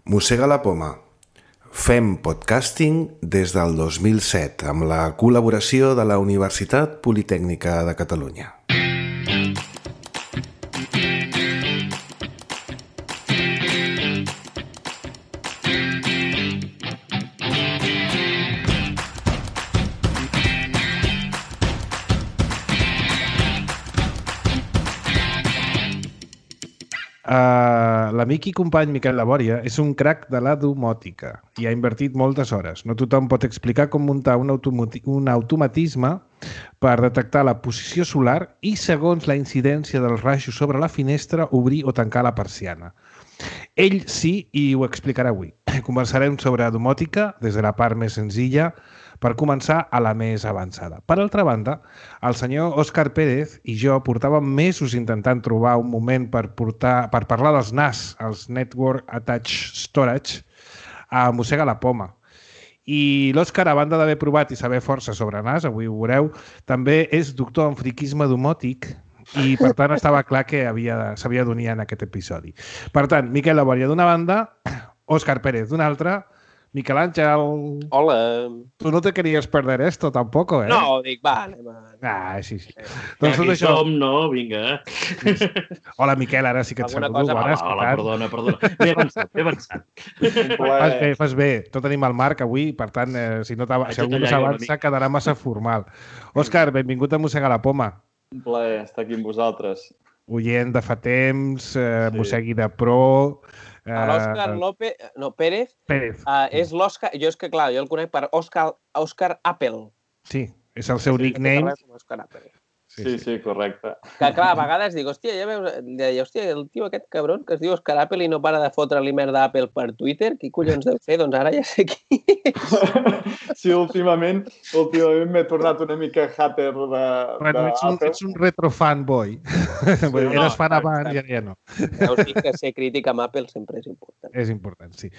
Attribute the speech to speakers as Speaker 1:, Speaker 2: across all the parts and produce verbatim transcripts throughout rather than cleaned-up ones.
Speaker 1: Mossega la poma. Fem podcasting des del dos mil set amb la col·laboració de la Universitat Politècnica de Catalunya.
Speaker 2: Uh, l'amic i company Miquel Labòria és un crac de la domòtica i ha invertit moltes hores. No tothom pot explicar com muntar un, automati un automatisme per detectar la posició solar i, segons la incidència dels rajos sobre la finestra, obrir o tancar la persiana. Ell sí, i ho explicarà avui. Conversarem sobre domòtica des de la part més senzilla per començar a la més avançada. Per altra banda, el senyor Òscar Pérez i jo portàvem mesos intentant trobar un moment per, portar, per parlar dels N A S, els Network Attached Storage, a Mossega la Poma. I l'Òscar, a banda d'haver provat i saber força sobre N A S, avui ho veureu, també és doctor en friquisme domòtic i, per tant, estava clar que s'havia d'unir en aquest episodi. Per tant, Miquel Labòria d'una banda, Òscar Pérez d'una altra. Miquel Àngel.
Speaker 3: Hola.
Speaker 2: Tu no te querías perder esto, tampoco, eh?
Speaker 3: No, dic, va, anem a...
Speaker 2: Ah, sí, sí.
Speaker 4: Eh, doncs aquí això... som, no? Vinga.
Speaker 2: Hola, Miquel, ara sí que et saludo.
Speaker 4: Cosa... Hola, hola, perdona, perdona. M'he avançat, m'he avançat.
Speaker 2: Fas bé, fas bé. Tot tenim el Marc avui, per tant, eh, si, no si algú no s'avança, quedarà massa formal. Òscar, benvingut a Mossega la Poma.
Speaker 5: Un plaer estar aquí amb vosaltres.
Speaker 2: Oient de fa temps, eh, sí. Mossegui de pro...
Speaker 3: L'Òscar López, no, Pérez,
Speaker 2: Pérez.
Speaker 3: Uh, és l'Òscar, jo és que clar, jo el conec per Òscar, Òscar Apple.
Speaker 2: Sí, és el seu sí, nickname.
Speaker 3: Òscar Apple.
Speaker 5: Sí, sí, sí, correcte.
Speaker 3: Que clar, a vegades dic, hòstia, ja veus, deia, hòstia, el tio aquest cabron que es diu Òscar Apple i no para de fotre-li merda d'Apple per Twitter, qui collons deu fer? Doncs ara ja sé qui és.
Speaker 5: Sí, últimament, últimament m'he tornat una mica hater de,
Speaker 2: bueno, ets un, ets un retro fanboy. Sí, no, eres fan abans i ara ja no.
Speaker 3: Veus dir que ser crític amb Apple sempre és important.
Speaker 2: És important, sí.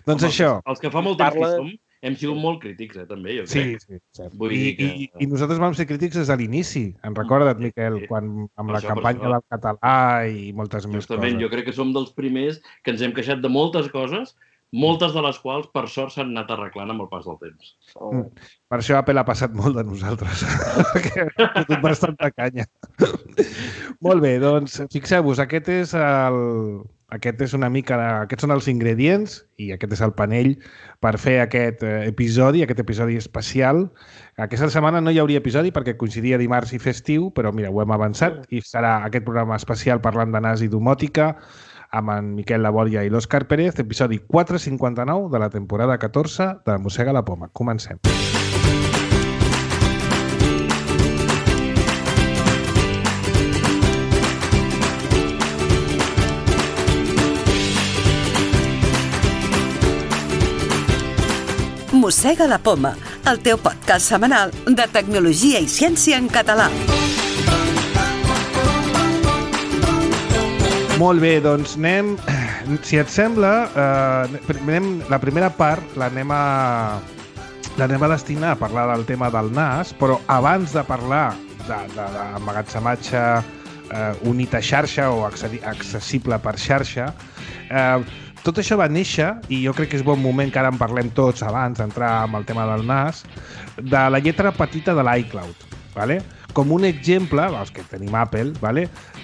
Speaker 2: Doncs Home, això...
Speaker 4: Els, els que fa molt temps Parla... que som, hem sigut molt crítics, eh, també, jo crec.
Speaker 2: Sí, sí, cert. Vull I, dir que... i, I nosaltres vam ser crítics des de l'inici, en recorda't, Miquel, sí, quan, amb la això, campanya del català i moltes més
Speaker 4: Justament,
Speaker 2: coses.
Speaker 4: Jo crec que som dels primers que ens hem queixat de moltes coses, moltes de les quals, per sort, s'han anat arreglant amb el pas del temps.
Speaker 2: Mm. Per això Apple ha passat molt de nosaltres, perquè ha fotut bastanta canya. Molt bé, doncs, fixeu-vos, aquest és el... Aquest és una mica, aquests són els ingredients i aquest és el panell per fer aquest episodi, aquest episodi especial. Aquesta setmana no hi hauria episodi perquè coincidia dimarts i festiu, però mira, ho hem avançat i serà aquest programa especial parlant de N A S i domòtica amb en Miquel Labòria i l'Òscar Pérez, episodi quatre cinquanta-nou de la temporada catorze de Mossega la Poma. Comencem.
Speaker 6: Mossega la Poma, el teu podcast setmanal de tecnologia i ciència en català.
Speaker 2: Molt bé, doncs anem, si et sembla, eh, anem, la primera part l'anem a, l'anem a destinar a parlar del tema del N A S, però abans de parlar d'emmagatzematge eh, unit a xarxa o accessible per xarxa, eh, tot això va néixer, i jo crec que és bon moment que ara en parlem tots abans d'entrar amb el tema del N A S, de la lletra petita de l'iCloud, ¿vale? Com un exemple, els que tenim Apple, ¿vale?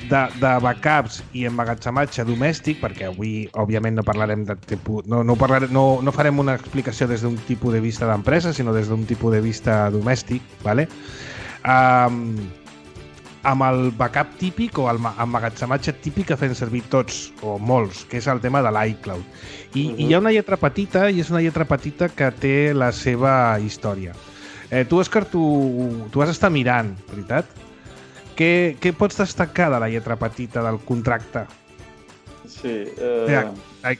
Speaker 2: de, de backups i emmagatzematge domèstic, perquè avui, òbviament, no parlarem de tipus, no, no, parlarem, no, no farem una explicació des d'un tipus de vista d'empresa, sinó des d'un tipus de vista domèstic, ¿vale? Um, amb el backup típic o el emmagatzematge típic que fem servir tots, o molts, que és el tema de l'iCloud. I, uh-huh. I hi ha una lletra petita, i és una lletra petita que té la seva història. Eh, tu, Òscar, tu, tu vas estar mirant, veritat? Què, què pots destacar de la lletra petita del contracte?
Speaker 5: Sí. Eh...
Speaker 2: Ja,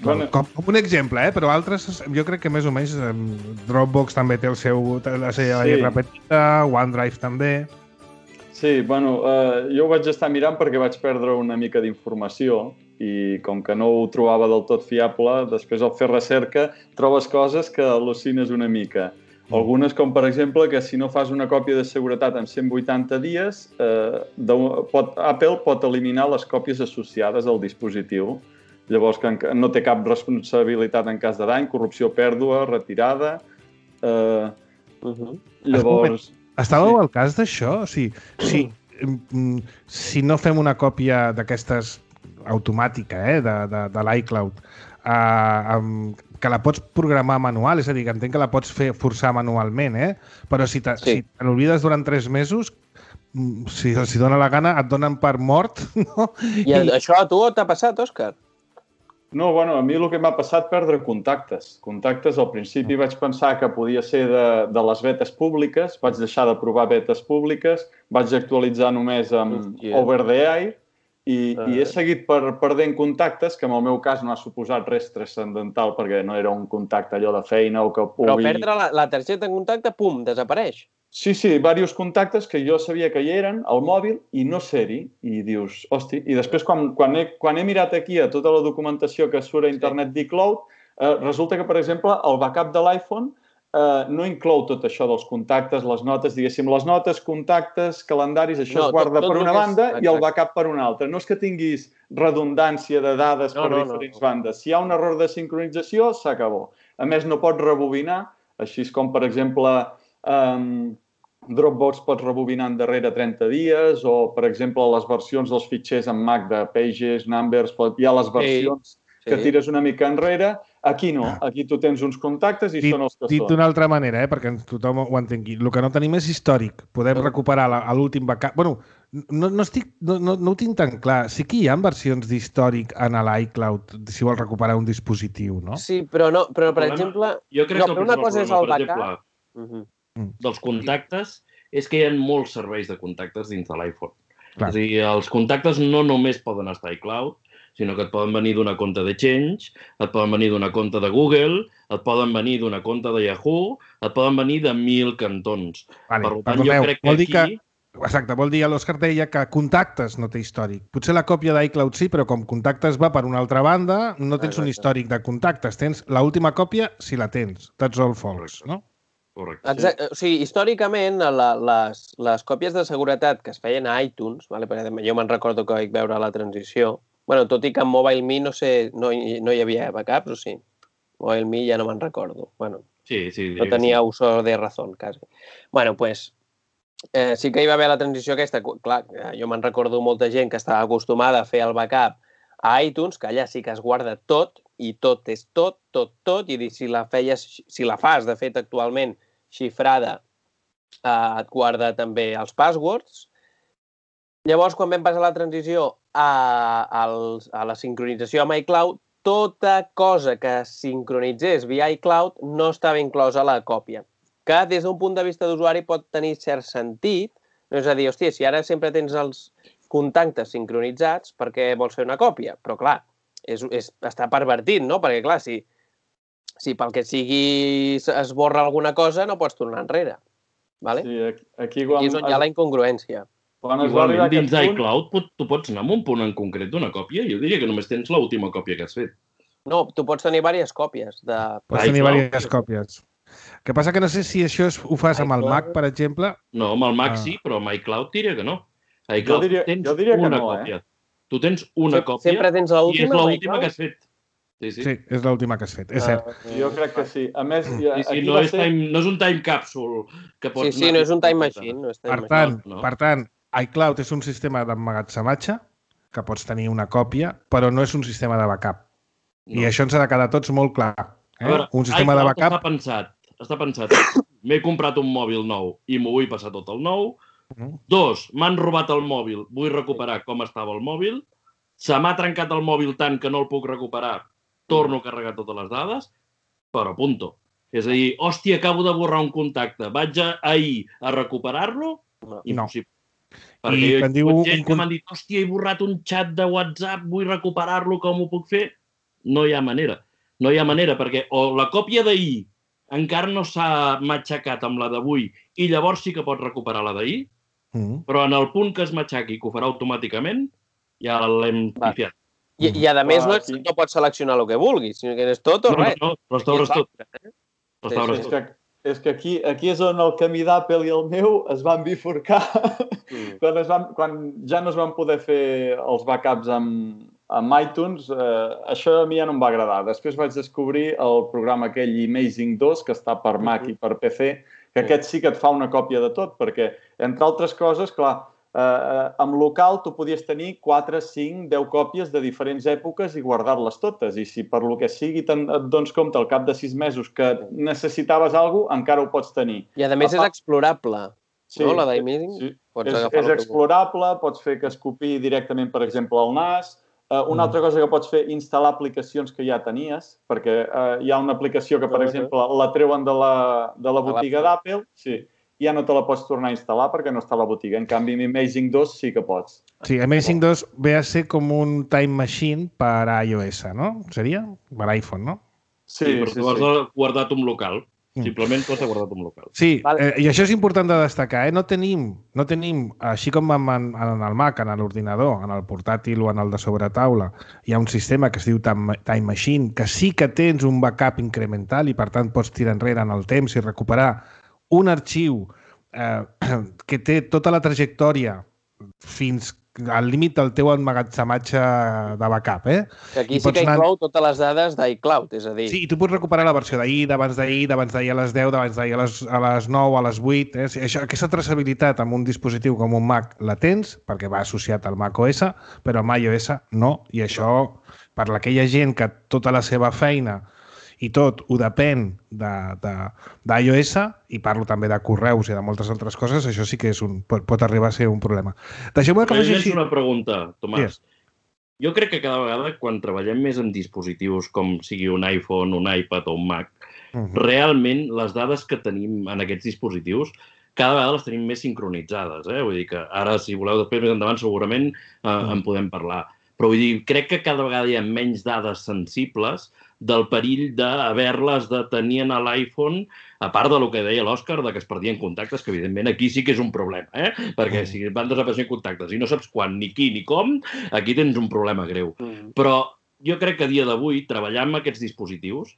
Speaker 2: bueno. com, com un exemple, eh? Però altres, jo crec que més o menys Dropbox també té el seu, la seva sí. lletra petita, OneDrive també...
Speaker 5: Sí, bueno, eh, jo ho vaig estar mirant perquè vaig perdre una mica d'informació i com que no ho trobava del tot fiable, després al fer recerca trobes coses que al·lucines una mica. Algunes com, per exemple, que si no fas una còpia de seguretat en cent vuitanta dies, eh, de, pot, Apple pot eliminar les còpies associades al dispositiu Llavors, que no té cap responsabilitat en cas de dany, corrupció, pèrdua, retirada... Eh,
Speaker 3: Uh -huh.
Speaker 5: llavors...
Speaker 2: Estàveu sí. al cas d'això? O sigui, si, si no fem una còpia d'aquestes automàtica, eh, de, de, de l'iCloud, eh, amb, que la pots programar manual, és a dir, que entenc que la pots fer forçar manualment, eh? Però si te, sí. si te n'oblides durant tres mesos, si els dona la gana, et donen per mort, no?
Speaker 3: I, I això a tu t'ha passat, Òscar?
Speaker 5: No, bueno, a mi el que m'ha passat perdre contactes. Contactes, al principi vaig pensar que podia ser de, de les betes públiques, vaig deixar de provar betes públiques, vaig actualitzar només amb Hòstia. Over the Air i, uh. i he seguit per, perdent contactes, que en el meu cas no ha suposat res transcendental perquè no era un contacte allò de feina o que pugui...
Speaker 3: Però perdre la, la targeta de contacte, pum, desapareix.
Speaker 5: Sí, sí, diversos contactes que jo sabia que hi eren al mòbil i no ser-hi. I dius, hosti, i després quan, quan, he, quan he mirat aquí a tota la documentació que surt a internet sí. d'iCloud, eh, resulta que, per exemple, el backup de l'iPhone eh, no inclou tot això dels contactes, les notes, diguéssim, les notes, contactes, calendaris, això no, es guarda tot, tot per una banda és... i el backup per una altra. No és que tinguis redundància de dades no, per no, diferents no, no. bandes. Si hi ha un error de sincronització, s'acabó. A més, no pots rebobinar, així com, per exemple... Um, Dropbox pots rebobinar endarrere trenta dies o, per exemple, les versions dels fitxers en Mac de Pages, Numbers, hi ha les versions sí, sí. que tires una mica enrere. Aquí no, aquí tu tens uns contactes i dit, són els que
Speaker 2: dit
Speaker 5: són.
Speaker 2: Dit d'una altra manera, eh, perquè tothom ho entengui. El que no tenim és històric. Podem sí. recuperar l'últim backup. Bueno, no, no, estic, no, no, no ho tinc tan clar. Sí que hi ha versions d'històric en l'iCloud si vols recuperar un dispositiu, no?
Speaker 3: Sí, però, no, però per exemple...
Speaker 4: Jo crec
Speaker 3: no,
Speaker 4: que
Speaker 3: una cosa és el backup...
Speaker 4: Exemple, uh -huh. dels contactes és que hi ha molts serveis de contactes dins de l'iPhone. És a dir, els contactes no només poden estar a iCloud, sinó que et poden venir d'una compte de Change, et poden venir d'una compte de Google, et poden venir d'una compte de Yahoo, et poden venir de mil cantons.
Speaker 2: Vale,
Speaker 4: per tant, jo crec que aquí...
Speaker 2: Que... Exacte, vol dir, l'Òscar deia que contactes no té històric. Potser la còpia d'iCloud sí, però com contactes va per una altra banda, no tens Exacte. un històric de contactes. Tens l'última còpia si la tens. That's all false, no?
Speaker 3: Correcte. Exacte. O sigui, històricament, la, les, les còpies de seguretat que es feien a iTunes, vale? Perquè jo me'n recordo que vaig veure la transició, bueno, tot i que en MobileMe no sé, no, no hi havia backups, o sí? MobileMe ja no me'n recordo. Bueno,
Speaker 4: sí, sí,
Speaker 3: no tenia sí. uso de razón, quasi. Bueno, pues, eh, sí que hi va haver la transició aquesta. Clar, jo me'n recordo molta gent que estava acostumada a fer el backup a iTunes, que allà sí que es guarda tot, i tot és tot, tot, tot, i si la feies, si la fas, de fet, actualment, xifrada, eh, et guarda també els passwords. Llavors, quan vam passar la transició a, a, a la sincronització amb iCloud, tota cosa que sincronitzés via iCloud no estava inclosa a la còpia, que des d'un punt de vista d'usuari pot tenir cert sentit. No és a dir, hòstia, si ara sempre tens els contactes sincronitzats, per què vols fer una còpia? Però, clar, és, és, està pervertit, no? Perquè, clar, si, si pel que sigui es borra alguna cosa, no pots tornar enrere. Vale?
Speaker 5: Sí, aquí, aquí quan...
Speaker 3: I és on hi ha la incongruència.
Speaker 5: Quan es va arribar a
Speaker 4: dins
Speaker 5: aquest punt...
Speaker 4: d'iCloud tu pots anar amb un punt en concret d'una còpia? Jo diria que només tens l'última còpia que has fet.
Speaker 3: No, tu pots tenir diverses còpies. De...
Speaker 2: Pots tenir diverses còpies. El que passa que no sé si això ho fas amb el Mac, per exemple.
Speaker 4: No, amb el Mac sí, però amb iCloud diria que no. A iCloud
Speaker 5: jo diria,
Speaker 4: tens
Speaker 5: jo diria que
Speaker 4: una
Speaker 5: no,
Speaker 4: còpia.
Speaker 5: Eh?
Speaker 4: Tu tens una
Speaker 3: sí,
Speaker 4: còpia
Speaker 3: sempre tens l'última,
Speaker 4: i és l'última que has fet. Sí, sí.
Speaker 2: Sí, és l'última que has fet, és cert.
Speaker 5: Uh, jo crec que sí. A més,
Speaker 4: sí, sí, no, és ser... time, no és un time capsule que pots...
Speaker 3: Sí, sí, no és un time machine. No és time
Speaker 2: per, tant, no. per tant, iCloud és un sistema d'emmagatzematge que pots tenir una còpia, però no és un sistema de backup. No. I això ens ha de quedar tots molt clar. Eh?
Speaker 4: A veure,
Speaker 2: un sistema de backup...
Speaker 4: Està pensat, està pensat. M'he comprat un mòbil nou i m'ho vull passar tot el nou. Uh-huh. Dos, m'han robat el mòbil, vull recuperar com estava el mòbil. Se m'ha trencat el mòbil tant que no el puc recuperar, torno a carregar totes les dades, però punto. És a dir, hòstia, acabo de borrar un contacte, vaig a, ahir a recuperar-lo? Impossible. No. Perquè I jo, diu gent un... que m'han dit, hòstia, he borrat un xat de WhatsApp, vull recuperar-lo, com ho puc fer? No hi ha manera. No hi ha manera, perquè o la còpia d'ahir encara no s'ha matxacat amb la d'avui i llavors sí que pots recuperar la d'ahir, mm. però en el punt que es matxaqui, que ho farà automàticament, ja l'hem pifiat.
Speaker 3: I, I a més no, no pots seleccionar el que vulguis, sinó que és tot o
Speaker 4: no,
Speaker 3: res.
Speaker 4: No, no, restaures tot. Eh? Restaures
Speaker 5: sí, sí.
Speaker 4: tot.
Speaker 5: És que, és que aquí, aquí és on el camí d'Apple i el meu es van bifurcar mm. quan, es van, quan ja no es van poder fer els backups amb, amb iTunes, eh, això a mi ja no em va agradar. Després vaig descobrir el programa aquell Amazing dos, que està per Mac i per P C, que aquest sí que et fa una còpia de tot, perquè, entre altres coses, clar, eh, amb local tu podies tenir quatre, cinc, deu còpies de diferents èpoques i guardar-les totes. I si per lo que sigui et dones compte al cap de sis mesos que necessitaves alguna cosa, encara ho pots tenir.
Speaker 3: I a més és explorable.
Speaker 5: Sí,
Speaker 3: no, la d'Amazing?
Speaker 5: Sí. És, és explorable, pots fer que es copiï directament, per exemple, al N A S. Uh, una mm. altra cosa que pots fer, instal·lar aplicacions que ja tenies, perquè uh, hi ha una aplicació que, per exemple, la treuen de la, de la botiga d'Apple, sí, ja no te la pots tornar a instal·lar perquè no està a la botiga. En canvi, amb Amazing dos sí que pots.
Speaker 2: Sí, Amazing dos ve a ser com un time machine per a iOS, no? Seria? Per a iPhone, no?
Speaker 4: Sí, sí, però sí, tu has sí. guardat un local. Simplement tu has guardat un local.
Speaker 2: Sí, eh, i això és important de destacar. Eh? No tenim, no tenim, així com en, en el Mac, en l'ordinador, en el portàtil o en el de sobretaula, hi ha un sistema que es diu Time Machine, que sí que tens un backup incremental i, per tant, pots tirar enrere en el temps i recuperar un arxiu eh, que té tota la trajectòria fins al límit del teu emmagatzematge de backup, eh?
Speaker 3: Que aquí sí que inclou anar... totes les dades d'iCloud, és a dir...
Speaker 2: Sí, i tu pots recuperar la versió d'ahir, d'abans d'ahir, d'abans d'ahir a les deu, d'abans d'ahir a, les, a les nou, a les vuit... Eh? Això, aquesta traçabilitat amb un dispositiu com un Mac la tens, perquè va associat al macOS, però amb iOS no, i això, per aquella gent que tota la seva feina i tot ho depèn d'iOS, i parlo també de correus i de moltes altres coses, això sí que és un, pot, pot arribar a ser un problema.
Speaker 4: Deixeu-me que faci així... una pregunta, Tomàs. Sí. Jo crec que cada vegada, quan treballem més amb dispositius com sigui un iPhone, un iPad o un Mac, uh -huh. realment les dades que tenim en aquests dispositius cada vegada les tenim més sincronitzades. Eh? Vull dir que ara, si voleu, després més endavant, segurament eh, uh -huh. en podem parlar. Però vull dir, crec que cada vegada hi ha menys dades sensibles del perill d'haver-les de tenir a l'iPhone, a part del que deia l'Òscar, que es perdien contactes, que evidentment aquí sí que és un problema, eh? Perquè si van desapareixent contactes i no saps quan, ni qui, ni com, aquí tens un problema greu. Mm. Però jo crec que a dia d'avui, treballar amb aquests dispositius,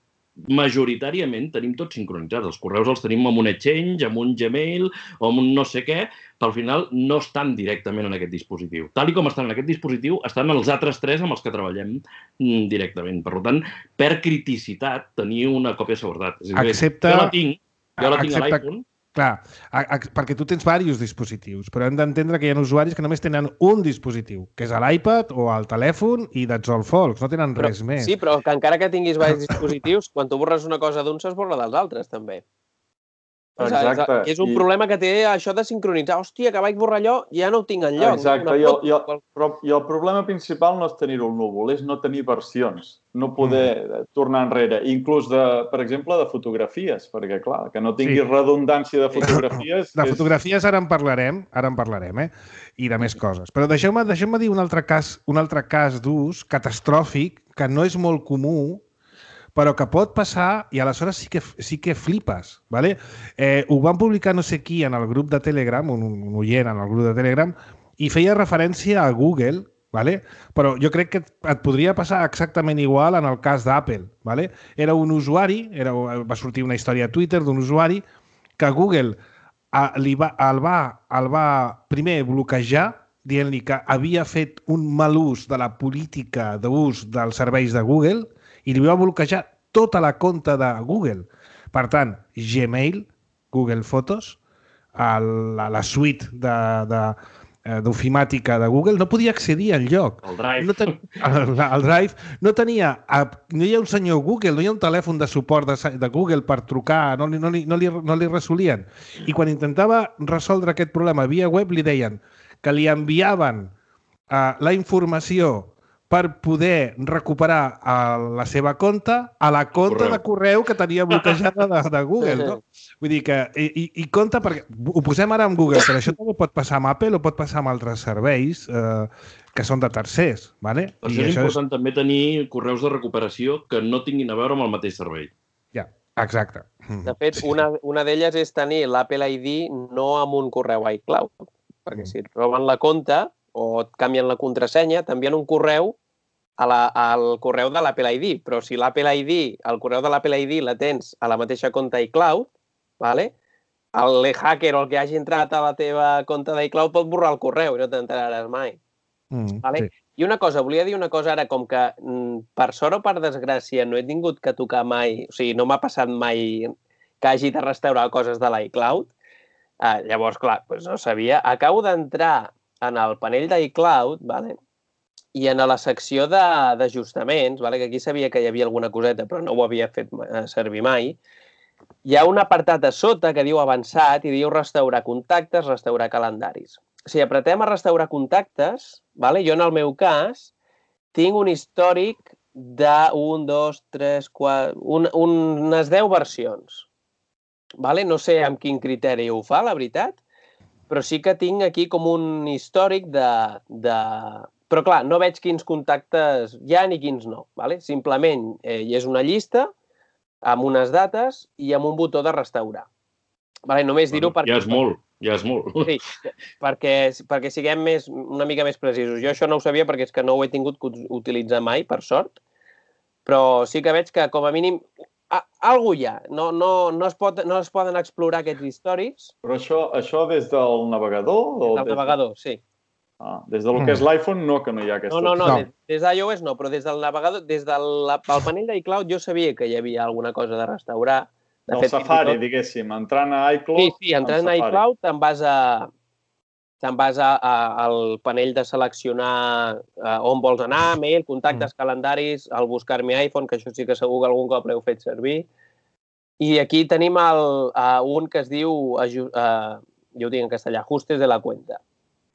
Speaker 4: majoritàriament tenim tots sincronitzats. Els correus els tenim amb un Exchange, amb un Gmail o amb un no sé què, però al final no estan directament en aquest dispositiu. Tal i com estan en aquest dispositiu, estan els altres tres amb els que treballem directament. Per tant, per criticitat, tenir una còpia de seguretat. És a dir,
Speaker 2: Excepte...
Speaker 4: Jo la tinc, jo la tinc
Speaker 2: Excepte...
Speaker 4: a l'iPhone.
Speaker 2: Clar, a, a, perquè tu tens diversos dispositius, però hem d'entendre que hi ha usuaris que només tenen un dispositiu, que és l'iPad o el telèfon, i that's all folks, no tenen
Speaker 3: però,
Speaker 2: res més.
Speaker 3: Sí, però que encara que tinguis diversos dispositius, quan tu borres una cosa d'un, s'esborra dels altres, també.
Speaker 5: Exacte.
Speaker 3: És un I... problema que té això de sincronitzar. Hòstia, que vaig borrar allò, ja no ho tinc enlloc.
Speaker 5: Exacte, I el, i, el, però, i el problema principal no és tenir-ho al núvol, és no tenir versions, no poder mm. tornar enrere, inclús, de, per exemple, de fotografies, perquè, clar, que no tinguis sí. redundància de fotografies...
Speaker 2: De és... fotografies ara en parlarem, ara en parlarem, eh? I de més coses. Però deixeu-me deixeu-me dir un altre cas, un altre cas d'ús catastròfic, que no és molt comú, però que pot passar i aleshores sí que, sí que flipes. ¿Vale? Eh, ho van publicar no sé qui en el grup de Telegram, un, un oient en el grup de Telegram, i feia referència a Google, ¿vale? Però jo crec que et podria passar exactament igual en el cas d'Apple. ¿Vale? Era un usuari, era, va sortir una història a Twitter d'un usuari que Google a, li va, el, va, el va primer bloquejar dient-li que havia fet un mal ús de la política d'ús dels serveis de Google i li va bloquejar tota la compte de Google. Per tant, Gmail, Google Fotos, el, la, la suite d'ofimàtica de, de, de Google, no podia accedir al lloc.
Speaker 4: El Drive.
Speaker 2: No ten, el, el Drive no tenia... No hi ha un senyor Google, no hi ha un telèfon de suport de, de Google per trucar, no, no, li, no, li, no li resolien. I quan intentava resoldre aquest problema via web, li deien que li enviaven uh, la informació per poder recuperar uh, la seva compte a la compte de correu que tenia bloquejada de, de Google. No? Vull dir que... I, i compte, perquè ho posem ara amb Google, però això també pot passar amb Apple o pot passar amb altres serveis eh, que són de tercers. ¿Vale?
Speaker 4: Per això és important és... també tenir correus de recuperació que no tinguin a veure amb el mateix servei.
Speaker 2: Ja, exacte.
Speaker 3: De fet, sí. una, una d'elles és tenir l'Apple I D no amb un correu iCloud, perquè si et roben la compte o et canvien la contrasenya, t'envien un correu a la, al correu de l'Apple I D, però si l'Apple I D, el correu de l'Apple I D la tens a la mateixa compte iCloud, ¿vale? El hacker o el que hagi entrat a la teva compte d'iCloud pot borrar el correu i no t'enteraràs mai. Mm, ¿vale? Sí. I I una cosa, volia dir una cosa ara, com que per sort o per desgràcia no he tingut que tocar mai, o sigui, no m'ha passat mai que hagi de restaurar coses de l'iCloud, eh, llavors, clar, doncs no sabia. Acabo d'entrar en el panell d'iCloud, vale? I en la secció d'ajustaments, vale? Que aquí sabia que hi havia alguna coseta, però no ho havia fet servir mai, hi ha un apartat a sota que diu avançat i diu restaurar contactes, restaurar calendaris. Si apretem a restaurar contactes, vale? Jo en el meu cas tinc un històric de un, dos, tres, quatre... Un, unes deu versions. Vale? No sé amb quin criteri ho fa, la veritat, però sí que tinc aquí com un històric de... de... Però, clar, no veig quins contactes hi ha ni quins no. Vale? Simplement eh, hi és una llista amb unes dates i amb un botó de restaurar. Vale? Només dir-ho
Speaker 4: bueno,
Speaker 3: perquè...
Speaker 4: Ja és molt, ja és molt.
Speaker 3: Sí, perquè, perquè siguem més, una mica més precisos. Jo això no ho sabia perquè és que no ho he tingut que utilitzar mai, per sort, però sí que veig que, com a mínim, algú hi ha. No, no, no, es pot, no es poden explorar aquests històrics.
Speaker 5: Però això, això des del navegador?
Speaker 3: Des del navegador, sí.
Speaker 5: Ah, des del que és l'iPhone no, que no hi ha aquesta...
Speaker 3: No, no, no, no. Des, des d'iOS no, però des del navegador, des del panell d'iCloud jo sabia que hi havia alguna cosa de restaurar.
Speaker 5: De el fet, Safari, tot... diguéssim, entrant a iCloud...
Speaker 3: Sí, sí, entrant a iCloud te'n vas a... te'n vas a, a, al panell de seleccionar a, on vols anar, mail, contactes, mm. calendaris, el buscar-me iPhone, que això sí que segur que algun cop l'heu fet servir. I aquí tenim el, uh, un que es diu, uh, jo ho dic en castellà, ajustes de la cuenta.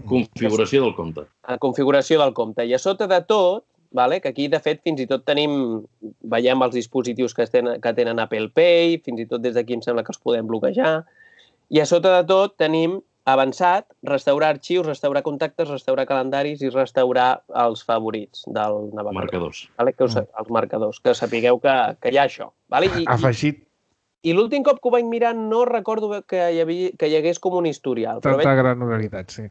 Speaker 4: Configuració del compte.
Speaker 3: La configuració del compte. I a sota de tot, vale, que aquí, de fet, fins i tot tenim, veiem els dispositius que tenen, que tenen Apple Pay, fins i tot des d'aquí em sembla que els podem bloquejar, i a sota de tot tenim avançat, restaurar arxius, restaurar contactes, restaurar calendaris i restaurar els favorits del navegador.
Speaker 4: Marcadors.
Speaker 3: Vale? Que us, els marcadors, que sapigueu que, que hi ha això. Vale? I,
Speaker 2: Afegit.
Speaker 3: I l'últim cop que ho vaig mirar no recordo que hi, havia, que hi hagués com un historial.
Speaker 2: Tanta veig... granularitat, sí.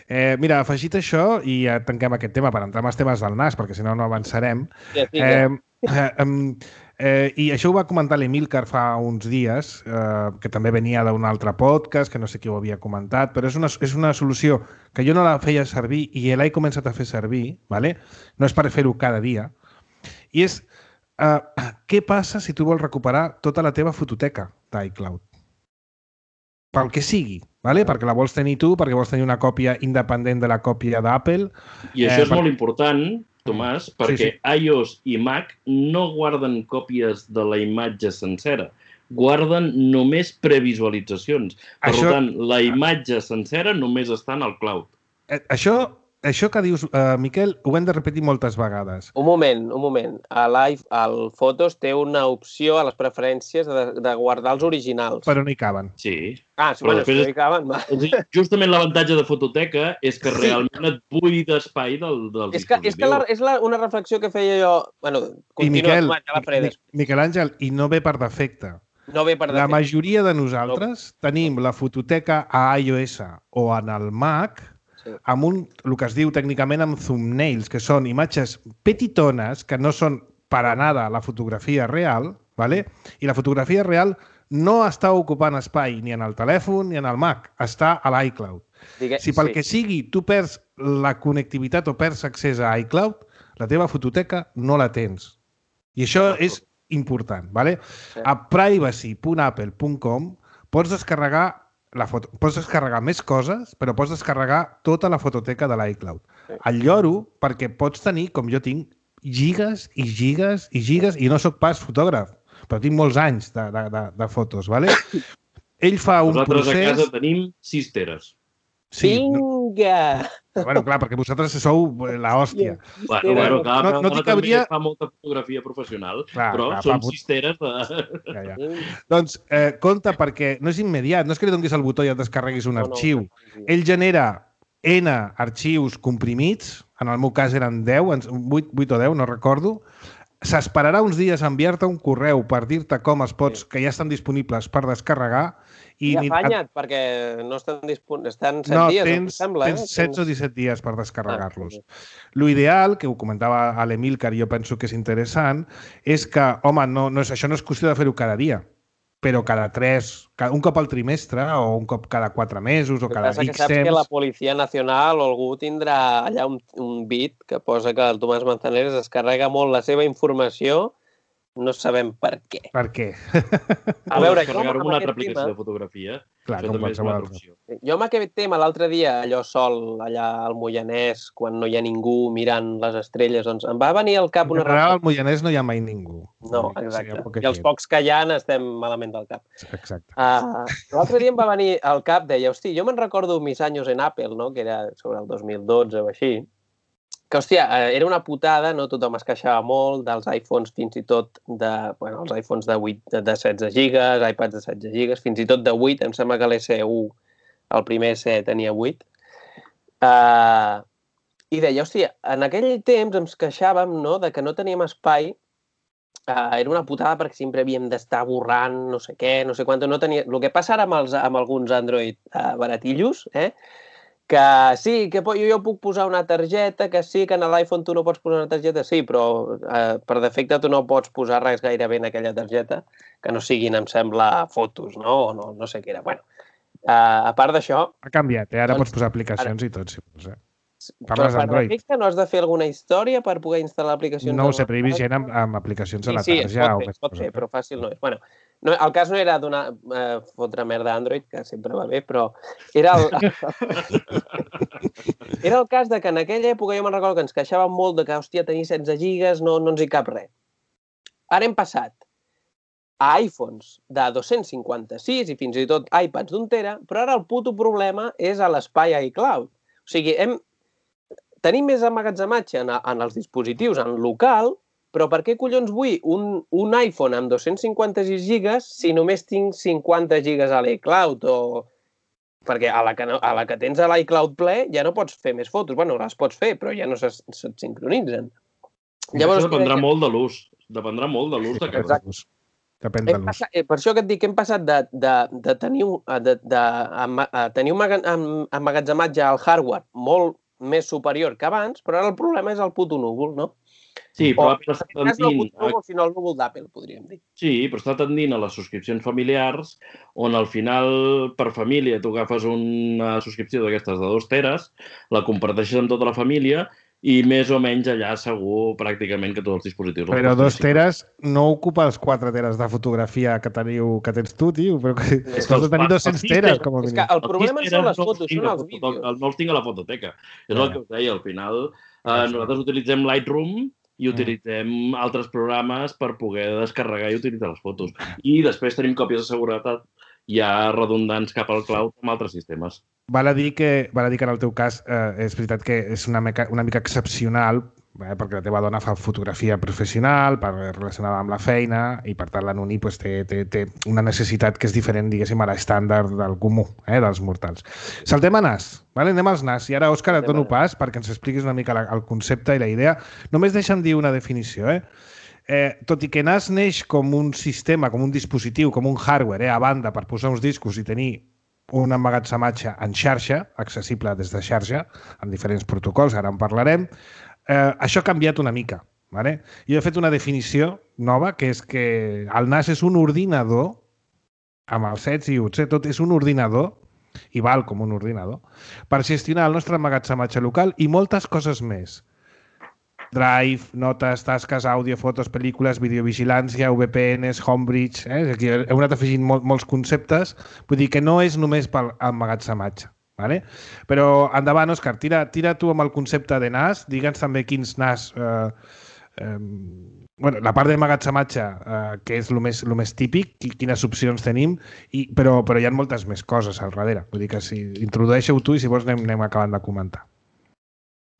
Speaker 2: Eh, mira, afegit això, i ja tanquem aquest tema per entrar en els temes del N A S, perquè si no, no avançarem.
Speaker 3: Sí, sí,
Speaker 2: eh, eh, eh, I això ho va comentar l'Emílcar fa uns dies, eh, que també venia d'un altre podcast, que no sé qui ho havia comentat, però és una, és una solució que jo no la feia servir i l'he començat a fer servir, ¿vale? No és per fer-ho cada dia, i és... Uh, què passa si tu vols recuperar tota la teva fototeca d'iCloud? Pel que sigui, ¿vale? Perquè la vols tenir tu, perquè vols tenir una còpia independent de la còpia d'Apple.
Speaker 4: I això eh, és per... molt important, Tomàs, perquè sí, sí. iOS i Mac no guarden còpies de la imatge sencera. Guarden només previsualitzacions. Per això... tant, la imatge sencera només està en el cloud.
Speaker 2: Eh, això... Això que dius, uh, Miquel, ho hem de repetir moltes vegades.
Speaker 3: Un moment, un moment. A Live, al Fotos té una opció a les preferències de, de guardar els originals.
Speaker 2: Però no hi caben.
Speaker 4: Sí.
Speaker 3: Ah, sí, bueno, després, no hi caben. Va.
Speaker 4: Justament l'avantatge de fototeca és que sí. realment et buida espai del, del
Speaker 3: és que, dispositiu. És que la, és la, una reflexió que feia jo... Bueno,
Speaker 2: I Miquel, ja Miquel Àngel, i no ve per defecte.
Speaker 3: No ve per defecte.
Speaker 2: La majoria de nosaltres no. tenim la fototeca a iOS o en el Mac... amb un, el que es diu tècnicament amb thumbnails, que són imatges petitones que no són per a nada la fotografia real, ¿vale? I la fotografia real no està ocupant espai ni en el telèfon ni en el Mac, està a l'iCloud. Digue... Si pel sí. que sigui tu perds la connectivitat o perds accés a iCloud, la teva fototeca no la tens. I això és important, ¿vale? Sí. A privacy punt apple punt com pots descarregar la foto. Pots descarregar més coses, però pots descarregar tota la fototeca de l'iCloud. Sí. El lloro perquè pots tenir, com jo tinc, gigas i gigas i gigas, i no sóc pas fotògraf, però tinc molts anys de, de, de, de fotos, ¿vale? Ell fa un
Speaker 4: Nosaltres
Speaker 2: procés...
Speaker 4: Nosaltres a casa tenim sis teres.
Speaker 3: Sí. Vinga!
Speaker 2: Bueno, clar, perquè vosaltres sou la hòstia.
Speaker 4: Bueno, bueno, clar,
Speaker 2: no, no t'hi cabria...
Speaker 4: fa molta fotografia professional,
Speaker 2: clar,
Speaker 4: però
Speaker 2: clar,
Speaker 4: són
Speaker 2: fa...
Speaker 4: sis teres de...
Speaker 2: Ja, ja. Doncs, eh, compte, perquè no és immediat, no és que li donis el botó i et descarreguis un no, arxiu. No. Ell genera N arxius comprimits, en el meu cas eren deu, vuit, vuit o deu, no recordo. S'esperarà uns dies a enviar-te un correu per dir-te com es pots, que ja estan disponibles per descarregar.
Speaker 3: I, I afanya't, et... perquè no estan disponibles, estan set
Speaker 2: no,
Speaker 3: dies,
Speaker 2: tens,
Speaker 3: em sembla.
Speaker 2: Tens
Speaker 3: eh?
Speaker 2: setze o disset dies per descarregar-los. Ah, sí. L'ideal, que ho comentava a l'Emílcar i jo penso que és interessant, és que, home, no, no és, això no és qüestió de fer-ho cada dia, però cada tres, un cop al trimestre o un cop cada quatre mesos o cada
Speaker 3: X
Speaker 2: temps.
Speaker 3: Saps que la Policia Nacional o algú tindrà allà un, un bit que posa que el Tomàs Manzanares es carrega molt la seva informació. No sabem per què.
Speaker 2: Per què?
Speaker 3: A veure, jo
Speaker 4: descarregar-ho
Speaker 3: amb
Speaker 4: una altra
Speaker 3: aquest
Speaker 4: aplicació
Speaker 3: tema...
Speaker 4: de fotografia.
Speaker 2: Clar,
Speaker 4: Això
Speaker 2: com
Speaker 4: també és una altra
Speaker 2: qualsevol
Speaker 4: opció.
Speaker 3: Jo amb aquest tema, l'altre dia, allò sol, allà al Moianès, quan no hi ha ningú mirant les estrelles, doncs em va venir al cap
Speaker 2: En
Speaker 3: una...
Speaker 2: general, al Moianès no hi ha mai ningú.
Speaker 3: No, exacte. I els pocs que hi ha estem malament del cap.
Speaker 2: Exacte.
Speaker 3: Uh, L'altre dia em va venir al cap, deia, hosti, jo me'n recordo mis anys en Apple, no?, que era sobre el dos mil dotze o així, que, hòstia, era una putada, no? Tothom es queixava molt dels iPhones, fins i tot de... Bueno, els iPhones de, vuit, de setze gigas, iPads de setze gigas, fins i tot de vuit, em sembla que l'S U, el primer S E tenia vuit. Uh, I deia, hòstia, en aquell temps ens queixàvem, no?, de que no teníem espai. Uh, era una putada perquè sempre havíem d'estar borrant no sé què, no sé quant. No tenia... El que passa ara amb, els, amb alguns Android uh, baratillos, eh?, que sí, que jo, jo puc posar una targeta, que sí, que en l'iPhone tu no pots posar una targeta, sí, però eh, per defecte tu no pots posar res gairebé en aquella targeta, que no siguin, em sembla, fotos, no? O no, no sé què era. Bueno, eh, a part d'això...
Speaker 2: Ha canviat, eh? Ara
Speaker 3: doncs,
Speaker 2: pots posar aplicacions ara... i tot, si vols, eh?
Speaker 3: Però per defecte no has de fer alguna història per poder instal·lar aplicacions?
Speaker 2: No ho sé, però hi vigent amb, amb aplicacions
Speaker 3: sí,
Speaker 2: a la
Speaker 3: sí,
Speaker 2: tarja.
Speaker 3: Sí, es pot fer,
Speaker 2: o
Speaker 3: es pot fer, però fàcil no és. Bueno, no, el cas no era donar eh, fotre merda a Android, que sempre va bé, però era el... era el cas de que en aquella època jo me'n recordo que ens queixàvem molt de que, hòstia, tenir setze gigas no, no ens hi cap res. Ara hem passat a iPhones de dos-cents cinquanta-sis i fins i tot iPads d'un tera, però ara el puto problema és a l'espai iCloud. O sigui, hem... tenim més emmagatzematge en, en els dispositius en local, però per què collons vull un, un iPhone amb dos-cents cinquanta-sis gigas si només tinc cinquanta gigas a l'iCloud? O... Perquè a la, que no, a la que tens a l'iCloud ple ja no pots fer més fotos. Bueno, les pots fer, però ja no se't sincronitzen.
Speaker 4: Llavors, Això dependrà que... molt de l'ús. Dependrà molt de l'ús de cada
Speaker 2: ús. Depèn de l'ús.
Speaker 3: Eh, per això que et dic que hem passat de, de, de tenir un, de, de, de tenir un emmagatzematge al hardware molt més superior que abans, però ara el problema és el puto núvol, no?
Speaker 4: Sí, però
Speaker 3: o, està tendint... No el puto núvol, sinó el núvol d'Apple, podríem dir.
Speaker 4: Sí, però està tendint a les subscripcions familiars, on al final, per família, tu agafes una subscripció d'aquestes de dos teres, la comparteixes amb tota la família i més o menys allà segur pràcticament que tots els dispositius...
Speaker 2: Però dos teres no ocupa els quatre teres de fotografia que teniu que tens tu, tio. Però que has de tenir dos-cents teres, com a mínim.
Speaker 3: És que el problema no són les fotos, són els vídeos.
Speaker 4: No els tinc a la fototeca. És el que us deia, al final nosaltres utilitzem Lightroom i utilitzem altres programes per poder descarregar i utilitzar les fotos. I després tenim còpies de seguretat ja redundants cap al cloud amb altres sistemes.
Speaker 2: Val a dir que, val a dir que en el teu cas eh, és veritat que és una mica, una mica excepcional, eh, perquè la teva dona fa fotografia professional, per, relacionada amb la feina, i per tant la Nuni pues, té, té, té una necessitat que és diferent, diguéssim, a l'estàndard del comú, eh, dels mortals. Saltem a N A S, vale? Anem als N A S. I ara, Òscar, et dono pas perquè ens expliquis una mica la, el concepte i la idea. Només deixa'm dir una definició, eh? Eh, tot i que N A S neix com un sistema, com un dispositiu, com un hardware, eh, a banda per posar uns discos i tenir un emmagatzematge en xarxa, accessible des de xarxa, amb diferents protocols, ara en parlarem, eh, això ha canviat una mica. Vale? Jo he fet una definició nova, que és que el N A S és un ordinador, amb els sets i uts, eh, tot és un ordinador, i val com un ordinador, per gestionar el nostre emmagatzematge local i moltes coses més. Drive, notes, tasques, àudio, fotos, pel·lícules, videovigilància, V P Ns, Homebridge... Eh? Aquí heu anat afegint mol, molts conceptes. Vull dir que no és només pel emmagatzematge. Vale? Però endavant, Òscar, tira, tira tu amb el concepte de N A S. Digue'ns també quins N A S... Eh, eh, bueno, la part d'emmagatzematge, eh, que és el més, el més típic, quines opcions tenim, i, però, però hi ha moltes més coses al darrere. Vull dir que si introdueixeu tu i si vols anem, anem acabant de comentar.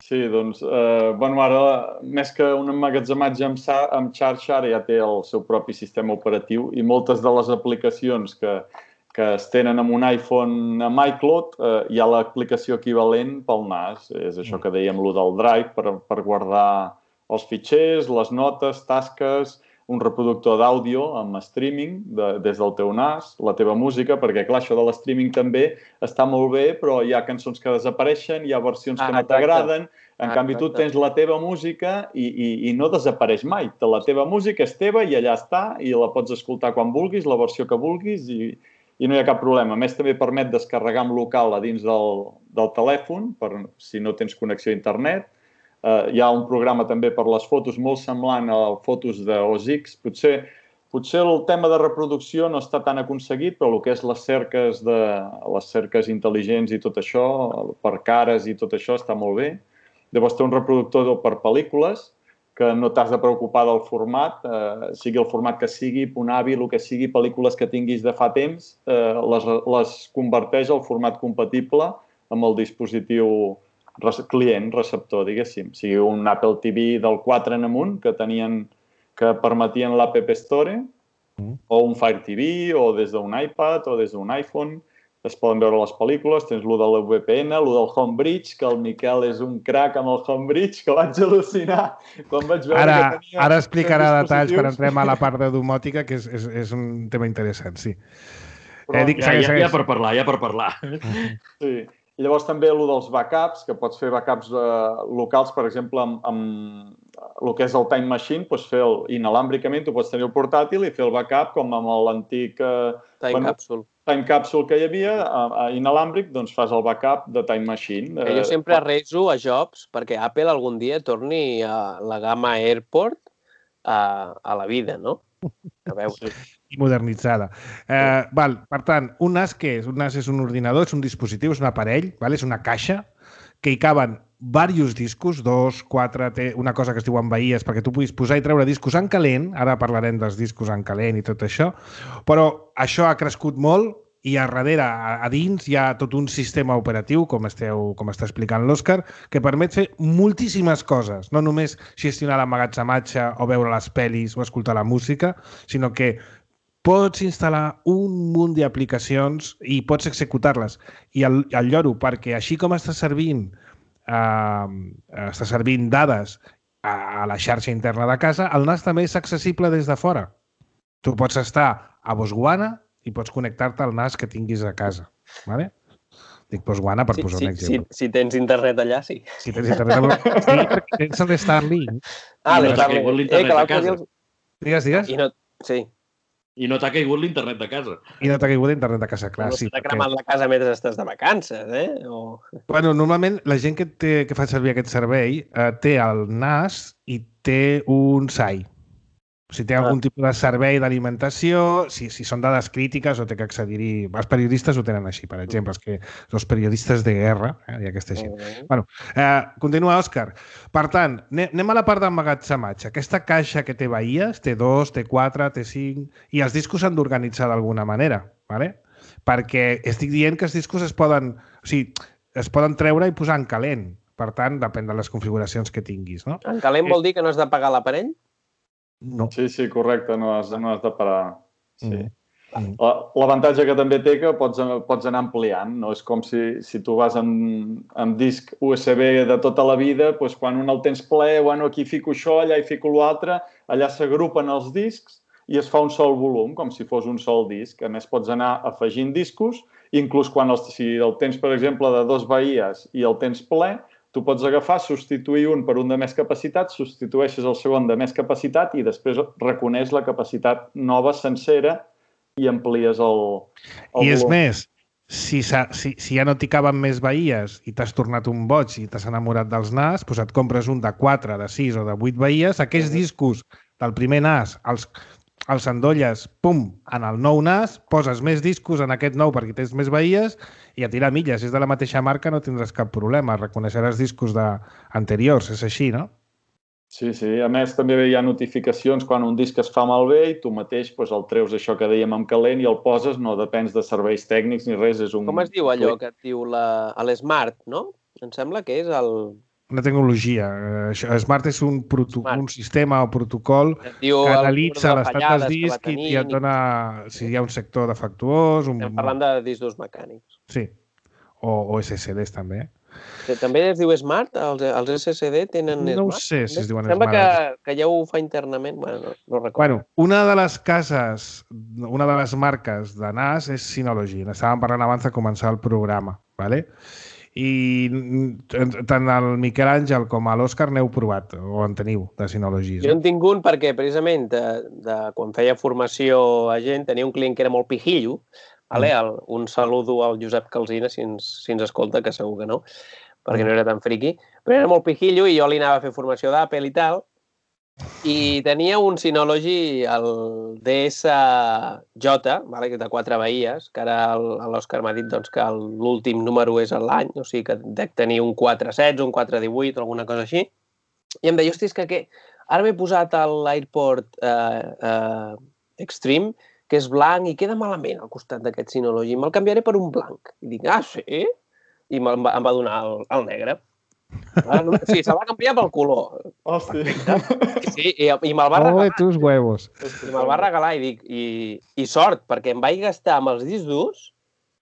Speaker 5: Sí, doncs, eh, bueno, ara, més que un emmagatzematge amb, amb xarxa, ara ja té el seu propi sistema operatiu i moltes de les aplicacions que, que es tenen amb un iPhone amb iCloud, eh, hi ha l'aplicació equivalent pel N A S. És això que dèiem, lo del Drive, per, per guardar els fitxers, les notes, tasques, un reproductor d'àudio amb streaming de, des del teu N A S, la teva música, perquè, clar, això de l'streaming també està molt bé, però hi ha cançons que desapareixen, hi ha versions ah, que no t'agraden, En ah, canvi, tu tens la teva música i, i, i no desapareix mai. La teva música és teva i allà està i la pots escoltar quan vulguis, la versió que vulguis i, i no hi ha cap problema. A més, també permet descarregar en local a dins del, del telèfon, per, si no tens connexió a internet. Uh, hi ha un programa també per les fotos molt semblant a fotos de O S X. Potser, potser el tema de reproducció no està tan aconseguit, però el que és les cerques, de, les cerques intel·ligents i tot això, per cares i tot això, està molt bé. Llavors té un reproductor per pel·lícules que no t'has de preocupar del format, eh, sigui el format que sigui, Punavi, el que sigui, pel·lícules que tinguis de fa temps, eh, les, les converteix al format compatible amb el dispositiu client, receptor, diguéssim. Sigui un Apple T V del quatre en amunt, que tenien, que permetien l'App Store, mm. o un Fire T V, o des d'un iPad, o des d'un iPhone. Es poden veure les pel·lícules, tens lo de la V P N, lo del Homebridge, que el Miquel és un crac amb el Homebridge, que vaig al·lucinar quan vaig veure
Speaker 2: ara,
Speaker 5: que tenia...
Speaker 2: Ara explicarà detalls per entrem a la part de domòtica, que és, és, és un tema interessant, sí.
Speaker 4: Però, eh, dic, ja, segueix, ja, ja per parlar, ja per parlar.
Speaker 5: Sí. I llavors també el dels backups, que pots fer backups eh, locals, per exemple, amb, amb el que és el Time Machine, doncs fer el, inalàmbricament, tu pots tenir el portàtil i fer el backup com amb l'antic... Eh,
Speaker 3: Time bueno, Capsule.
Speaker 5: Time Capsule que hi havia, a, a inalàmbric, doncs fas el backup de Time Machine.
Speaker 3: Eh, jo sempre rezo a Jobs perquè Apple algun dia torni a la gamma AirPort a, a la vida, no? A veure.
Speaker 2: I modernitzada. Eh, val, per tant, un N A S què és? Un N A S és un ordinador, és un dispositiu, és un aparell, val? És una caixa que hi caben diversos discos, dos, quatre, té una cosa que es diuen bahies perquè tu puguis posar i treure discos en calent, ara parlarem dels discos en calent i tot això, però això ha crescut molt i a darrere, a, a dins, hi ha tot un sistema operatiu, com, esteu, com està explicant l'Òscar, que permet fer moltíssimes coses, no només gestionar l'emmagatzematge o veure les pel·lis o escoltar la música, sinó que pots instal·lar un munt d'aplicacions i pots executar-les. I el, el lloro, perquè així com està servint Uh, està servint dades a, a la xarxa interna de casa, el N A S també és accessible des de fora. Tu pots estar a Botswana i pots connectar-te al N A S que tinguis a casa. Vale? Dic Botswana per sí, posar
Speaker 3: sí,
Speaker 2: un exemple.
Speaker 3: Si, si tens internet allà, sí.
Speaker 2: Si tens internet allà, sí, perquè tens l'Starlink.
Speaker 3: Ah,
Speaker 4: I no t'ha caigut l'internet a casa.
Speaker 2: Digues, digues.
Speaker 3: I no, sí.
Speaker 4: I no t'ha caigut l'internet de casa.
Speaker 2: I no t'ha caigut l'internet de casa, clar.
Speaker 3: No
Speaker 2: sí,
Speaker 3: t'ha cremat la casa mentre estàs de vacances, eh? O...
Speaker 2: Bueno, normalment la gent que, té, que fa servir aquest servei eh, té el N A S i té un S A I. O sigui, té algun ah. tipus de servei d'alimentació, si, si són dades crítiques o té que accedir-hi... Els periodistes ho tenen així, per exemple, els, que, els periodistes de guerra, eh, i aquesta així. Uh-huh. Bueno, eh, continua, Òscar. Per tant, anem a la part d'emmagatzematge. Aquesta caixa que té bahies, té dos, té quatre, té cinc, i els discos s'han d'organitzar d'alguna manera, ¿vale? Perquè estic dient que els discos es poden, o sigui, es poden treure i posar en calent. Per tant, depèn de les configuracions que tinguis, no?
Speaker 3: En calent vol dir que no has de pagar l'aparell?
Speaker 2: No.
Speaker 5: Sí, sí, correcte, no has, no has de parar. Sí.
Speaker 2: Mm.
Speaker 5: L'avantatge que també té que pots, pots anar ampliant, no? És com si, si tu vas amb, amb disc U S B de tota la vida, doncs quan un el tens ple, bueno, aquí fico això, allà hi fico l'altre, allà s'agrupen els discs i es fa un sol volum, com si fos un sol disc. A més, pots anar afegint discos, inclús quan els, si el tens, per exemple, de dos bahies i el tens ple, tu pots agafar, substituir un per un de més capacitat, substitueixes el segon de més capacitat i després reconeix la capacitat nova sencera i amplies el, el
Speaker 2: I és
Speaker 5: volum.
Speaker 2: més, si, si, si ja no t'hi caben més bahies i t'has tornat un boig i t'has enamorat dels N A S, doncs et compres un de quatre, de sis o de vuit bahies, aquells discos del primer N A S els, els endolles, pum, en el nou N A S, poses més discos en aquest nou perquè tens més bahies i a tirar milles. Si és de la mateixa marca no tindràs cap problema, reconeixeràs discos de... anteriors, és així, no?
Speaker 5: Sí, sí. A més, també hi ha notificacions quan un disc es fa malbé i tu mateix doncs, el treus, això que dèiem, amb calent i el poses, no depens de serveis tècnics ni res. És un...
Speaker 3: Com es diu allò que et diu la... l'Smart, no? Em sembla que és el...
Speaker 2: Una tecnologia. Smart és un, proto... un sistema o protocol que analitza l'estat del disc i et dona si hi ha un sector defectuós... Un...
Speaker 3: Estem parlant de discos mecànics.
Speaker 2: Sí. O, o S S Ds, també.
Speaker 3: També es diu Smart? Els, els S S D tenen Smart?
Speaker 2: No ho sé si es diuen
Speaker 3: Smart. Sembla
Speaker 2: que,
Speaker 3: que ja ho fa internament. Bueno, no, no recordo.
Speaker 2: Bueno, una de les cases, una de les marques de N A S és Synology. N'estàvem parlant abans de començar el programa, ¿vale? I tant el Miquel Àngel com a l'Òscar n'heu provat, o en teniu, de Synology.
Speaker 3: Jo en tinc un perquè, precisament, de, de, quan feia formació a gent, tenia un client que era molt pijillo. Vale? El, un saludo al Josep Calsina, si ens, si ens escolta, que segur que no, perquè no era tan friqui. Però era molt pijillo i jo li anava a fer formació d'Apple i tal. I tenia un Synology, el D S J, vale, de quatre veies, que ara l'Òscar m'ha dit doncs, que l'últim número és l'any, o sigui que dec tenir un quatre setze, un quatre divuit, alguna cosa així. I em deia, hosti, és que, que ara m'he posat l'AirPort eh, eh, Extreme, que és blanc i queda malament al costat d'aquest Synology. Me'l canviaré per un blanc. I dic, ah, sí? I em va, em va donar el, el negre. Sí, se va canviar pel color.
Speaker 5: Hòstia.
Speaker 3: Sí, i, i me'l va regalar.
Speaker 2: Ole, tus huevos.
Speaker 3: I me'l va regalar i dic, i, i sort, perquè em vaig gastar amb els discs durs,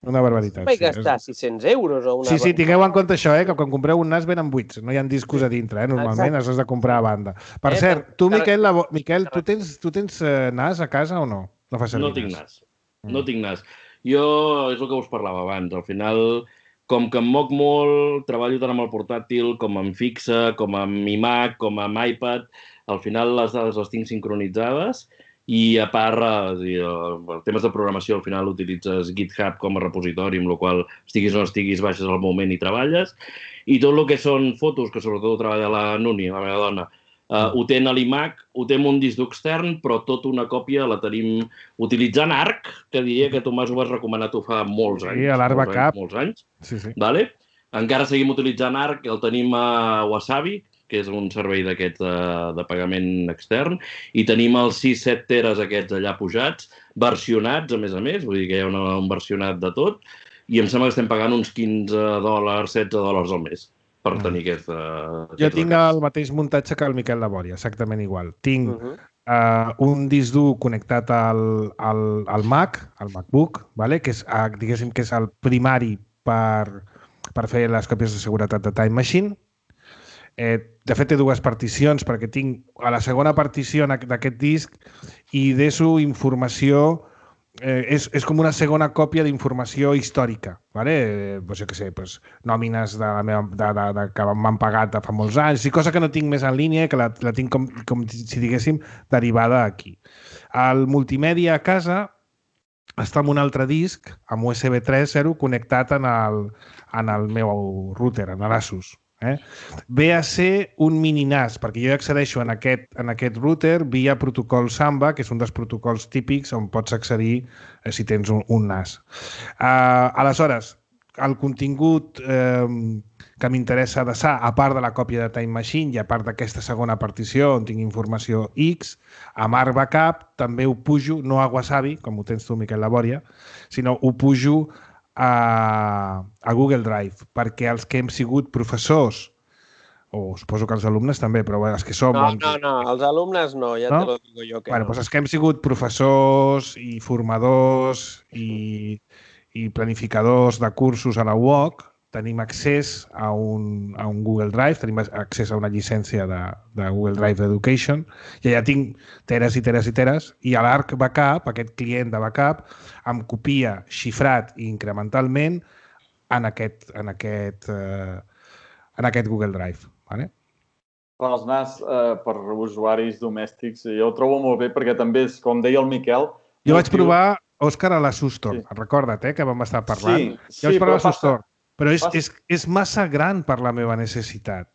Speaker 2: una barbaritat.
Speaker 3: em vaig gastar sí, sis-cents euros o una...
Speaker 2: Sí, sí, tingueu en compte això, eh, que quan compreu un NAS venen buits, no hi ha discos a dintre, eh, normalment has de comprar a banda. Per eh, cert, tu, Miquel, la... Miquel tu tens, tu tens eh, NAS a casa o no? No fa servir
Speaker 4: No tinc NAS. No mm. tinc NAS. Jo, és el que us parlava abans, al final... Com que em moc molt, treballo tant amb el portàtil com amb fixa, com amb iMac, com amb iPad. Al final les dades les tinc sincronitzades i a part, en temes de programació, al final utilitzes GitHub com a repositori, amb el qual estiguis o no estiguis, baixes al moment i treballes. I tot el que són fotos, que sobretot treballa la Nuni, la meva dona, Uh, ho té en l'iMac, ho té en un disc extern, però tota una còpia la tenim utilitzant Arc, que diria que tu m'has ho vas recomanar tu fa molts anys.
Speaker 2: Sí, a l'Arc Backup.
Speaker 4: Molts anys.
Speaker 2: Sí, sí.
Speaker 4: Vale? Encara seguim utilitzant Arc, el tenim a Wasabi, que és un servei d'aquests de, de pagament extern, i tenim els sis set teres aquests allà pujats, versionats, a més a més, vull dir que hi ha una, un versionat de tot, i em sembla que estem pagant uns quinze dòlars, setze dòlars al mes per tenir aquest... Uh,
Speaker 2: jo tinc el mateix muntatge que el Miquel de Bòria, exactament igual. Tinc uh -huh. uh, un disc dur connectat al, al, al Mac, al MacBook, vale? Que és, uh, diguéssim que és el primari per, per fer les còpies de seguretat de Time Machine. Eh, de fet, té dues particions, perquè tinc a la segona partició d'aquest disc i deso informació... Eh, és, és com una segona còpia d'informació històrica, ¿vale? Eh, pues jo què sé, pues, nòmines de la meva, de, de, de, que m'han pagat de fa molts anys, i cosa que no tinc més en línia, que la, la tinc com, com si diguéssim derivada aquí. El multimèdia a casa està en un altre disc, amb U S B tres punto zero, connectat en el, en el meu router, en l'Asus. Eh? Ve a ser un mini NAS, perquè jo accedeixo en aquest, en aquest router via protocol Samba, que és un dels protocols típics on pots accedir eh, si tens un, un NAS. Uh, aleshores, el contingut eh, que m'interessa desar, a part de la còpia de Time Machine i a part d'aquesta segona partició on tinc informació X, amb Arc Backup també ho pujo, no a Wasabi, com ho tens tu, Miquel Labòria, sinó ho pujo A, a Google Drive, perquè els que hem sigut professors, o suposo que els alumnes també, però els que som...
Speaker 3: No, no, no, els alumnes no, ja no? te lo digo jo que
Speaker 2: bueno,
Speaker 3: no.
Speaker 2: Doncs els que hem sigut professors i formadors i, i planificadors de cursos a la U O C, tenim accés a un, a un Google Drive, tenim accés a una llicència de, de Google Drive d'Education, i allà tinc teres i teres i teres, i a l'Arc Backup, aquest client de backup, em copia xifrat i incrementalment en aquest, en aquest, eh, en aquest Google Drive. Vale?
Speaker 5: Per als NAS, eh, per usuaris domèstics, jo ho trobo molt bé, perquè també és, com deia el Miquel...
Speaker 2: Jo vaig provar, Òscar, a la Sustor. Sí. Recorda't, eh, que vam estar parlant.
Speaker 5: Sí,
Speaker 2: jo vaig
Speaker 5: sí,
Speaker 2: provar a la Sustor.
Speaker 5: Passa...
Speaker 2: Però és, és, és massa gran per la meva necessitat.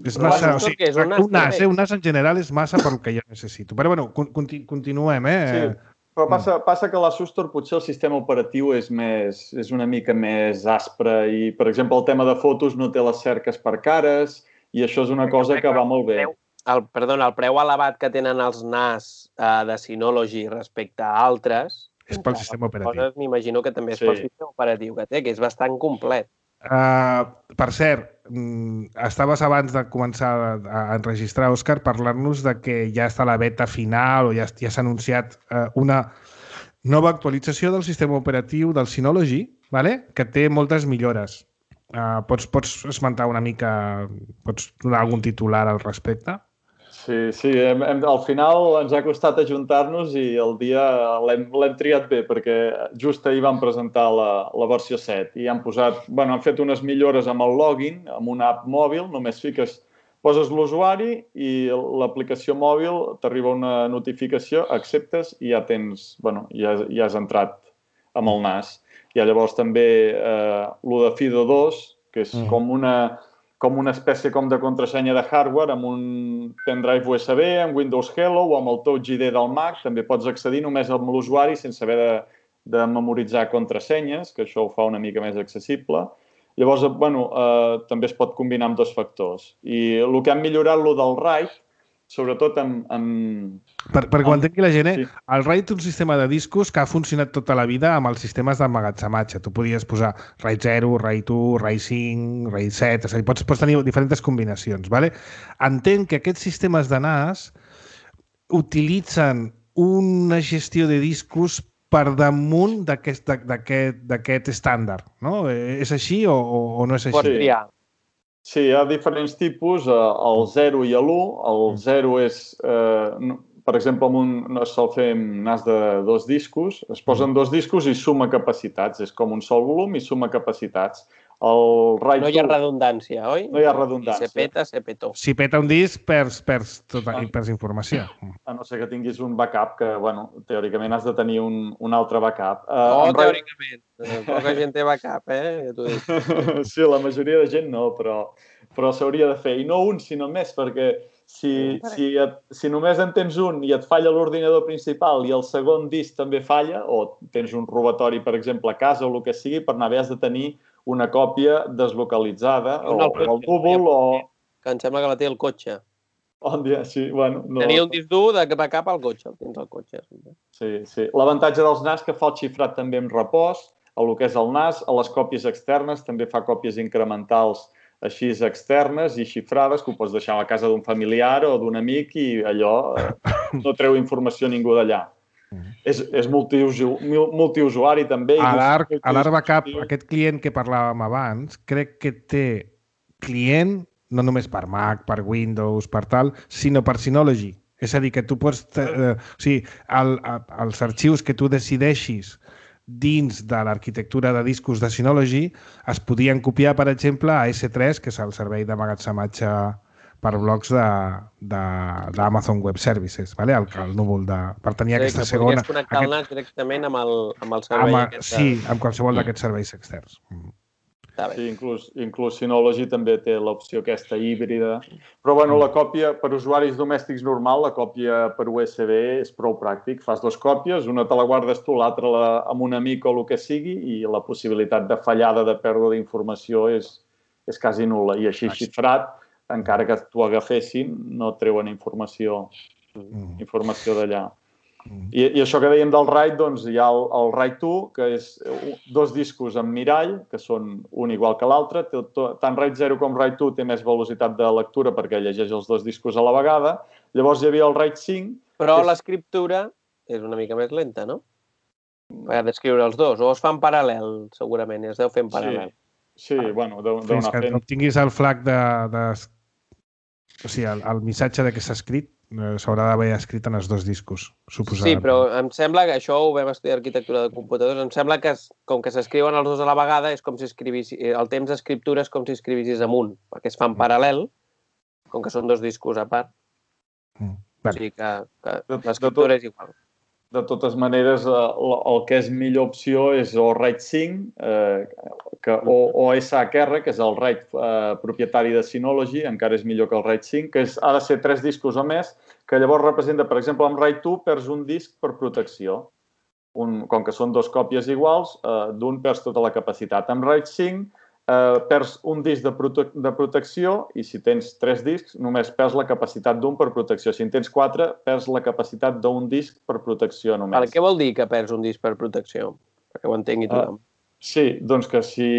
Speaker 2: És
Speaker 3: Però
Speaker 2: massa, o
Speaker 3: sigui,
Speaker 2: sigui,
Speaker 3: és un
Speaker 2: un NAS, eh? Un NAS en general és massa pel que jo necessito. Però bueno, conti continuem, eh?
Speaker 5: Sí, però passa, passa que a la Sustor potser el sistema operatiu és, més, és una mica més aspre i, per exemple, el tema de fotos no té les cerques per cares i això és una cosa que va molt bé.
Speaker 3: El, perdona, el preu elevat que tenen els NAS uh, de Synology respecte a altres...
Speaker 2: És pel sistema operatiu.
Speaker 3: M'imagino que també és
Speaker 5: sí.
Speaker 3: pel sistema operatiu que té, que és bastant complet.
Speaker 2: Uh, per cert, estaves abans de començar a enregistrar, Òscar, parlant-nos de que ja està la beta final o ja, ja s'ha anunciat uh, una nova actualització del sistema operatiu del Synology, vale? Que té moltes millores. Uh, pots, pots esmentar una mica, pots donar algun titular al respecte?
Speaker 5: Sí, sí, hem, hem, al final ens ha costat ajuntar-nos i el dia l'hem triat bé, perquè just ahir vam presentar la, la versió set i han posat, bueno, han fet unes millores amb el login, amb una app mòbil, només fiques, poses l'usuari i l'aplicació mòbil t'arriba una notificació, acceptes i ja tens, bueno, ja, ja has entrat amb el nas. Hi ha llavors també eh, l'u de FIDO dos, que és mm. com una... com una espècie com de contrasenya de hardware amb un pendrive U S B, amb Windows Hello o amb el Touch I D del Mac. També pots accedir només amb l'usuari sense haver de, de memoritzar contrasenyes, que això ho fa una mica més accessible. Llavors, bueno, eh, també es pot combinar amb dos factors. I el que han millorat, lo del RAID, sobretot amb... amb
Speaker 2: per perquè ho entengui la gent, eh?
Speaker 5: Sí.
Speaker 2: El RAID és un sistema de discos que ha funcionat tota la vida amb els sistemes d'emmagatzematge. Tu podies posar RAID zero, RAID u, RAID cinc, RAID set, és a dir, pots, pots tenir diferents combinacions. Vale? Entenc que aquests sistemes de N A S utilitzen una gestió de discos per damunt d'aquest estàndard, no? És així o, o no és així?
Speaker 3: Pots triar.
Speaker 5: Sí, hi ha diferents tipus, el zero i l'u. El zero és, eh, per exemple, amb un, no es sol fer amb N A S de dos discos, es posen dos discos i suma capacitats. És com un sol volum i suma capacitats. El RAID
Speaker 3: no hi ha redundància, oi?
Speaker 5: No hi ha redundància.
Speaker 3: Si se peta, se petó.
Speaker 2: Si peta un disc, perds, perds, tota, perds informació.
Speaker 5: A no ser que tinguis un backup, que, bueno, teòricament has de tenir un, un altre backup.
Speaker 3: No, uh, teòricament. RAID... Poca gent té backup, eh? Tu dius.
Speaker 5: Sí, la majoria de gent no, però, però s'hauria de fer. I no un, sinó més, perquè si, si, et, si només en tens un i et falla l'ordinador principal i el segon disc també falla, o tens un robatori, per exemple, a casa o el que sigui, per anar bé has de tenir una còpia deslocalitzada, o, o el Google, o...
Speaker 3: Que em sembla que la té el cotxe.
Speaker 5: On dia, sí, bueno... No...
Speaker 3: Tenia un disc dur de backup al cotxe, el tens al cotxe.
Speaker 5: Sí, sí. L'avantatge dels N A S que fa el xifrat també en repòs, a el que és el N A S, a les còpies externes, també fa còpies incrementals així externes i xifrades, que ho pots deixar a la casa d'un familiar o d'un amic i allò eh, no treu informació a ningú d'allà. Mm. És, és multiusuari també.
Speaker 2: A l'Arc Backup, aquest client que parlàvem abans, crec que té client no només per Mac, per Windows, per tal, sinó per Synology. És a dir, que tu pots... Eh, o sigui, el, els arxius que tu decideixis dins de l'arquitectura de discos de Synology es podien copiar, per exemple, a esse tres, que és el servei d'emmagatzematge per blocs d'Amazon Web Services, vale? el, el núvol de... per tenir sí, aquesta segona...
Speaker 3: Sí, que podries connectar el N A S directament amb el, amb el servei
Speaker 2: amb, aquest. Sí, amb qualsevol mm. d'aquests serveis externs. Mm.
Speaker 5: Sí, inclús, inclús Synology també té l'opció aquesta híbrida. Però, bueno, la còpia per usuaris domèstics normal, la còpia per U S B és prou pràctic. Fas dues còpies, una te la guardes tu, l'altra amb un amic o el que sigui, i la possibilitat de fallada, de pèrdua d'informació és, és quasi nul·la. I així xifrat, encara que t'ho agafessin, no treuen informació, mm. informació d'allà. Mm. I, I això que dèiem del RAID, doncs hi ha el, el RAID u, que és dos discos amb mirall, que són un igual que l'altre. Tant RAID zero com RAID u té més velocitat de lectura perquè llegeix els dos discos a la vegada. Llavors hi havia el RAID cinc...
Speaker 3: Però
Speaker 5: és...
Speaker 3: l'escriptura és una mica més lenta, no? Per descriure els dos, o es fa en paral·lel, segurament, i es deu fer en paral·lel.
Speaker 5: Sí, sí, bueno, deu, deu
Speaker 2: anar fent... Fins que obtinguis el flag de... de... O sigui, el, el missatge de què s'ha escrit s'haurà d'haver escrit en els dos discos, suposadament.
Speaker 3: Sí, però em sembla que això ho vam estudiar arquitectura de computadors, em sembla que com que s'escriuen els dos a la vegada és com si escrivissis, el temps d'escriptura és com si escrivissis amunt, perquè es fa en paral·lel, com que són dos discos a part. Mm. O sigui que, que l'escriptura és igual.
Speaker 5: De totes maneres, el que és millor opció és o RAID cinc eh, que, o, o esse hac erre, que és el RAID eh, propietari de Synology, encara és millor que el RAID cinc, que és, ha de ser tres discos o més, que llavors representa, per exemple, amb RAID u perds un disc per protecció. Un, com que són dos còpies iguals, eh, d'un perds tota la capacitat. Amb RAID cinc eh, perds un disc de, prote de protecció i si tens tres discs només perds la capacitat d'un per protecció. Si en tens quatre, perds la capacitat d'un disc per protecció només.
Speaker 3: Per què vol dir que perds un disc per protecció? Perquè ho entengui tothom. Uh,
Speaker 5: sí, doncs que si,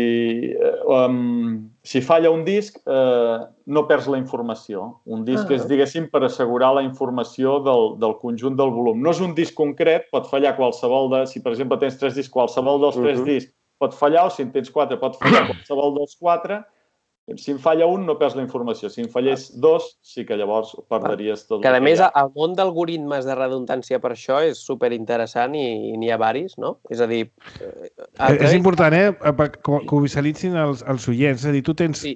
Speaker 5: um, si falla un disc eh, no perds la informació. Un disc ah. és, diguéssim, per assegurar la informació del, del conjunt del volum. No és un disc concret, pot fallar qualsevol de... Si, per exemple, tens tres discs, qualsevol dels uh -huh. tres discs pot fallar, o si en tens quatre pot fallar qualsevol dels quatre, Si em falla un, no perds la informació. Si em fallés dos, sí que llavors perdries tot.
Speaker 3: Que, a més, el món d'algoritmes de redundància per això és superinteressant i n'hi ha varis, no? És a dir...
Speaker 2: És important, eh? Que ho visualitzin els oients. És a dir, tu tens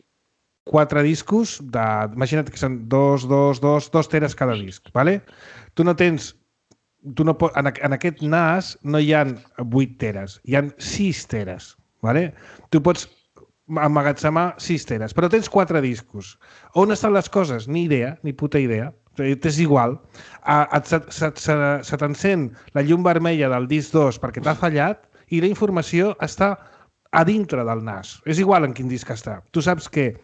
Speaker 2: quatre discos, imagina't que són dos, dos, dos, dos teres cada disc, ¿vale? Tu no tens... En aquest N A S no hi ha vuit teres, hi ha sis teres, ¿vale? Tu pots emmagatzemar sis teres, però tens quatre discos. On estan les coses? Ni idea, ni puta idea. És igual. Se t'encén la llum vermella del disc dos perquè t'ha fallat i la informació està a dintre del N A S. És igual en quin disc està. Tu saps que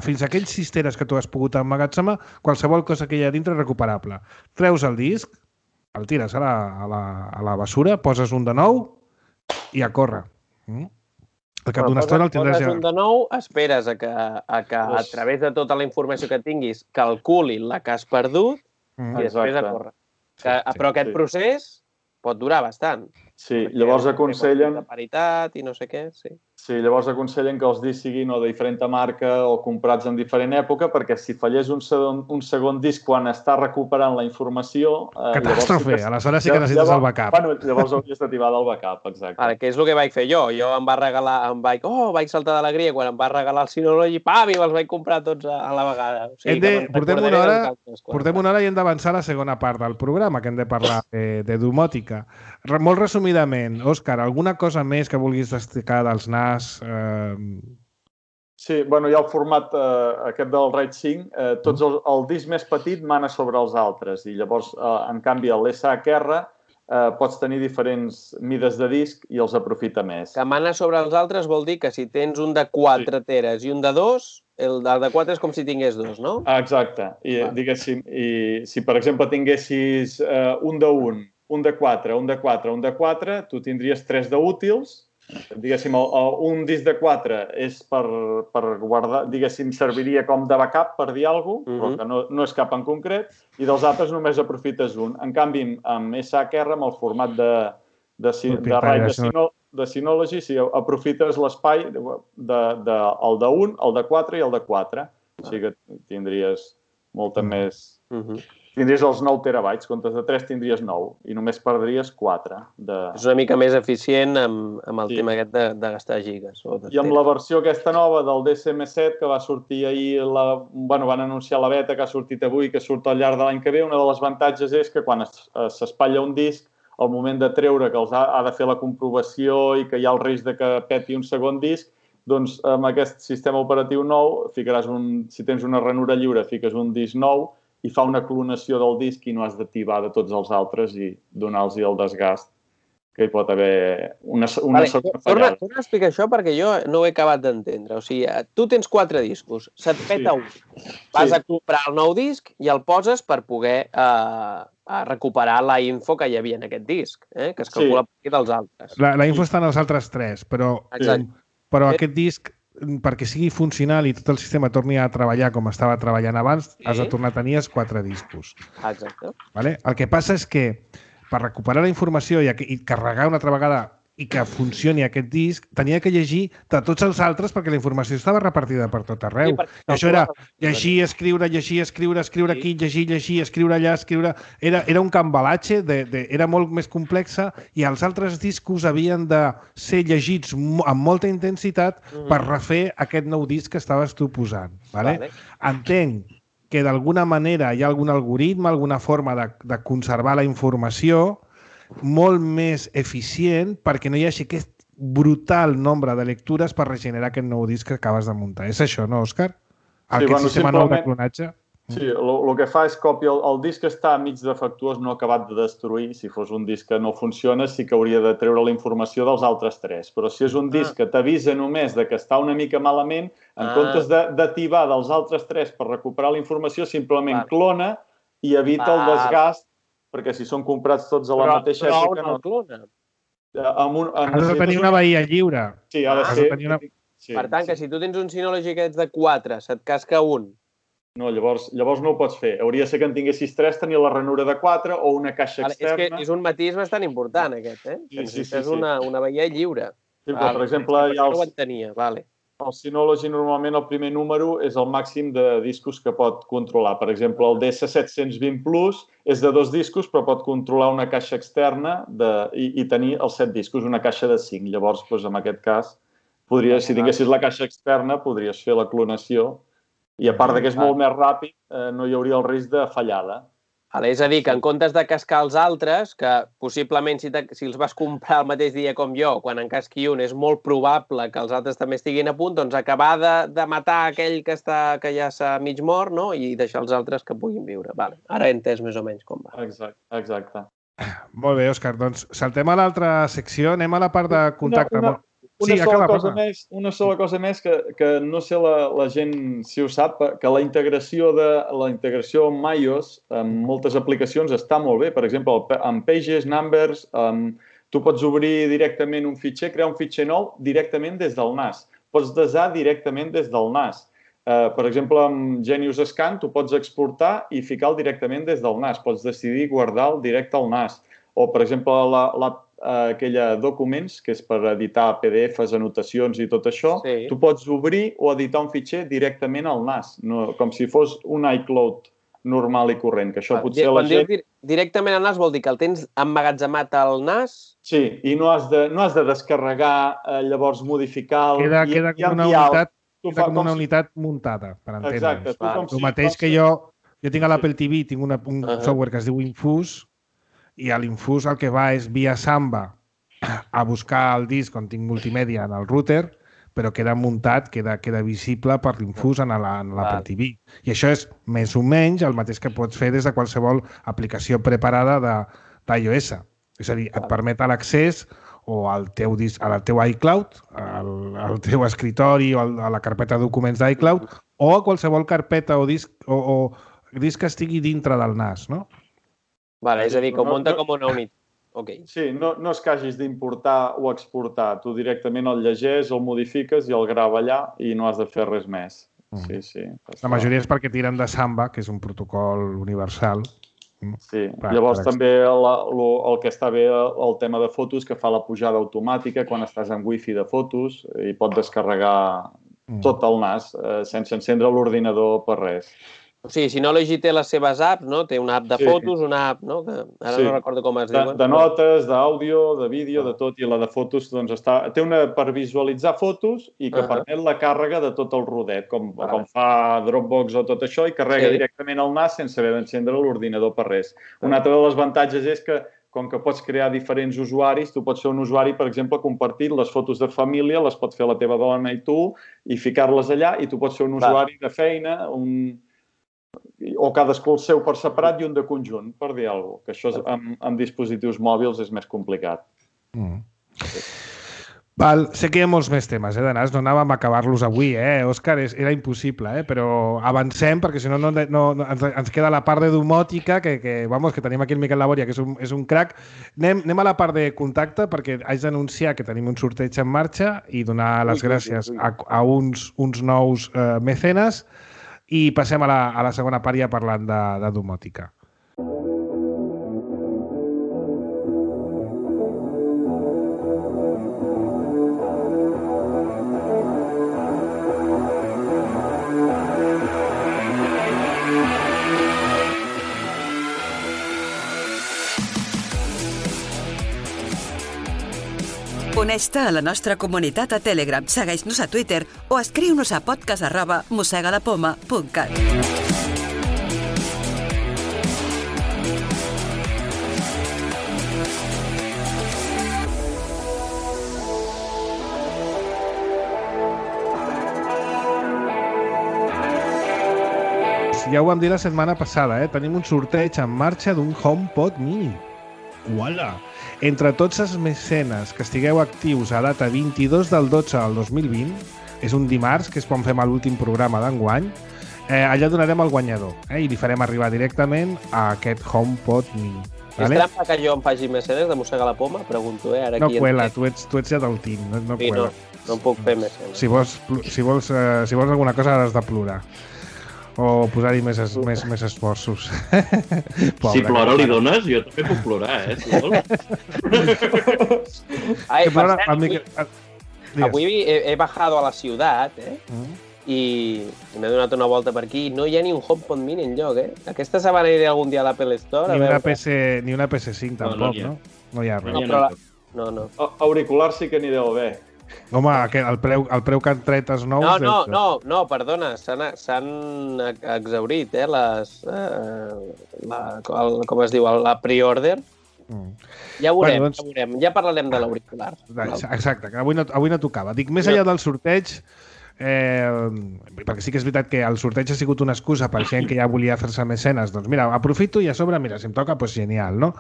Speaker 2: fins a aquells sis teres que tu has pogut emmagatzemar, qualsevol cosa que hi ha dintre és recuperable. Treus el disc, el tires a la bessura, poses un de nou i a córrer. Al cap d'una estona el tindràs ja...
Speaker 3: Poses un de nou, esperes a que a través de tota la informació que tinguis calculi la que has perdut i després a córrer. Però aquest procés pot durar bastant.
Speaker 5: Sí, llavors aconsellen...
Speaker 3: De paritat i no sé què, sí.
Speaker 5: Sí, llavors aconsellen que els discs siguin o de diferent marca o comprats en diferent època, perquè si fallés un segon, un segon disc quan està recuperant la informació...
Speaker 2: Eh, Catàstrofe! Sí que... Aleshores sí que necessites llavors, el backup.
Speaker 5: Bueno, llavors hauries d'activar del backup, exacte.
Speaker 3: Vale, que és el que vaig fer jo. Jo em va regalar... Em vaig, oh, vaig saltar d'alegria quan em va regalar el Synology, pam, i me'ls vaig comprar tots a, a la vegada. O sigui,
Speaker 2: de, portem, una hora, portem una hora i hem d'avançar a la segona part del programa, que hem de parlar de, de domòtica. Molt resumidament, Òscar, alguna cosa més que vulguis destacar dels N A S? Eh...
Speaker 5: Sí, bueno, hi ha el format eh, aquest del RAID cinc. Eh, tots el, el disc més petit mana sobre els altres i llavors, eh, en canvi, l'S H R eh, pots tenir diferents mides de disc i els aprofita més.
Speaker 3: Que mana sobre els altres vol dir que si tens un de quatre sí. teres i un de dos, el de quatre és com si tingués dos, no?
Speaker 5: Exacte. I, ah. diguéssim, i si, per exemple, tinguessis eh, un de un, un de quatre, un de quatre, un de quatre, tu tindries tres d'útils. Diguéssim, un disc de quatre és per, per guardar, diguéssim, serviria com de backup, per dir alguna cosa, però que no, no és cap en concret, i dels altres només aprofites un. En canvi, amb S H R, amb el format de, de, de, de RAID de, Syno, de Synology, si aprofites l'espai de, de, de, el de un, el de quatre i el de quatre. O sigui que tindries molta mm. més... Mm-hmm. Tindries els nou terabytes, comptes de tres tindries nou i només perdries quatre. De...
Speaker 3: És una mica més eficient amb, amb el sí. tema aquest de, de gastar gigas. O de
Speaker 5: I amb la versió aquesta nova del D S M set que va sortir ahir, la, bueno, van anunciar la beta que ha sortit avui, que surt al llarg de l'any que ve, una de les avantatges és que quan s'espatlla un disc, al moment de treure que els ha, ha de fer la comprovació i que hi ha el risc de que peti un segon disc, doncs amb aquest sistema operatiu nou, ficaràs un, si tens una ranura lliure, fiques un disc nou i fa una clonació del disc i no has d'activar de tots els altres i donar-los el desgast que hi pot haver una, una
Speaker 3: vale, segona fallada. Torna a explicar això perquè jo no ho he acabat d'entendre. O sigui, tu tens quatre discos, se't peta sí. un. Vas sí. a comprar el nou disc i el poses per poder eh, a recuperar la info que hi havia en aquest disc, eh, que es calcula sí. per dels altres.
Speaker 2: La, la info està en els altres tres, però,
Speaker 3: Exacte.
Speaker 2: però aquest disc, perquè sigui funcional i tot el sistema torni a treballar com estava treballant abans, sí. has de tornar a tenir els quatre discos.
Speaker 3: Exacte.
Speaker 2: Vale? El que passa és que per recuperar la informació i, i carregar una altra vegada i que funcioni aquest disc, tenia que llegir de tots els altres perquè la informació estava repartida per tot arreu. Sí, I això era llegir, escriure, llegir, escriure, escriure sí. aquí, llegir, llegir, escriure allà, escriure... Era, era un cambalatge, de, de, era molt més complexa i els altres discos havien de ser llegits amb molta intensitat mm-hmm. per refer aquest nou disc que estaves tu posant. Vale? Vale. Entenc que d'alguna manera hi ha algun algoritme, alguna forma de, de conservar la informació molt més eficient perquè no hi hagi aquest brutal nombre de lectures per regenerar aquest nou disc que acabes de muntar. És això, no, Òscar? Aquest sí, bueno, sistema nou de clonatge?
Speaker 5: Sí, el que fa és còpia... El, el disc està mig defectuós, no acabat de destruir. Si fos un disc que no funciona, sí que hauria de treure la informació dels altres tres. Però si és un disc que t'avisa només de que està una mica malament, en ah. comptes d'activar dels altres tres per recuperar la informació, simplement vale. clona i evita vale. el desgast perquè si són comprats tots a la però, mateixa
Speaker 3: però
Speaker 5: època...
Speaker 3: no clona.
Speaker 5: Amb un, amb
Speaker 2: has de tenir una veïa lliure.
Speaker 5: Sí, ha de
Speaker 3: ah,
Speaker 5: ser...
Speaker 2: Una...
Speaker 5: Sí,
Speaker 3: per tant,
Speaker 5: sí.
Speaker 3: que si tu tens un Synology que ets de quatre, se't casca un.
Speaker 5: No, llavors, llavors no ho pots fer. Hauria de ser que en tinguessis tres, tenir la ranura de quatre o una caixa
Speaker 3: vale,
Speaker 5: externa.
Speaker 3: És que és un matís bastant important, aquest, eh?
Speaker 5: Sí, sí, sí,
Speaker 3: és
Speaker 5: sí.
Speaker 3: una, una veïa lliure.
Speaker 5: Sí, però, per exemple, hi ha els...
Speaker 3: No ho entenia, vale.
Speaker 5: el Synology normalment el primer número és el màxim de discos que pot controlar. Per exemple, el D S set-cents vint Plus és de dos discos, però pot controlar una caixa externa de, i, i tenir els set discos, una caixa de cinc. Llavors, doncs, en aquest cas, podries, si tinguessis la caixa externa, podries fer la clonació. I a part de que és molt més ràpid, eh, no hi hauria el risc de fallada.
Speaker 3: Vale, és a dir, que en comptes de cascar els altres, que possiblement si, te, si els vas comprar el mateix dia com jo, quan en casqui un és molt probable que els altres també estiguin a punt, doncs acabar de, de matar aquell que, està, que ja s'ha mig mort, no? I deixar els altres que puguin viure. Vale. Ara he entès més o menys com va.
Speaker 5: Exacte, exacte.
Speaker 2: Molt bé, Òscar. Doncs saltem a l'altra secció, anem a la part de contacte.
Speaker 5: Una, una... Una, sí, sola acaba, cosa més, una sola cosa més que, que no sé la, la gent si ho sap, que la integració de la integració amb iOS en moltes aplicacions està molt bé. Per exemple, amb Pages, Numbers, um, tu pots obrir directament un fitxer, crear un fitxer nou directament des del N A S. Pots desar directament des del N A S. Uh, per exemple, amb Genius Scan tu pots exportar i ficar-lo directament des del N A S. Pots decidir guardar-lo directe al N A S. O, per exemple, la, la aquella documents, que és per editar P D Fs, anotacions i tot això, sí. Tu pots obrir o editar un fitxer directament al N A S, no, com si fos un iCloud normal i corrent, que això ah, potser
Speaker 3: quan
Speaker 5: la gent...
Speaker 3: Dius directament al N A S vol dir que el tens emmagatzemat al N A S?
Speaker 5: Sí, i no has de, no has de descarregar, eh, llavors modificar... El,
Speaker 2: queda
Speaker 5: i,
Speaker 2: queda com, una unitat, queda com una unitat muntada, per entendre's.
Speaker 5: Exacte. Tu, com
Speaker 2: el
Speaker 5: si,
Speaker 2: mateix
Speaker 5: com
Speaker 2: que
Speaker 5: si...
Speaker 2: jo, jo tinc a l'Apple T V, tinc una, un uh -huh. software que es diu Infuse, i a l'Infuse el que va és via Samba a buscar el disc on tinc multimèdia en el router, però queda muntat, queda, queda visible per l'Infuse en l'Apple T V. I això és més o menys el mateix que pots fer des de qualsevol aplicació preparada d'iOS. És a dir, et permet l'accés o al teu, disc, al teu iCloud, al, al teu escritori o a la carpeta de documents d'iCloud o a qualsevol carpeta o disc, o, o disc que estigui dintre del N A S, no?
Speaker 3: Vale, és a dir, que ho munta com una unitat. Okay.
Speaker 5: Sí, no, no és que hagis d'importar o exportar. Tu directament el llegeix, el modifiques i el grava allà i no has de fer res més. Sí, sí.
Speaker 2: La majoria és perquè tiren de Samba, que és un protocol universal.
Speaker 5: Sí, per, llavors per també el, el que està bé el tema de fotos, que fa la pujada automàtica quan estàs en wifi de fotos i pot descarregar mm. tot el N A S eh, sense encendre l'ordinador per res.
Speaker 3: O sigui, Synology té les seves apps, no? Té una app de sí. fotos, una app, no? Que ara sí. no recordo com es
Speaker 5: de,
Speaker 3: diuen.
Speaker 5: De notes, d'àudio, de vídeo, de tot. I la de fotos, doncs, està... Té una per visualitzar fotos i que uh -huh. permet la càrrega de tot el rodet, com, vale. com fa Dropbox o tot això, i carrega sí. directament al N A S sense haver d'encendre l'ordinador per res. Uh -huh. Un altre dels avantatges és que, com que pots crear diferents usuaris, tu pots ser un usuari, per exemple, compartir les fotos de família, les pots fer la teva dona i tu, i ficar-les allà, i tu pots ser un vale. usuari de feina, un... o cadascú el seu per separat i un de conjunt, per dir alguna cosa. Que això és, amb, amb dispositius mòbils és més complicat. Mm. Sí.
Speaker 2: Val, sé que hi ha molts més temes, eh, de N A S. No anàvem a acabar-los avui, eh, Òscar? Era impossible, eh? Però avancem, perquè si no, no, no, no ens, ens queda la part de domòtica, que, que, vamos, que tenim aquí el Miquel Laboria, que és un, és un crac. Anem, anem a la part de contacte, perquè haig d'anunciar que tenim un sorteig en marxa i donar les gràcies a, a uns, uns nous eh, mecenes. I passem a la, a la segona part ja parlant de, de domòtica.
Speaker 6: Uneix-te a la nostra comunitat a Telegram, segueix-nos a Twitter o escriu-nos a podcast arroba mossegadapoma punt cat.
Speaker 2: Ja ho vam dir la setmana passada, eh? Tenim un sorteig en marxa d'un HomePod mini. Uala! Entre tots els mecenes que estigueu actius a data vint-i-dos del dotze del dos mil vint, és un dimarts, que és quan fem l'últim programa d'enguany, eh, allà donarem el guanyador, eh, i li farem arribar directament a aquest HomePod mini.
Speaker 3: Vale? És trampa que jo em faci mecenes de mossegar la poma? Pregunto, eh? Ara
Speaker 2: no
Speaker 3: aquí
Speaker 2: cuela, tu ets, tu ets ja del team, no, no
Speaker 3: sí,
Speaker 2: cuela.
Speaker 3: No, no em puc fer mecenes.
Speaker 2: Si vols, si vols, eh, si vols alguna cosa has de plorar. O posar-hi més, es, més, més esforços.
Speaker 4: Pobre, si plora li dones, jo també puc plorar, eh? Si vols.
Speaker 3: Ai, per
Speaker 2: plora,
Speaker 3: cert,
Speaker 2: el Miquel, el,
Speaker 3: avui he, he bajado a la ciutat, eh? Mm. I m'he donat una volta per aquí i no hi ha ni un HomePod Mini enlloc, eh? Aquesta setmana iré algun dia a l'Apple Store.
Speaker 2: Ni una, P S, ni una P S cinc tampoc, no? No hi ha res.
Speaker 3: No, però la... no, no.
Speaker 5: Auriculars sí que n'hi deu haver.
Speaker 2: Home, el preu, el preu que han tret els nous...
Speaker 3: No, no, no, no, perdona, s'han exhaurit, eh, les... Eh, la, el, com es diu, la pre-order. Mm. Ja ho veurem, bueno, doncs... ja veurem. Ja parlarem de l'auricular.
Speaker 2: Exacte, que avui no, avui no tocava. Dic, més enllà del sorteig... Eh, perquè sí que és veritat que el sorteig ha sigut una excusa per gent que ja volia fer-se mecenes, doncs mira, aprofito i a sobre, mira, si em toca, doncs genial, no?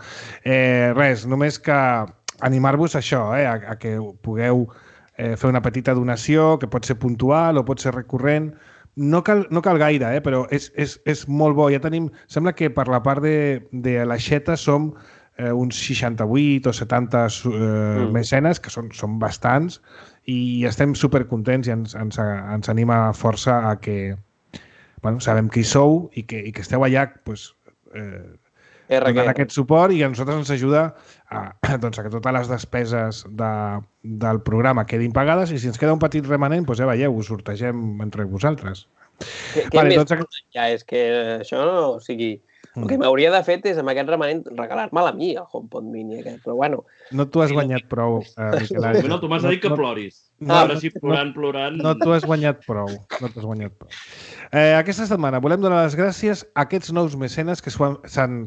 Speaker 2: Eh, res, només que animar-vos a això, eh, a, a que pugueu eh, fer una petita donació, que pot ser puntual o pot ser recurrent. No cal, no cal gaire, eh, però és, és, és molt bo. Ja tenim, sembla que per la part de, de l'aixeta som eh, uns seixanta-vuit o setanta eh, mm. mecenes, que són, són bastants, i estem supercontents i ens, ens, ens anima força a que, bueno, sabem qui sou i que, i que esteu allà, pues, eh, donant aquest suport, i a nosaltres ens ajuda a, doncs, a que totes les despeses de, del programa quedin pagades, i si ens queda un petit remanent, doncs ja veieu, ho sortegem entre vosaltres.
Speaker 3: Què vale, més doncs... ja és que això no, o sigui... El que m'hauria de fet és, amb aquest remanent, regalar-me'l a mi, el HomePod Mini aquest, però bueno...
Speaker 2: No t'ho has guanyat prou, eh, Miquel Àngel.
Speaker 4: No, tu m'has dit que ploris. No, Ara sí, plorant, plorant...
Speaker 2: No t'ho has guanyat prou, no t'ho has guanyat prou. Eh, aquesta setmana volem donar les gràcies a aquests nous mecenes que s'han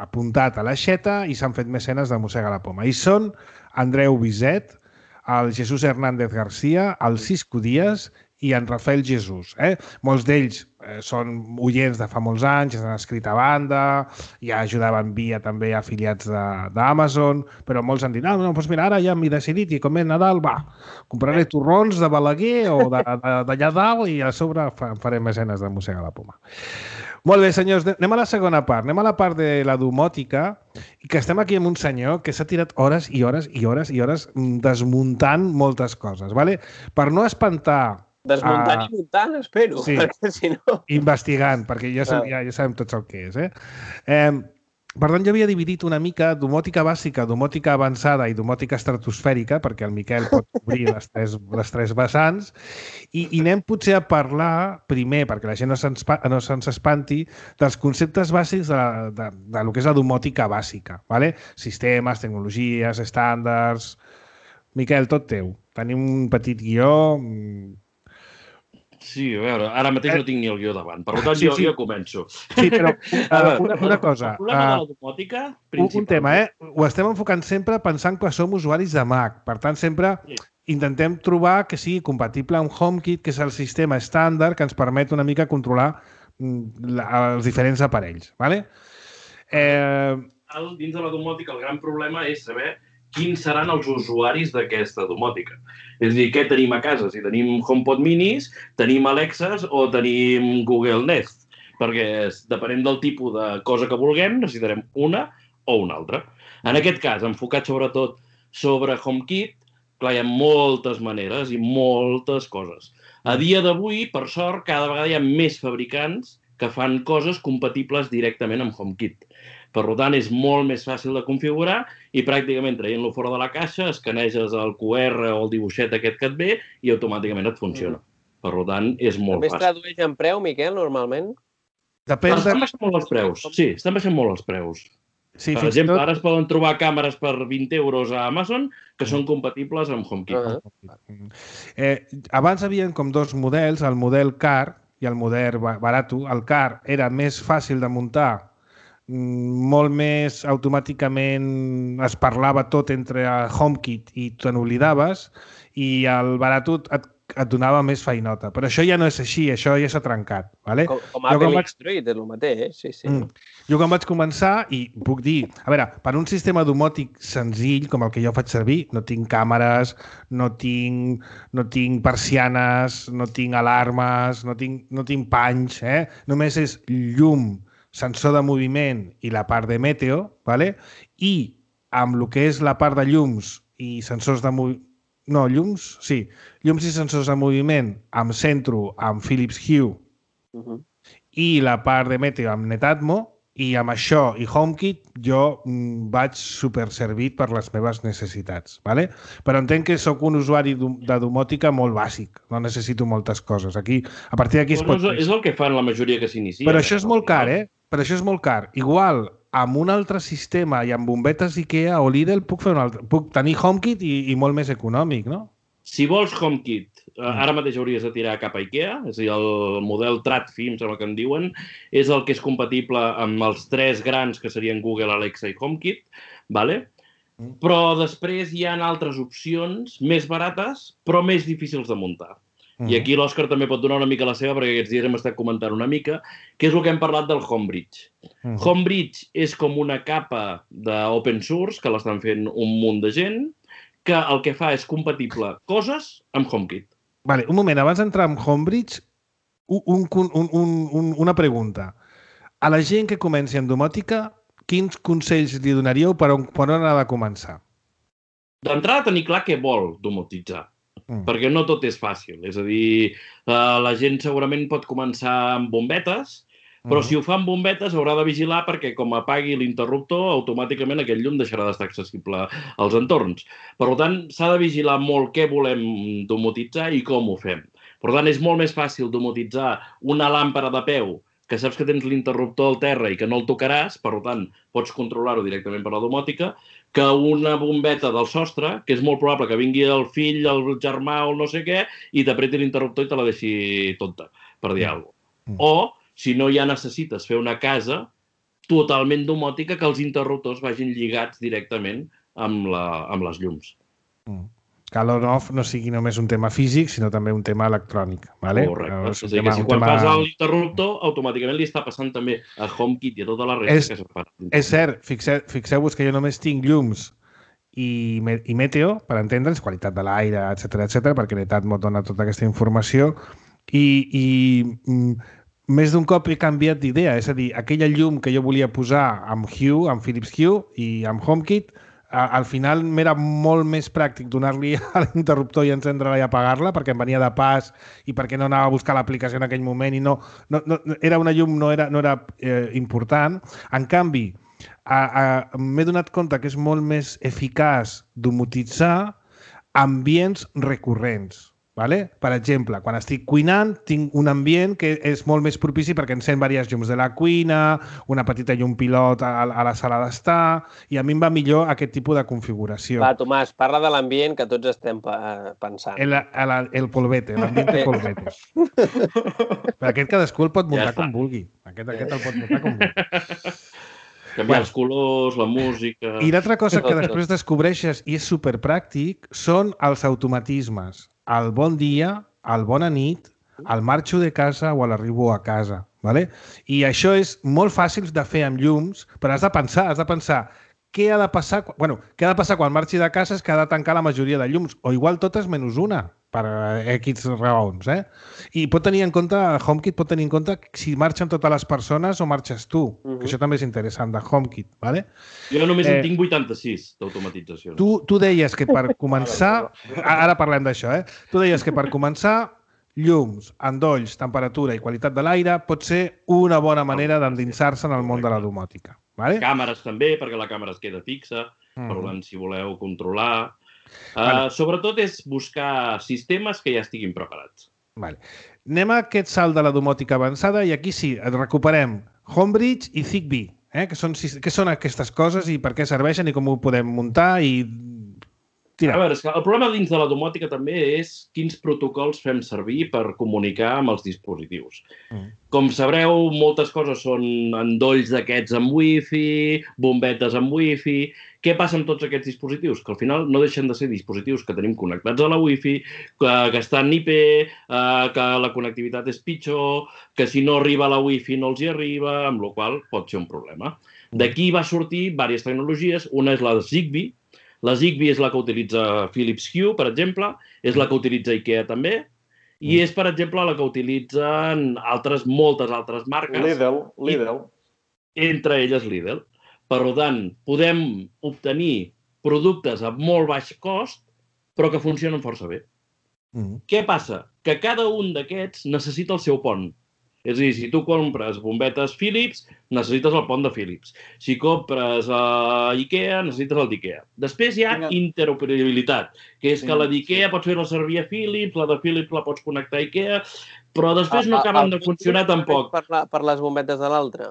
Speaker 2: apuntat a l'aixeta i s'han fet mecenes de Mossega la Poma. I són Andreu Biset, el Jesús Hernández García, el Cisco Díaz i en Rafael Jesús. Eh? Molts d'ells eh, són oients de fa molts anys, han escrit a banda, ja ajudaven via també afiliats d'Amazon, però molts han dit, ah, no, doncs mira, ara ja m'he decidit i com és Nadal, va, compraré torrons de Balaguer o d'allà dalt i a sobre farem mecenes de Mossega la Poma. Molt bé, senyors, anem a la segona part. Anem a la part de la domòtica, i que estem aquí amb un senyor que s'ha tirat hores i hores i hores i hores desmuntant moltes coses, ¿vale? Per no espantar...
Speaker 3: Desmuntant uh, i muntant, espero, sí, perquè si no...
Speaker 2: investigant, perquè ja, ja, ja sabem tots el que és, eh? eh Per tant, jo havia dividit una mica domòtica bàsica, domòtica avançada i domòtica estratosfèrica, perquè el Miquel pot cobrir les tres, les tres vessants, i, i anem potser a parlar primer, perquè la gent no se'ns no se'ns espanti, dels conceptes bàsics de, de, de lo que és la domòtica bàsica, ¿vale? Sistemes, tecnologies, estàndards... Miquel, tot teu. Tenim un petit guió...
Speaker 4: Sí, a veure, ara mateix no tinc ni el guió davant, per tant, sí, jo, sí. jo començo.
Speaker 2: Sí, però uh, una, una cosa...
Speaker 4: El problema uh, de la domòtica,
Speaker 2: principalment... Un tema, eh? Ho estem enfocant sempre pensant que som usuaris de Mac. Per tant, sempre sí. intentem trobar que sigui compatible amb HomeKit, que és el sistema estàndard que ens permet una mica controlar la, els diferents aparells, ¿vale?
Speaker 4: Eh... Dins de la domòtica, el gran problema és saber quins seran els usuaris d'aquesta domòtica. És a dir, què tenim a casa? Si tenim HomePod minis, tenim Alexas o tenim Google Nest. Perquè depenent del tipus de cosa que vulguem, necessitarem una o una altra. En aquest cas, enfocat sobretot sobre HomeKit, clar, hi ha moltes maneres i moltes coses. A dia d'avui, per sort, cada vegada hi ha més fabricants que fan coses compatibles directament amb HomeKit. Per tant, és molt més fàcil de configurar i pràcticament traient-lo fora de la caixa, escaneges el Q R o el dibuixet aquest que et ve i automàticament et funciona. Per tant, és molt
Speaker 3: fàcil.
Speaker 4: També
Speaker 3: es tradueix en preu, Miquel, normalment?
Speaker 2: Depèn de...
Speaker 4: Estan baixant molt els preus. Sí, estan baixant molt els preus.
Speaker 2: Sí,
Speaker 4: per exemple, tot... ara es poden trobar càmeres per vint euros a Amazon que són compatibles amb HomeKit. Uh
Speaker 2: -huh. eh, abans havien com dos models, el model car i el model barato. El car era més fàcil de muntar, molt més automàticament es parlava tot entre HomeKit i te n'oblidaves, i el barato et, et donava més feinota. Però això ja no és així, això ja s'ha trencat. ¿Vale?
Speaker 3: Com, com Apple vaig... X-Droid, és el mateix, sí, sí. Mm.
Speaker 2: Jo quan vaig començar, i puc dir, a veure, per un sistema domòtic senzill, com el que jo faig servir, no tinc càmeres, no tinc, no tinc persianes, no tinc alarmes, no tinc, no tinc panys, eh? Només és llum, sensor de moviment i la part de meteo, ¿vale? I amb el que és la part de llums i sensors de moviment... No, llums, sí. Llums i sensors de moviment em centro amb Philips Hue uh -huh. i la part de meteo amb Netatmo, I amb això i HomeKit jo vaig superservit per les meves necessitats, ¿vale? Però entenc que sóc un usuari de domòtica molt bàsic, no necessito moltes coses. Aquí, a partir d'aquí es pot...
Speaker 4: És el que fan la majoria que s'inicia.
Speaker 2: Però això és molt car, eh? Però això és molt car. Igual, amb un altre sistema i amb bombetes IKEA o Lidl puc, fer un altre, puc tenir HomeKit i, i molt més econòmic, no?
Speaker 4: Si vols HomeKit, ara mateix hauries de tirar cap a IKEA, és a dir, el model TradFi, em sembla que en diuen, és el que és compatible amb els tres grans que serien Google, Alexa i HomeKit, ¿vale? Però després hi ha altres opcions més barates, però més difícils de muntar. I aquí l'Òscar també pot donar una mica la seva, perquè aquests dies hem estat comentant una mica, que és el que hem parlat del Homebridge. Homebridge és com una capa d'open source, que l'estan fent un munt de gent, que el que fa és compatible coses amb HomeKit.
Speaker 2: Vale, un moment, abans d'entrar en Homebridge, un, un, un, un, una pregunta. A la gent que comenci en domòtica, quins consells li donaríeu per on, per on ha de començar?
Speaker 4: D'entrada, tenir clar què vol domotitzar, mm. perquè no tot és fàcil. És a dir, la gent segurament pot començar amb bombetes, però si ho fa amb bombetes haurà de vigilar perquè com apagui l'interruptor, automàticament aquest llum deixarà d'estar accessible als entorns. Per tant, s'ha de vigilar molt què volem domotitzar i com ho fem. Per tant, és molt més fàcil domotitzar una làmpara de peu que saps que tens l'interruptor al terra i que no el tocaràs, per tant, pots controlar-ho directament per la domòtica, que una bombeta del sostre, que és molt probable que vingui el fill, el germà o no sé què, i t'apreti l'interruptor i te la deixi tonta, per dir alguna cosa. O si no ja necessites fer una casa totalment domòtica que els interruptors vagin lligats directament amb, la, amb les llums.
Speaker 2: Mm. Que l'on-off no sigui només un tema físic, sinó també un tema electrònic. ¿Vale?
Speaker 4: Correcte. No, és a dir, tema, que si quan tema... fas l'interruptor, automàticament li està passant també a HomeKit i a tota la resta
Speaker 2: és,
Speaker 4: que se'n fan.
Speaker 2: És cert, fixeu, fixeu-vos que jo només tinc llums i, i meteo, per entendre'ns, qualitat de l'aire, etcètera, etcètera, perquè l'Etat m'ho dona tota aquesta informació i... i mm, més d'un cop he canviat d'idea, és a dir, aquella llum que jo volia posar amb Hue, amb Philips Hue i amb HomeKit, al final m'era molt més pràctic donar-li a l'interruptor i encendre-la i apagar-la perquè em venia de pas i perquè no anava a buscar l'aplicació en aquell moment i no, no, no era una llum, no era, no era eh, important. En canvi, m'he donat compte que és molt més eficaç domotitzar ambients recurrents. Vale? Per exemple, quan estic cuinant, tinc un ambient que és molt més propici perquè encén diverses llums de la cuina, una petita llum pilot a, a la sala d'estar, i a mi em va millor aquest tipus de configuració.
Speaker 3: Va, Tomàs, parla de l'ambient que tots estem pensant.
Speaker 2: El, el, el polvete, l'ambient de polvete. Però aquest cadascú el pot muntar ja com vulgui. Aquest, aquest el pot muntar com vulgui.
Speaker 4: Canviar bueno. els colors, la música...
Speaker 2: I l'altra cosa que després descobreixes, i és superpràctic, són els automatismes. El bon dia, el bona nit, el marxo de casa o l'arribo a casa. ¿Vale? I això és molt fàcil de fer amb llums, però has de pensar, has de pensar què ha de passar, bueno, què ha de passar quan marxi de casa és que ha de tancar la majoria de llums, o igual totes menys una, per X raons, eh? I pot tenir en compte, HomeKit pot tenir en compte si marxen totes les persones o marxes tu, uh-huh. que això també és interessant de HomeKit, ¿vale?
Speaker 4: Jo només eh, en tinc vuitanta-sis d'automatització.
Speaker 2: Tu, tu deies que per començar, ara parlem d'això, eh? Tu deies que per començar, llums, endolls, temperatura i qualitat de l'aire pot ser una bona manera d'endinsar-se en el món de la domòtica. Vale?
Speaker 4: Càmeres també, perquè la càmera es queda fixa, mm. per tant, si voleu controlar... Uh, vale. Sobretot és buscar sistemes que ja estiguin preparats.
Speaker 2: Vale. Anem a aquest salt de la domòtica avançada i aquí sí, recuperem Homebridge i Zigbee. Eh? Que són, què són aquestes coses i per què serveixen i com ho podem muntar i... Tira.
Speaker 4: A veure, el problema dins de la domòtica també és quins protocols fem servir per comunicar amb els dispositius. Mm. Com sabreu, moltes coses són endolls d'aquests amb wifi, bombetes amb wifi... Què passa amb tots aquests dispositius? Que al final no deixen de ser dispositius que tenim connectats a la wifi, que, que estan I P, eh, que la connectivitat és pitjor, que si no arriba a la wifi no els hi arriba, amb la qual cosa pot ser un problema. D'aquí va sortir diverses tecnologies. Una és la Zigbee. La Zigbee és la que utilitza Philips Hue, per exemple, és la que utilitza IKEA també, i és, per exemple, la que utilitzen altres, moltes altres marques.
Speaker 5: Lidl, Lidl.
Speaker 4: Entre elles Lidl. Per tant, podem obtenir productes a molt baix cost, però que funcionen força bé. Mm. Què passa? Que cada un d'aquests necessita el seu pont. És a dir, si tu compres bombetes Philips, necessites el pont de Philips. Si compres a Ikea, necessites el d'Ikea. Després hi ha interoperabilitat, que és que la d'Ikea pots fer-la servir a Philips, la de Philips la pots connectar a Ikea, però després no acaben de funcionar tampoc.
Speaker 3: Per les bombetes de l'altre?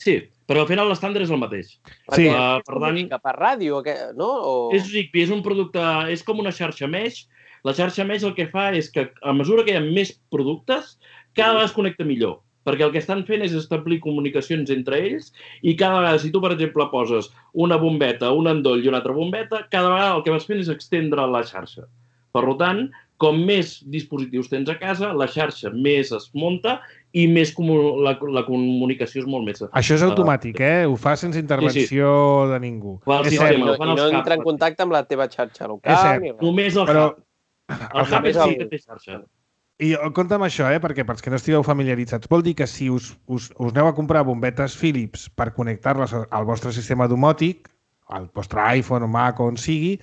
Speaker 4: Sí, però al final l'estàndard és el mateix.
Speaker 3: Sí. Per tant... Per ràdio, no?
Speaker 4: És Zigbee, és un producte... És com una xarxa mesh. La xarxa mesh el que fa és que, a mesura que hi ha més productes, cada vegada es connecta millor, perquè el que estan fent és establir comunicacions entre ells i cada vegada, si tu, per exemple, poses una bombeta, un endoll i una altra bombeta, cada vegada el que vas fent és extendre la xarxa. Per tant, com més dispositius tens a casa, la xarxa més es munta i més la, la comunicació és molt més...
Speaker 2: Això és automàtic, eh? Ho fa sense intervenció sí, sí. de ningú.
Speaker 3: És cert. I no, i no entra en contacte amb la teva xarxa local.
Speaker 2: És cert.
Speaker 4: Només el
Speaker 2: Però...
Speaker 4: hub. El hub és el que té xarxa.
Speaker 2: I compte amb això, eh? Perquè pels que no estigueu familiaritzats, vol dir que si us, us, us aneu a comprar bombetes Philips per connectar-les al vostre sistema domòtic, al vostre iPhone o Mac o on sigui,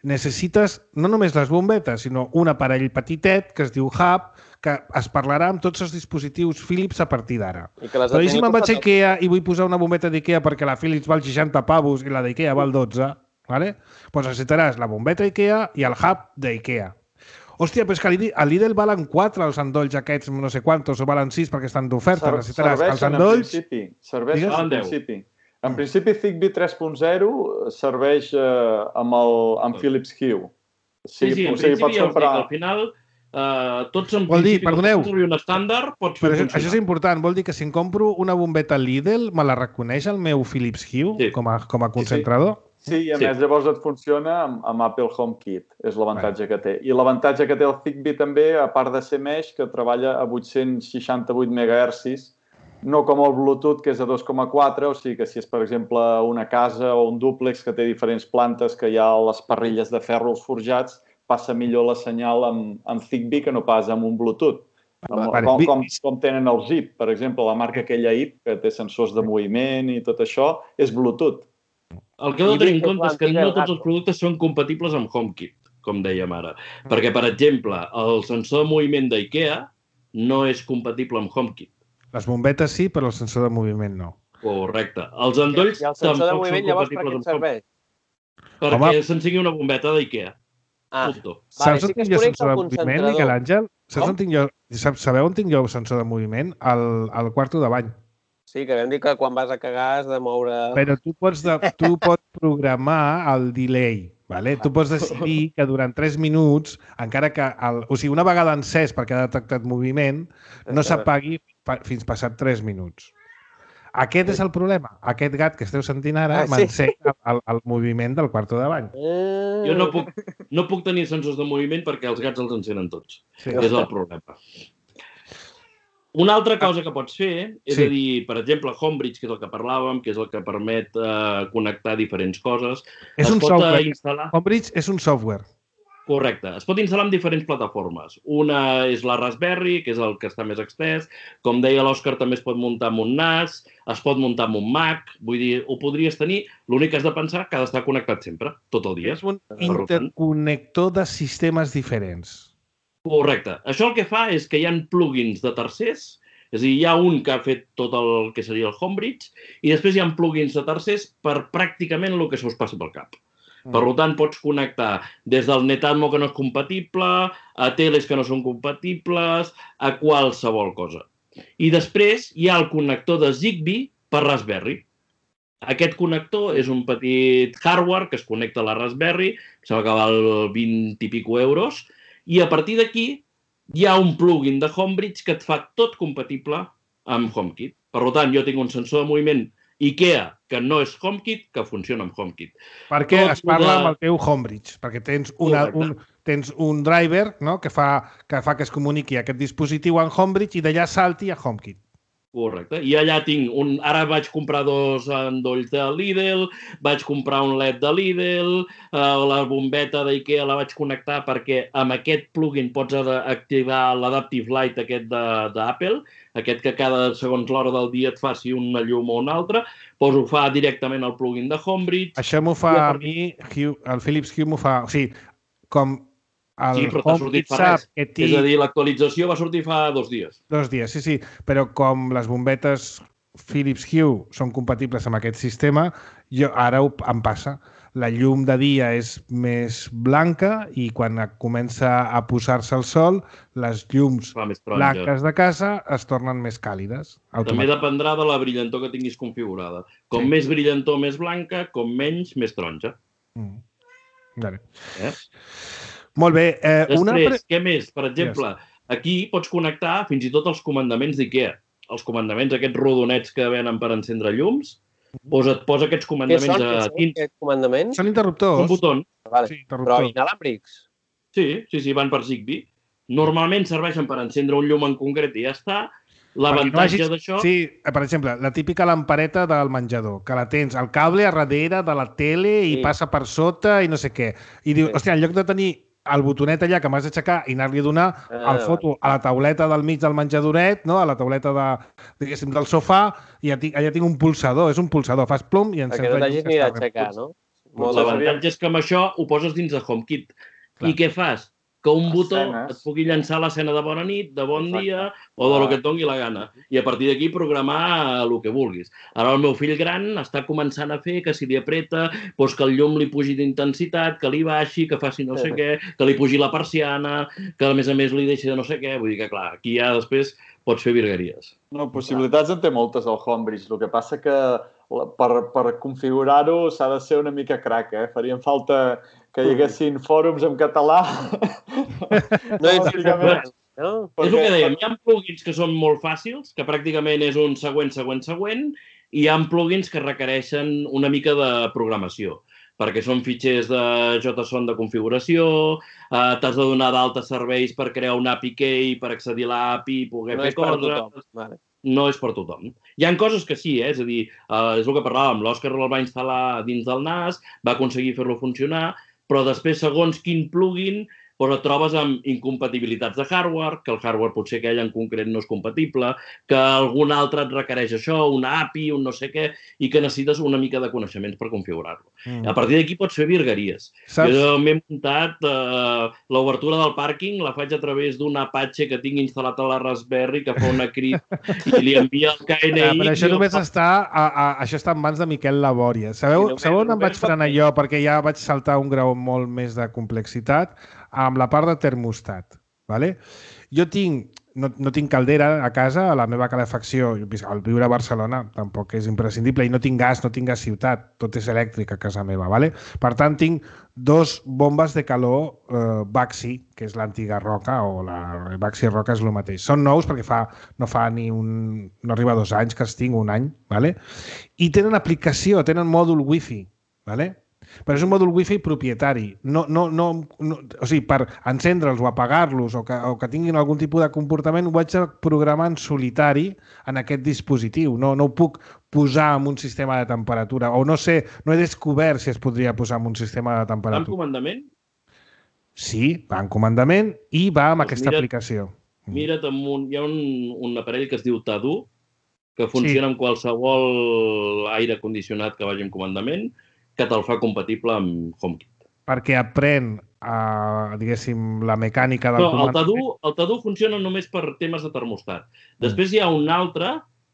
Speaker 2: necessites no només les bombetes, sinó un aparell petitet que es diu Hub, que es parlarà amb tots els dispositius Philips a partir d'ara. Però i si me'n vaig a Ikea i vull posar una bombeta d'Ikea perquè la Philips val seixanta pavos i la d'Ikea val dotze, ¿vale? Pues necessitaràs la bombeta Ikea i el Hub d'Ikea. Hòstia, però és que a Lidl valen quatre els endolls aquests, no sé quantos, o valen sis perquè estan d'oferta. Necessitaràs els endolls...
Speaker 5: Serveixen en principi. En principi, Zigbee tres punt zero serveix eh, amb, el, amb Philips Hue.
Speaker 4: Sí, sí, en principi, comprar... al final, eh, tots en
Speaker 2: vol dir,
Speaker 4: principi,
Speaker 2: perdoneu,
Speaker 4: un estàndard, pots fer
Speaker 2: però això,
Speaker 4: funcionar.
Speaker 2: això és important, vol dir que si em compro una bombeta Lidl, me la reconeix el meu Philips Hue sí. com, a, com a concentrador?
Speaker 5: Sí, sí. Sí, i a sí. més llavors et funciona amb, amb Apple HomeKit, és l'avantatge que té. I l'avantatge que té el Zigbee també, a part de ser mesh, que treballa a vuit-cents seixanta-vuit megahertzis, no com el Bluetooth, que és a dos coma quatre, o sigui que si és, per exemple, una casa o un dúplex que té diferents plantes, que hi ha les parrilles de ferro als forjats, passa millor la senyal amb, amb Zigbee que no pas amb un Bluetooth. Com, com, com, com tenen el Zip, per exemple, la marca aquella I P, que té sensors de moviment i tot això, és Bluetooth.
Speaker 4: El que heu de tenir en compte és que no tots els productes són compatibles amb HomeKit, com dèiem ara. Perquè, per exemple, el sensor de moviment d'IKEA no és compatible amb HomeKit.
Speaker 2: Les bombetes sí, però el sensor de moviment no.
Speaker 4: Correcte. Els endolls tampoc són compatibles amb HomeKit. Perquè s'ensigui una bombeta d'IKEA.
Speaker 3: Ah,
Speaker 2: saps on tinc jo sensor de moviment, Miquel Àngel? Sabeu on tinc jo sensor de moviment? Al quarto de bany.
Speaker 3: Sí, que vam dir que quan vas a cagar has de moure...
Speaker 2: Però tu pots, de, tu pots programar el delay, ¿vale? Tu pots decidir que durant tres minuts, encara que... El, o sigui, una vegada encès perquè ha detectat moviment, no s'apagui fins passat tres minuts. Aquest és el problema. Aquest gat que esteu sentint ara ah, sí. m'encega el, el moviment del quarto de bany.
Speaker 4: Mm. Jo no puc, no puc tenir sensors de moviment perquè els gats els encenen tots. Sí. És el problema. Una altra cosa que pots fer és sí. a dir, per exemple, Homebridge, que és el que parlàvem, que és el que permet eh, connectar diferents coses.
Speaker 2: És un software. Instal·lar... Homebridge és un software.
Speaker 4: Correcte. Es pot instal·lar en diferents plataformes. Una és la Raspberry, que és el que està més extès. Com deia l'Òscar, també es pot muntar amb un N A S, es pot muntar amb un Mac. Vull dir, ho podries tenir. L'únic que has de pensar que ha d'estar connectat sempre, tot el dia.
Speaker 2: És un interconnector de sistemes diferents.
Speaker 4: Correcte. Això el que fa és que hi ha plugins de tercers, és a dir, hi ha un que ha fet tot el que seria el Homebridge, i després hi ha plugins de tercers per pràcticament el que se us passi pel cap. Mm. Per tant, pots connectar des del Netatmo que no és compatible, a teles que no són compatibles, a qualsevol cosa. I després hi ha el connector de Zigbee per Raspberry. Aquest connector és un petit hardware que es connecta a la Raspberry, que sembla que val vint i pico euros, i a partir d'aquí hi ha un plugin de Homebridge que et fa tot compatible amb HomeKit. Per tant, jo tinc un sensor de moviment IKEA que no és HomeKit, que funciona amb HomeKit.
Speaker 2: Perquè es parla amb el teu Homebridge, perquè tens, una, un, tens un driver, no?, que, fa, que fa que es comuniqui aquest dispositiu en Homebridge i d'allà salti a HomeKit.
Speaker 4: Correcte. I allà tinc un... Ara vaig comprar dos endolls de Lidl, vaig comprar un L E D de Lidl, eh, la bombeta d'IKEA la vaig connectar perquè amb aquest plugin pots activar l'Adaptive Light aquest d'Apple, aquest que cada segons l'hora del dia et faci una llum o una altra, doncs ho fa directament el plugin de Homebridge.
Speaker 2: Això m'ho fa a mi, Hue, el Philips Hue m'ho fa... O sigui, com
Speaker 4: Sí, però t'ha sortit fa res. És a dir, l'actualització va sortir fa dos dies.
Speaker 2: Dos dies, sí, sí. Però com les bombetes Philips Hue són compatibles amb aquest sistema, jo ara em passa. La llum de dia és més blanca i quan comença a posar-se el sol, les llums blanques de casa es tornen més càlides.
Speaker 4: També dependrà de la brillantor que tinguis configurada. Com sí. Més brillantor, més blanca, com menys, més taronja. Mm.
Speaker 2: Vale. Eh? Molt bé. Eh,
Speaker 4: Després,
Speaker 2: una...
Speaker 4: què més? Per exemple, yes. Aquí pots connectar fins i tot els comandaments d'IKEA. Els comandaments, aquests rodonets que venen per encendre llums, Posa, et posa aquests comandaments
Speaker 3: són,
Speaker 4: a dins.
Speaker 3: Aquests comandaments?
Speaker 2: Són interruptors.
Speaker 4: Són botons.
Speaker 3: Vale. Sí, però inalàmbrics?
Speaker 4: Sí, sí, sí, van per Zigbee. Normalment serveixen per encendre un llum en concret i ja està. L'avantatge no hagis... d'això...
Speaker 2: Sí, per exemple, la típica lampareta del menjador, que la tens al cable a darrere de la tele i sí. Passa per sota i no sé què. I dius, sí. Hòstia, en lloc de tenir el botonet allà que m'has d'aixecar i anar-li a donar ah, el foto a la tauleta del mig del menjadoret, no? A la tauleta de, diguéssim, del sofà, i allà tinc un pulsador, és un pulsador, fas plom i encens...
Speaker 3: Perquè no t'hagis ni d'aixecar, no?
Speaker 4: L'avantatge és que amb això ho poses dins de HomeKit. Clar. I què fas? Que un botó et pugui llançar l'escena de bona nit, de bon Exacte. Dia o de lo que et doni la gana. I a partir d'aquí programar el que vulguis. Ara el meu fill gran està començant a fer que si li apreta, doncs que el llum li pugi d'intensitat, que li baixi, que faci no sé què, que li pugi la persiana, que a més a més li deixi de no sé què. Vull dir que, clar, aquí ja després pots fer virgueries.
Speaker 5: No, possibilitats en té moltes al Homebridge. El que passa que per, per configurar-ho s'ha de ser una mica crac, eh? Farien falta que hi haguessin fòrums en català.
Speaker 3: No és pràcticament...
Speaker 4: No? És el que dèiem, hi ha plugins que són molt fàcils, que pràcticament és un següent, següent, següent, i hi ha plugins que requereixen una mica de programació, perquè són fitxers de JSON de configuració, eh, t'has de donar d'alta serveis per crear un A P I key, per accedir a l'A P I i poder
Speaker 3: no
Speaker 4: fer coses.
Speaker 3: Vale.
Speaker 4: No és per tothom. Hi ha coses que sí, eh? És a dir, eh, és el que parlàvem, l'Òscar el va instal·lar dins del N A S, va aconseguir fer-lo funcionar, però després, segons quin plugin, doncs et trobes amb incompatibilitats de hardware, que el hardware potser aquell en concret no és compatible, que algun altre et requereix això, una A P I, un no sé què, i que necessites una mica de coneixements per configurar-lo. Mm. A partir d'aquí pots fer virgueries. Saps? Jo m'he muntat eh, l'obertura del pàrquing, la faig a través d'un Apache que tinc instal·lat a la Raspberry, que fa una crida i li envia el K N I.
Speaker 2: Ah, però això només fa... està, a, a, això està en mans de Miquel Labòria. Sabeu, sí, sabeu on em vaig frenar jo? Perquè ja vaig saltar un grau molt més de complexitat amb la part de termostat. Vale? Jo tinc, no, no tinc caldera a casa, a la meva calefacció, al viure a Barcelona tampoc és imprescindible, i no tinc gas, no tinc gas ciutat, tot és elèctric a casa meva. Vale? Per tant, tinc dos bombes de calor eh, Baxi, que és l'antiga Roca, o la Baxi Roca és el mateix. Són nous perquè fa, no fa ni un... no arriba a dos anys que els tinc, un any, vale? I tenen aplicació, tenen mòdul wifi, vale? Però és un mòdul wifi propietari. No, no, no, no, o sigui, per encendre'ls o apagar-los o, que, o que tinguin algun tipus de comportament, ho vaig a programar en solitari en aquest dispositiu. No, no ho puc posar en un sistema de temperatura. O no sé, no he descobert si es podria posar en un sistema de temperatura.
Speaker 4: Va en comandament?
Speaker 2: Sí, va en comandament i va amb doncs aquesta mira't, aplicació.
Speaker 4: Mira't, amb un, hi ha un, un aparell que es diu Tadu, que funciona sí. amb qualsevol aire condicionat que vagi en comandament, que te'l fa compatible amb HomeKit.
Speaker 2: Perquè aprèn, uh, diguéssim, la mecànica del
Speaker 4: no,
Speaker 2: comandament.
Speaker 4: El Tadu, el Tadu funciona només per temes de termostat. Després mm. hi ha un altre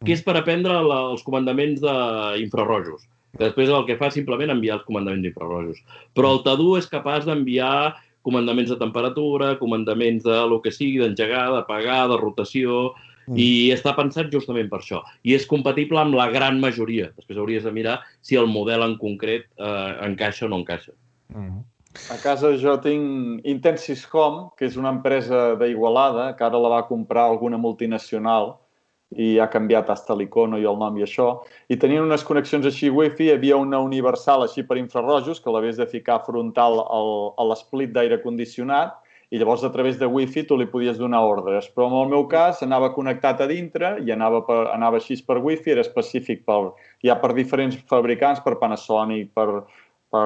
Speaker 4: que és per aprendre la, els comandaments d'infrarrojos. Després el que fa és simplement enviar els comandaments d'infrarrojos. Però el Tadu és capaç d'enviar comandaments de temperatura, comandaments de lo que sigui, d'engegar, d'apagar, de rotació... I està pensat justament per això. I és compatible amb la gran majoria. Després hauries de mirar si el model en concret eh, encaixa o no encaixa.
Speaker 5: Mm. A casa jo tinc Intensis Home, que és una empresa d'Igualada, que ara la va comprar alguna multinacional i ha canviat hasta l'icono i el nom i això. I tenien unes connexions així wifi, hi havia una universal així per infrarrojos, que l'havies de ficar frontal al, a l'esplit d'aire condicionat, i llavors a través de wifi tu li podies donar ordres. Però en el meu cas anava connectat a dintre i anava, per, anava així per wifi, era específic per, ja per diferents fabricants, per Panasonic, per, per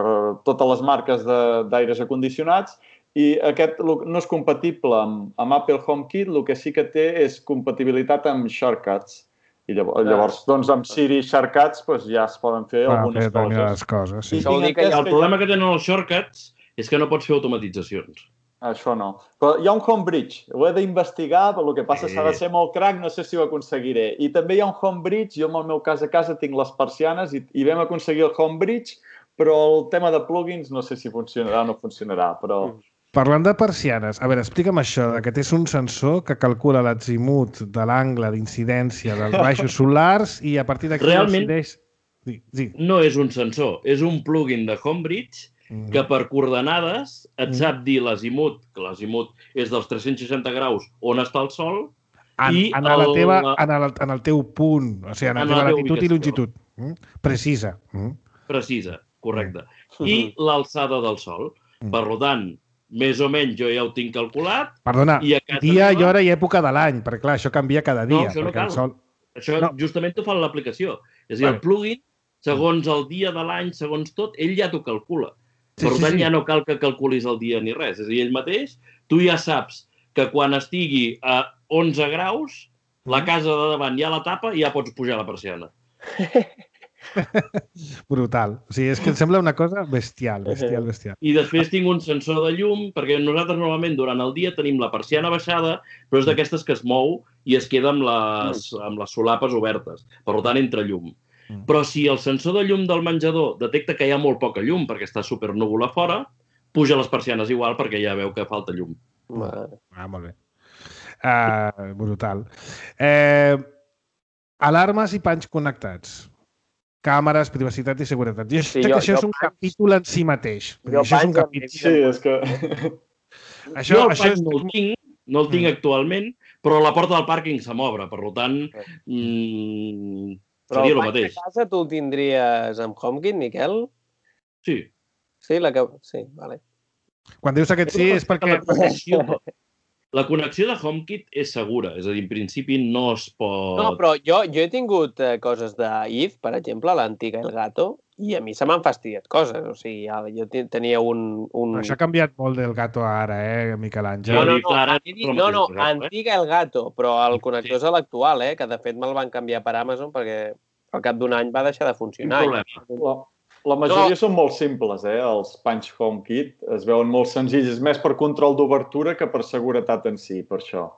Speaker 5: totes les marques d'aires acondicionats, i aquest no és compatible amb, amb Apple HomeKit, el que sí que té és compatibilitat amb Shortcuts. I llavors, llavors doncs, amb Siri i Shortcuts doncs, ja es poden fer
Speaker 2: ah,
Speaker 5: algunes
Speaker 2: fer coses. coses sí.
Speaker 4: I el problema que tenen els Shortcuts és que no pots fer automatitzacions.
Speaker 5: Això no. Però hi ha un homebridge, ho he d'investigar, però el que passa
Speaker 4: Sí.
Speaker 5: s'ha de ser molt crac, no sé si ho aconseguiré. I també hi ha un homebridge, jo en el meu cas a casa tinc les persianes i, i vam aconseguir el homebridge, però el tema de plugins no sé si funcionarà o no funcionarà, però...
Speaker 2: Parlant de persianes, a veure, explica'm això, que és un sensor que calcula l'azimut de l'angle d'incidència dels baixos solars i a partir d'aquí
Speaker 4: Realment,
Speaker 2: decideix... Sí, sí.
Speaker 4: No és un sensor, és un plugin de Homebridge
Speaker 2: Mm.
Speaker 4: que per coordenades et sap dir l'azimut, que l'azimut és dels tres-cents seixanta graus on està el Sol,
Speaker 2: En,
Speaker 4: i
Speaker 2: en, la
Speaker 4: el-
Speaker 2: teva, en, el, en el teu punt, o sigui, en la
Speaker 4: En
Speaker 2: teva
Speaker 4: la teva
Speaker 2: latitud i
Speaker 4: ubicació.
Speaker 2: longitud. Mm? Precisa. Mm?
Speaker 4: precisa, correcte, i l'alçada del Sol.
Speaker 2: Mm.
Speaker 4: Per tant, més o menys jo ja ho tinc calculat.
Speaker 2: Perdona,
Speaker 4: I a casa
Speaker 2: dia i
Speaker 4: meva-
Speaker 2: hora i època de l'any, perquè clar, això canvia cada dia.
Speaker 4: No, això no
Speaker 2: perquè el
Speaker 4: cal.
Speaker 2: sol...
Speaker 4: Això
Speaker 2: No.
Speaker 4: justament t'ho fa l'aplicació. És a dir,
Speaker 2: Vale.
Speaker 4: el plugin, segons el dia de l'any, segons tot, ell ja t'ho calcula.
Speaker 2: Sí,
Speaker 4: Per
Speaker 2: sí,
Speaker 4: tant,
Speaker 2: sí.
Speaker 4: ja no cal que calculis el dia ni res. És a dir, ell mateix, tu ja saps que quan estigui a onze graus, la casa de davant ja la tapa i ja pots pujar la persiana.
Speaker 2: Brutal. O sigui, és que em sembla una cosa bestial, bestial, bestial.
Speaker 4: I després tinc un sensor de llum, perquè nosaltres normalment durant el dia tenim la persiana baixada, però és d'aquestes que es mou i es queda amb les, amb les solapes obertes. Per tant, entra llum.
Speaker 2: Mm.
Speaker 4: Però si el sensor de llum del menjador detecta que hi ha molt poca llum perquè està supernúvol a fora, puja les persianes igual perquè ja veu que falta llum.
Speaker 3: Vale.
Speaker 2: Ah, molt bé. Uh, brutal. Eh, alarmes i panys connectats. Càmeres, privacitat i seguretat. Jo
Speaker 3: Sí,
Speaker 2: sé
Speaker 3: jo-
Speaker 2: que això
Speaker 3: jo
Speaker 2: és un
Speaker 3: panys-
Speaker 2: capítol en si mateix. Vull dir,
Speaker 3: Jo
Speaker 2: això és un
Speaker 3: panys em
Speaker 2: capítol...
Speaker 5: Sí, és que...
Speaker 2: Això,
Speaker 4: jo el
Speaker 2: això
Speaker 4: pany
Speaker 2: és...
Speaker 4: no el tinc, no el tinc
Speaker 2: Mm.
Speaker 4: actualment, però la porta del pàrquing se m'obre, per tant, mm,
Speaker 3: Però
Speaker 4: seria
Speaker 3: el
Speaker 4: el
Speaker 3: panys de
Speaker 4: mateix.
Speaker 3: casa tu el tindries amb HomeKit, Miquel?
Speaker 4: Sí.
Speaker 3: Sí, la que... Sí, vale.
Speaker 2: Quan dius aquest sí és perquè...
Speaker 4: La connexió, la connexió de HomeKit és segura, és a dir, en principi no es pot...
Speaker 3: No, però jo, jo he tingut eh, coses d'If, per exemple, l'antiga Elgato, i a mi se m'han fastidiat coses. O sigui, ja, jo te- tenia un... un...
Speaker 2: Això ha canviat molt del gato a ara, eh, Miquel Àngel?
Speaker 3: No, no,
Speaker 4: Dir
Speaker 3: no,
Speaker 4: que ara
Speaker 3: he dit-
Speaker 4: és el
Speaker 3: no, no,
Speaker 4: mateix, eh?
Speaker 3: antiga Elgato, però el connector és l'actual, eh, que de fet me'l van canviar per Amazon perquè al cap d'un any va deixar de
Speaker 4: Quin
Speaker 3: funcionar.
Speaker 4: problema?
Speaker 5: La, la majoria
Speaker 3: No.
Speaker 5: són molt simples, eh? Els Punch HomeKit es veuen molt senzills. És més per control d'obertura que per seguretat en si, per això.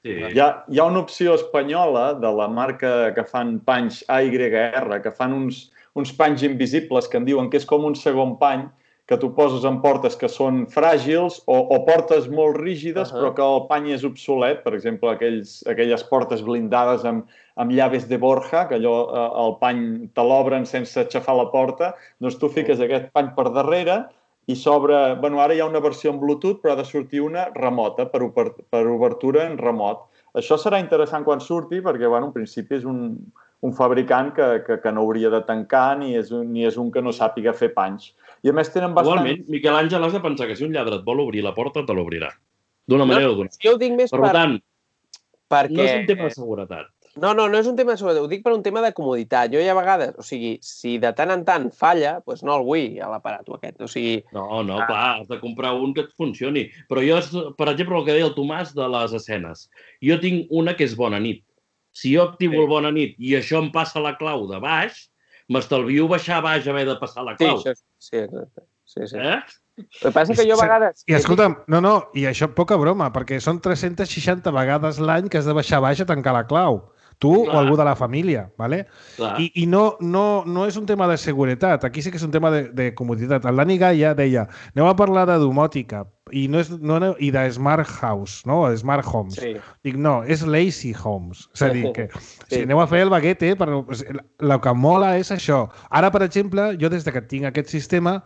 Speaker 4: Sí.
Speaker 5: Hi ha, hi ha una opció espanyola de la marca que fan panys A Y R, que fan uns, uns panys invisibles que en diuen que és com un segon pany, que tu poses en portes que són fràgils o, o portes molt rígides,
Speaker 3: Uh-huh.
Speaker 5: però que el pany és obsolet. Per exemple, aquells, aquelles portes blindades amb, amb llaves de Borja, que allò, eh, el pany te l'obren sense aixafar la porta, doncs tu fiques aquest pany per darrere i s'obre... Bueno, ara hi ha una versió en Bluetooth, però ha de sortir una remota, per, ober, per obertura en remot. Això serà interessant quan surti, perquè, bueno, en principi és un, un fabricant que, que, que no hauria de tancar ni és, un, ni és un que no sàpiga fer panys. I a més tenen bastant...
Speaker 4: Igualment, Miquel Àngel, has de pensar que si un lladre et vol obrir la porta, te l'obrirà. D'una manera o d'una.
Speaker 3: Jo ho dic més
Speaker 4: Per
Speaker 3: per...
Speaker 4: tant,
Speaker 3: perquè...
Speaker 4: no és un tema de seguretat.
Speaker 3: No, no, no és un tema de seguretat, ho dic per un tema de comoditat. Jo hi ha vegades, o sigui, si de tant en tant falla, doncs no el vull, a l'aparato aquest. O sigui,
Speaker 4: No, no,
Speaker 3: Ah.
Speaker 4: clar, has de comprar un que et funcioni. Però jo, per exemple, el que deia el Tomàs de les escenes. Jo tinc una que és Bona nit. Si jo activo
Speaker 3: Sí.
Speaker 4: el Bona nit i això em passa la clau de baix, m'estalvio baixar a baix haver de passar la
Speaker 3: sí,
Speaker 4: clau.
Speaker 3: això, sí, exacte. Sí, sí.
Speaker 4: Eh?
Speaker 3: El que passa que jo a vegades...
Speaker 2: I escolta'm, no, no, i això poca broma, perquè són tres-centes seixanta vegades l'any que has de baixar a baix a tancar la clau. Tu
Speaker 4: Clar.
Speaker 2: o algú de la família, ¿vale?
Speaker 4: Clar.
Speaker 2: I, i no, no, no és un tema de seguretat, aquí sí que és un tema de, de comoditat. El Dani Gaia deia, anem a parlar de domòtica i, no és, no, no, i de smart house, no? O smart homes.
Speaker 3: Sí.
Speaker 2: Dic, no, és lazy homes. És a dir, que
Speaker 3: Sí.
Speaker 2: si aneu a fer el baguete, però el que mola és això. Ara, per exemple, jo des de que tinc aquest sistema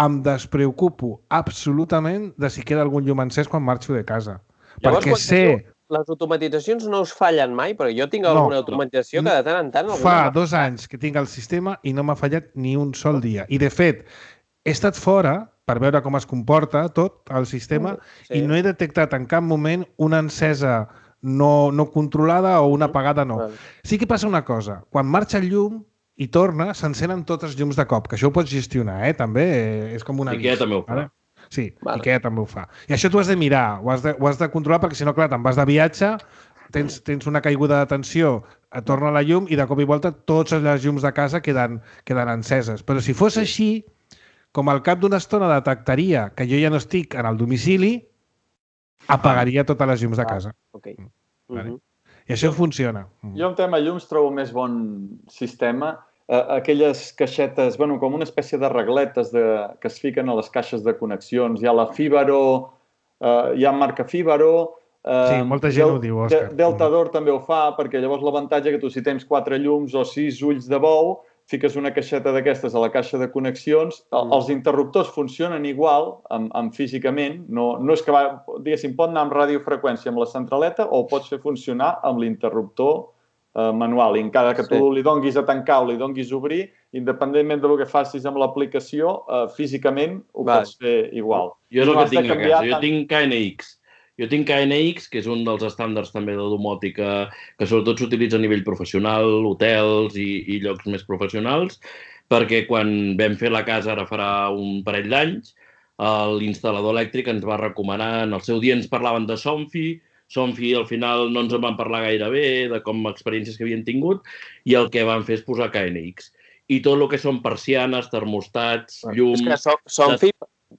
Speaker 2: em despreocupo absolutament de si queda algun llum encès quan marxo de casa.
Speaker 3: Llavors,
Speaker 2: perquè
Speaker 3: quan
Speaker 2: sé...
Speaker 3: diu, les automatitzacions no us fallen mai, perquè jo tinc
Speaker 2: No,
Speaker 3: alguna
Speaker 2: no.
Speaker 3: automatització que de tant en tant... alguna
Speaker 2: Fa
Speaker 3: m'ha
Speaker 2: dos anys que tinc el sistema i no m'ha fallat ni un sol dia. I, de fet, he estat fora per veure com es comporta tot el sistema
Speaker 3: Sí.
Speaker 2: i no he detectat en cap moment una encesa no, no controlada o una apagada no.
Speaker 3: Val.
Speaker 2: Sí que passa una cosa. Quan marxa el llum i torna, s'encenen tots els llums de cop, que això ho pots gestionar, eh? També eh, és com una...
Speaker 4: Ikea també ho fa.
Speaker 2: Sí,
Speaker 3: Vale.
Speaker 2: Ikea també ho fa. I això t'ho has de mirar, ho has de, ho has de controlar, perquè si no, clar, te'n vas de viatge, tens, tens una caiguda de tensió, et torna la llum i de cop i volta totes les llums de casa queden, queden enceses. Però si fos així, com al cap d'una estona detectaria que jo ja no estic en el domicili, apagaria totes les llums de casa.
Speaker 3: Ok.
Speaker 2: Vale. I això funciona.
Speaker 5: Jo en tema llums trobo més bon sistema. Aquelles caixetes, bueno, com una espècie de regletes que es fiquen a les caixes de connexions. Hi ha la Fibaro, hi ha marca Fibaro.
Speaker 2: Sí, molta gent ho diu, Òscar.
Speaker 5: Deltador també ho fa, perquè llavors l'avantatge que tu si tens quatre llums o sis ulls de bou, fiques una caixeta d'aquestes a la caixa de connexions, els interruptors funcionen igual, amb físicament, no és que, diguéssim, pot anar amb radiofreqüència amb la centraleta o pots fer funcionar amb l'interruptor manual. I encara que tu li donguis a tancar o li donguis a obrir, independentment del que facis amb l'aplicació, físicament ho pots fer igual.
Speaker 4: Jo és el que tinc a casa. Jo tinc K N X. Jo tinc K N X, que és un dels estàndards també de domòtica que sobretot s'utilitza a nivell professional, hotels i llocs més professionals, perquè quan vam fer la casa ara farà un parell d'anys, l'instal·lador elèctric ens va recomanar, en el seu dia ens parlaven de Somfy, Somfy al final no ens en van parlar gaire bé, de com experiències que havien tingut, i el que van fer és posar K N X. I tot el que són persianes, termostats, llums...
Speaker 3: És que Somfy,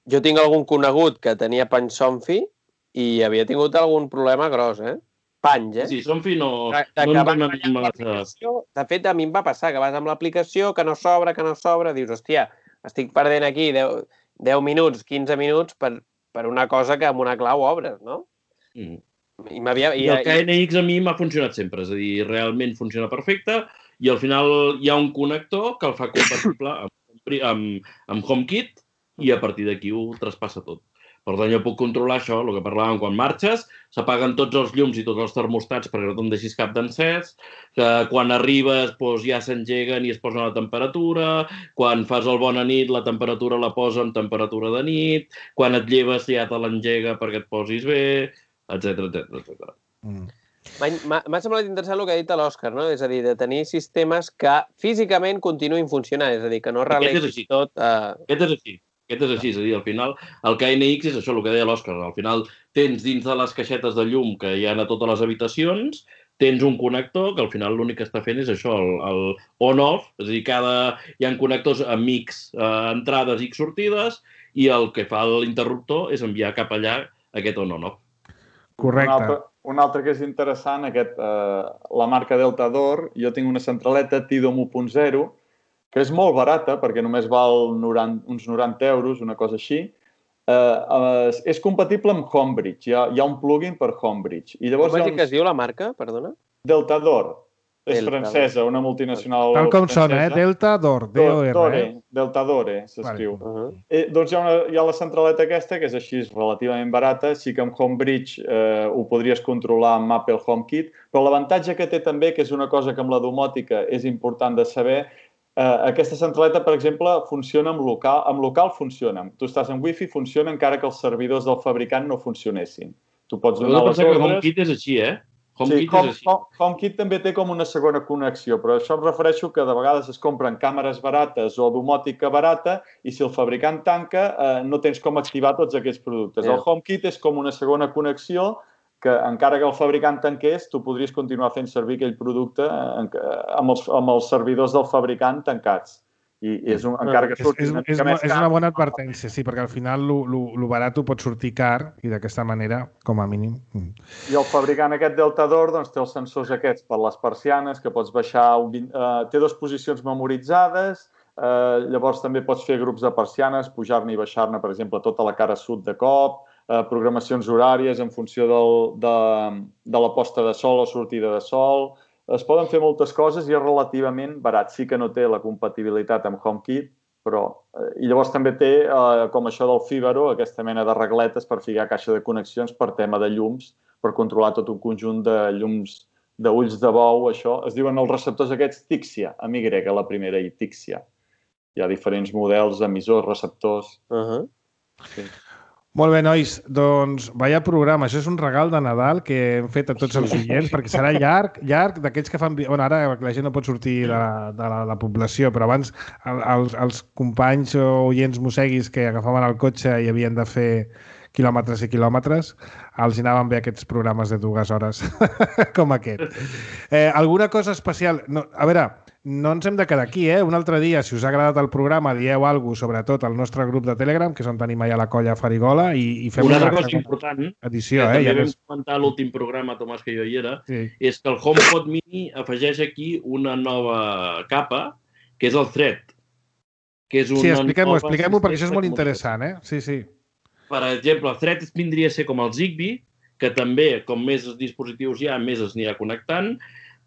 Speaker 3: jo tinc algun conegut que tenia pany Somfy i havia tingut algun problema gros, eh? Panys, eh?
Speaker 4: Sí, Somfy no...
Speaker 3: De fet, a mi em va passar que vas amb l'aplicació, que no s'obre, que no s'obre, dius, hòstia, estic perdent aquí deu minuts, quinze minuts per una cosa que amb una clau obres, no?
Speaker 4: I el K N X a mi m'ha funcionat sempre, és a dir, realment funciona perfecte i al final hi ha un connector que el fa compatible amb HomeKit i a partir d'aquí ho traspassa tot. Per tant, jo puc controlar això, el que parlàvem, quan marxes, s'apaguen tots els llums i tots els termostats perquè no te'n deixis cap d'encès, que quan arribes ja s'engeguen i es posen a la temperatura, quan fas el bona nit la temperatura la posa en temperatura de nit, quan et lleves ja te l'engega perquè et posis bé, etcètera, etcètera.
Speaker 3: M'ha semblat interessant el que ha dit l'Òscar, no? És a dir, de tenir sistemes que físicament continuïn funcionant, és a dir, que no relexis tot...
Speaker 4: Aquest és així. Aquest és així, és a dir, al final el K N X és això, el que deia l'Òscar, al final tens dins de les caixetes de llum que hi ha a totes les habitacions, tens un connector que al final l'únic que està fent és això, el on-off, és a dir, hi ha connectors amb X entrades i X sortides i el que fa l'interruptor és enviar cap allà aquest on-on-off.
Speaker 2: Correcte.
Speaker 5: Un altre que és interessant, la marca Deltador, jo tinc una centraleta Tidom u punt zero, que és molt barata, perquè només val uns noranta euros, una cosa així. És compatible amb Homebridge, hi ha un plugin per Homebridge.
Speaker 3: Com és que es diu la marca, perdona?
Speaker 5: Deltador. És francesa, una multinacional
Speaker 2: francesa. Tal com sona, eh? Deltador, D O R.
Speaker 5: Deltadore, s'escriu. Doncs hi ha la centraleta aquesta, que és així relativament barata. Sí que amb Homebridge ho podries controlar amb Apple HomeKit, però l'avantatge que té també, que és una cosa que amb la domòtica és important de saber, aquesta centraleta, per exemple, funciona amb local. Amb local funciona. Tu estàs en Wi-Fi, funciona encara que els servidors del fabricant no funcionessin. Tu pots donar les ordres...
Speaker 4: HomeKit és així, eh?
Speaker 5: Sí, HomeKit també té com una segona connexió, però això em refereixo que de vegades es compren càmeres barates o domòtica barata i si el fabricant tanca no tens com activar tots aquests productes. El HomeKit és com una segona connexió que encara que el fabricant tanqués, tu podries continuar fent servir aquell producte amb els servidors del fabricant tancats. I és encara que surti una mica més car...
Speaker 2: És una bona advertència, sí, perquè al final el barat ho pot sortir car i d'aquesta manera, com a mínim...
Speaker 5: I el fabricant aquest Deltador té els sensors aquests per les persianes, que pots baixar... Té dues posicions memoritzades, llavors també pots fer grups de persianes, pujar-ne i baixar-ne, per exemple, tota la cara sud de cop, programacions horàries en funció de la posta de sol o sortida de sol... Es poden fer moltes coses i és relativament barat. Sí que no té la compatibilitat amb HomeKit, però... I llavors també té, com això del Fibaro, aquesta mena de regletes per ficar caixa de connexions per tema de llums, per controlar tot un conjunt de llums d'ulls de bou, això. Es diuen els receptors aquests Tixia, amb Y, la primera, i Tixia. Hi ha diferents models, emissors, receptors...
Speaker 2: Sí. Molt bé, nois, doncs vaya programa. Això és un regal de Nadal que hem fet a tots els oients, perquè serà llarg, llarg d'aquells que fan... Bueno, ara la gent no pot sortir de la, de la, la població, però abans els, els companys o oients mosseguis que agafaven el cotxe i havien de fer quilòmetres i quilòmetres, els anaven bé aquests programes de dues hores com aquest. Eh, alguna cosa especial? No, a veure, no ens hem de quedar aquí, eh? Un altre dia, si us ha agradat el programa, dieu alguna cosa, sobretot al nostre grup de Telegram, que és on tenim allà la colla Farigola, i, i fem
Speaker 4: una
Speaker 2: una
Speaker 4: altra cosa important,
Speaker 2: edició,
Speaker 4: que
Speaker 2: eh?
Speaker 4: també
Speaker 2: Ja
Speaker 4: vam
Speaker 2: més...
Speaker 4: comentar a l'últim programa, Tomàs, que jo hi era,
Speaker 2: Sí.
Speaker 4: és que el HomePod Mini afegeix aquí una nova capa, que és el Thread. Que és una
Speaker 2: Sí, expliquem-ho,
Speaker 4: nova
Speaker 2: expliquem-ho, perquè això és
Speaker 4: assistent
Speaker 2: molt
Speaker 4: de
Speaker 2: interessant, eh? Sí, sí.
Speaker 4: Per exemple, el Thread vindria a ser com el Zigbee, que també, com més dispositius hi ha, més es anirà connectant,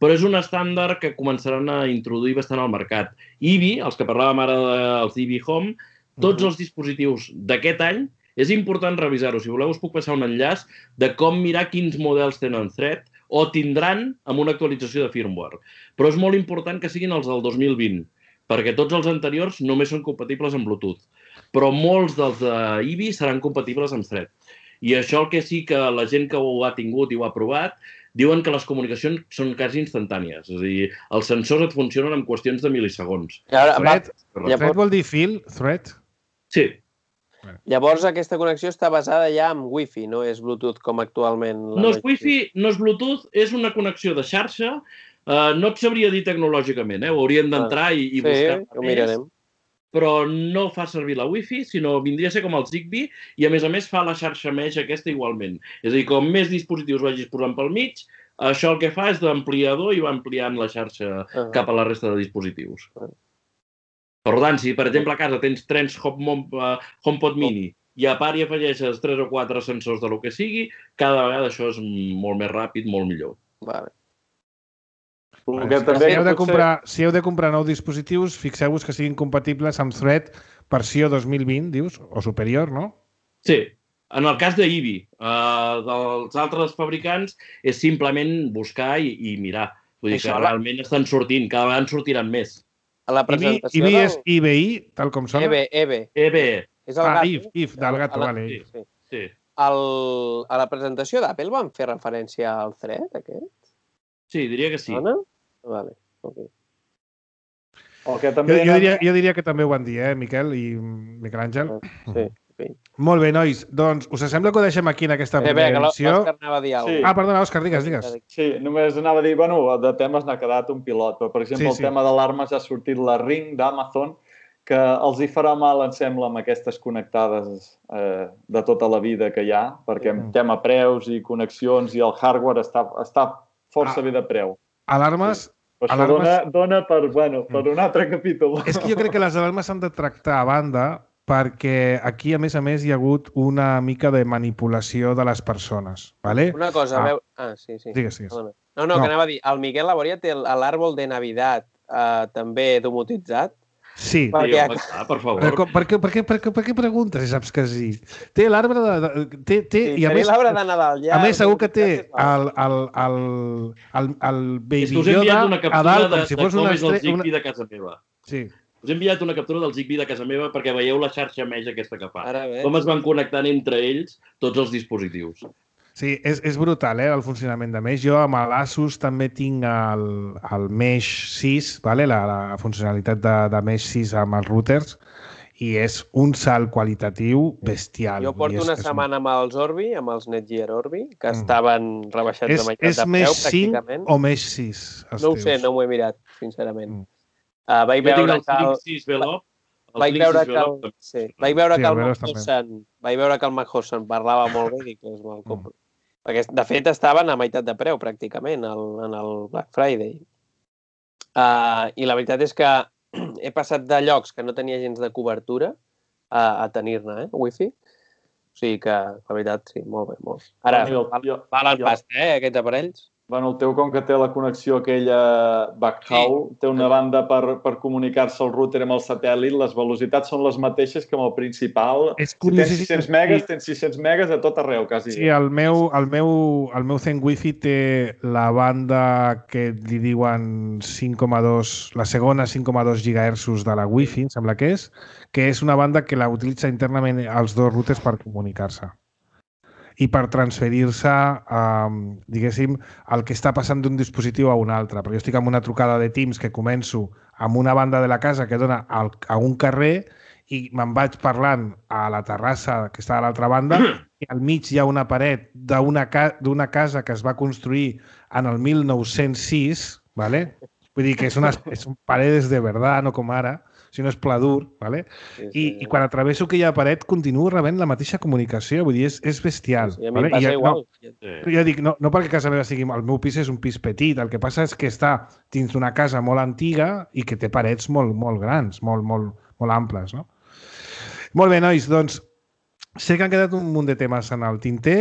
Speaker 4: però és un estàndard que començaran a introduir bastant al mercat. I B I, els que parlàvem ara dels I B I Home, tots els dispositius d'aquest any, és important revisar-ho. Si voleu, us puc passar un enllaç de com mirar quins models tenen Thread o tindran amb una actualització de firmware. Però és molt important que siguin els del dos mil vint, perquè tots els anteriors només són compatibles amb Bluetooth. Però molts dels d'I B I seran compatibles amb Thread. I això el que sí que la gent que ho ha tingut i ho ha provat diuen que les comunicacions són quasi instantànies. És a dir, els sensors et funcionen en qüestions de milisegons.
Speaker 2: Thread, Thread vol dir fil? Thread?
Speaker 4: Sí.
Speaker 3: Llavors, aquesta connexió està basada ja en Wi-Fi, no és Bluetooth com actualment.
Speaker 4: No és Wi-Fi, no és Bluetooth, és una connexió de xarxa. Uh, no et sabria dir tecnològicament, eh? Hauríem d'entrar i, i buscar
Speaker 3: sí, ho mirarem.
Speaker 4: Però no fa servir la Wi-Fi, sinó vindria a ser com el Zigbee i, a més a més, fa la xarxa mesh aquesta igualment. És a dir, com més dispositius vagis posant pel mig, això el que fa és d'ampliador i va ampliant la xarxa uh-huh. cap a la resta de dispositius. Uh-huh. Per tant, si, per exemple, a casa tens tres HomePod Mini i a part hi afegeixes tres o quatre sensors de lo que sigui, cada vegada això és molt més ràpid, molt millor.
Speaker 3: Vale.
Speaker 2: Vale, si, també si, heu de comprar, si heu de comprar nous dispositius, fixeu-vos que siguin compatibles amb Thread versió dos mil vint, dius, o superior, no?
Speaker 4: Sí. En el cas d'I B I, uh, dels altres fabricants, és simplement buscar i, i mirar. Vull dir que realment estan sortint, cada vegada en sortiran més.
Speaker 3: A la presentació
Speaker 2: I B I és I B I, tal com sona?
Speaker 3: E B, E B.
Speaker 4: E B.
Speaker 3: És el
Speaker 2: ah,
Speaker 3: gato.
Speaker 2: if, if, del gato,
Speaker 3: la...
Speaker 2: vale.
Speaker 3: Sí.
Speaker 4: Sí.
Speaker 3: El... A la presentació d'Apple van fer referència al Thread, aquest?
Speaker 4: Sí, diria que sí.
Speaker 3: Dona? Vale, ok.
Speaker 2: El que també jo, jo, diria, jo diria que també ho van dir, eh, Miquel i Miquel Àngel.
Speaker 3: Sí, ok.
Speaker 2: Molt bé, nois. Doncs us sembla que ho deixem aquí en aquesta
Speaker 3: primera eh, edició? L'Òscar anava a dir alguna cosa.
Speaker 2: Sí. Ah, perdona, Òscar, digues, digues.
Speaker 5: Sí, només anava a dir, bueno, de temes n'ha quedat un pilot, però per exemple sí, el sí. tema d'alarmes ha sortit la Ring d'Amazon, que els hi farà mal, em sembla, amb aquestes connectades eh, de tota la vida que hi ha, perquè en tema preus i connexions i el hardware està, està força ah. bé de preu.
Speaker 2: Alarmes...
Speaker 5: Sí. Però això
Speaker 2: alarmes...
Speaker 5: dona, dona per, bueno, per un altre capítol.
Speaker 2: És que jo crec que les alarmes s'han de tractar a banda perquè aquí, a més a més, hi ha hagut una mica de manipulació de les persones. ¿Vale?
Speaker 3: Una cosa,
Speaker 2: ah.
Speaker 3: veu... Ah, sí, sí.
Speaker 2: Digues, digues.
Speaker 3: No, no, no, que anava a dir, el Miquel Laboria té l'àrbol de Navidad eh, també domotitzat.
Speaker 2: Sí.
Speaker 4: Perquè... Sí, home, per favor.
Speaker 2: Per, per, per, per, per, per, per què preguntes si saps que sí? Té l'arbre de... de té, té,
Speaker 3: sí,
Speaker 2: i a més,
Speaker 3: l'arbre de Nadal. Ja,
Speaker 2: a més, segur que té el, el, el, el, el Baby Yoda a dalt, com si fos una
Speaker 4: estrella... Una... de casa meva.
Speaker 2: Sí.
Speaker 4: Us he enviat una captura del Zigbee de casa meva perquè veieu la xarxa mesh aquesta que fa.
Speaker 3: Ara,
Speaker 4: com es van connectant entre ells tots els dispositius.
Speaker 2: Sí, és, és brutal, eh, el funcionament de Mesh. Jo amb l'Asus també tinc el, el Mesh sis, vale? la, la funcionalitat de, de Mesh sis amb els routers, i és un salt qualitatiu bestial.
Speaker 3: Jo porto
Speaker 2: és,
Speaker 3: una
Speaker 2: és
Speaker 3: setmana amb els Orbi, amb els Netgear Orbi, que mm. estaven rebaixats
Speaker 2: és,
Speaker 3: de meitat
Speaker 2: és
Speaker 3: de preu, pràcticament.
Speaker 2: És Mesh cinc o Mesh sis?
Speaker 3: No ho sé, no m'ho he mirat, sincerament. Mm. Uh, vaig veure que el...
Speaker 4: sis Velop,
Speaker 3: vaig veure que el... Sí. Vaig veure que el Mac-Hossan vaig veure que el Mac-Hossan parlava molt bé i dic, doncs me'l compro. Mm. Perquè, de fet, estaven a meitat de preu, pràcticament, el, en el Black Friday. Uh, I la veritat és que he passat de llocs que no tenia gens de cobertura a, a tenir-ne, eh, Wi-Fi. O sigui que, la veritat, sí, molt bé, molt. Ara,
Speaker 5: jo, jo,
Speaker 3: valen jo, pasta, eh, aquests aparells.
Speaker 5: Bueno, el teu, com que té la connexió aquella backhaul, sí. té una banda per, per comunicar-se al router amb el satèl·lit, les velocitats són les mateixes que amb el principal.
Speaker 2: És
Speaker 5: si tens sis-cents megas, tens sis-cents megas a tot arreu, quasi.
Speaker 2: Sí, el meu, el meu, el meu Zen Wi-Fi té la banda que li diuen cinc coma dos, la segona cinc coma dos gigahertzos de la Wi-Fi, em sembla que és, que és una banda que la utilitza internament els dos routers per comunicar-se i per transferir-se, eh, diguéssim, el que està passant d'un dispositiu a un altre. Perquè jo estic amb una trucada de Teams que començo amb una banda de la casa que dona al, a un carrer i me'n vaig parlant a la terrassa que està a l'altra banda i al mig hi ha una paret d'una ca casa que es va construir en el mil nou-cents sis, ¿vale? Vull dir que és, una, és un paredes de verdad, no com ara, si no és pla dur, ¿vale? Sí, sí. I, i quan atravesso aquella paret continuo rebent la mateixa comunicació, vull dir, és, és bestial.
Speaker 3: Sí, sí, a mi
Speaker 2: ¿vale?
Speaker 3: em passa
Speaker 2: I,
Speaker 3: igual.
Speaker 2: No, sí. Jo dic, no, no perquè casa meva sigui... El meu pis és un pis petit, el que passa és que està dins d'una casa molt antiga i que té parets molt, molt grans, molt, molt, molt amples, no? Molt bé, nois, doncs sé que han quedat un munt de temes en el tinter.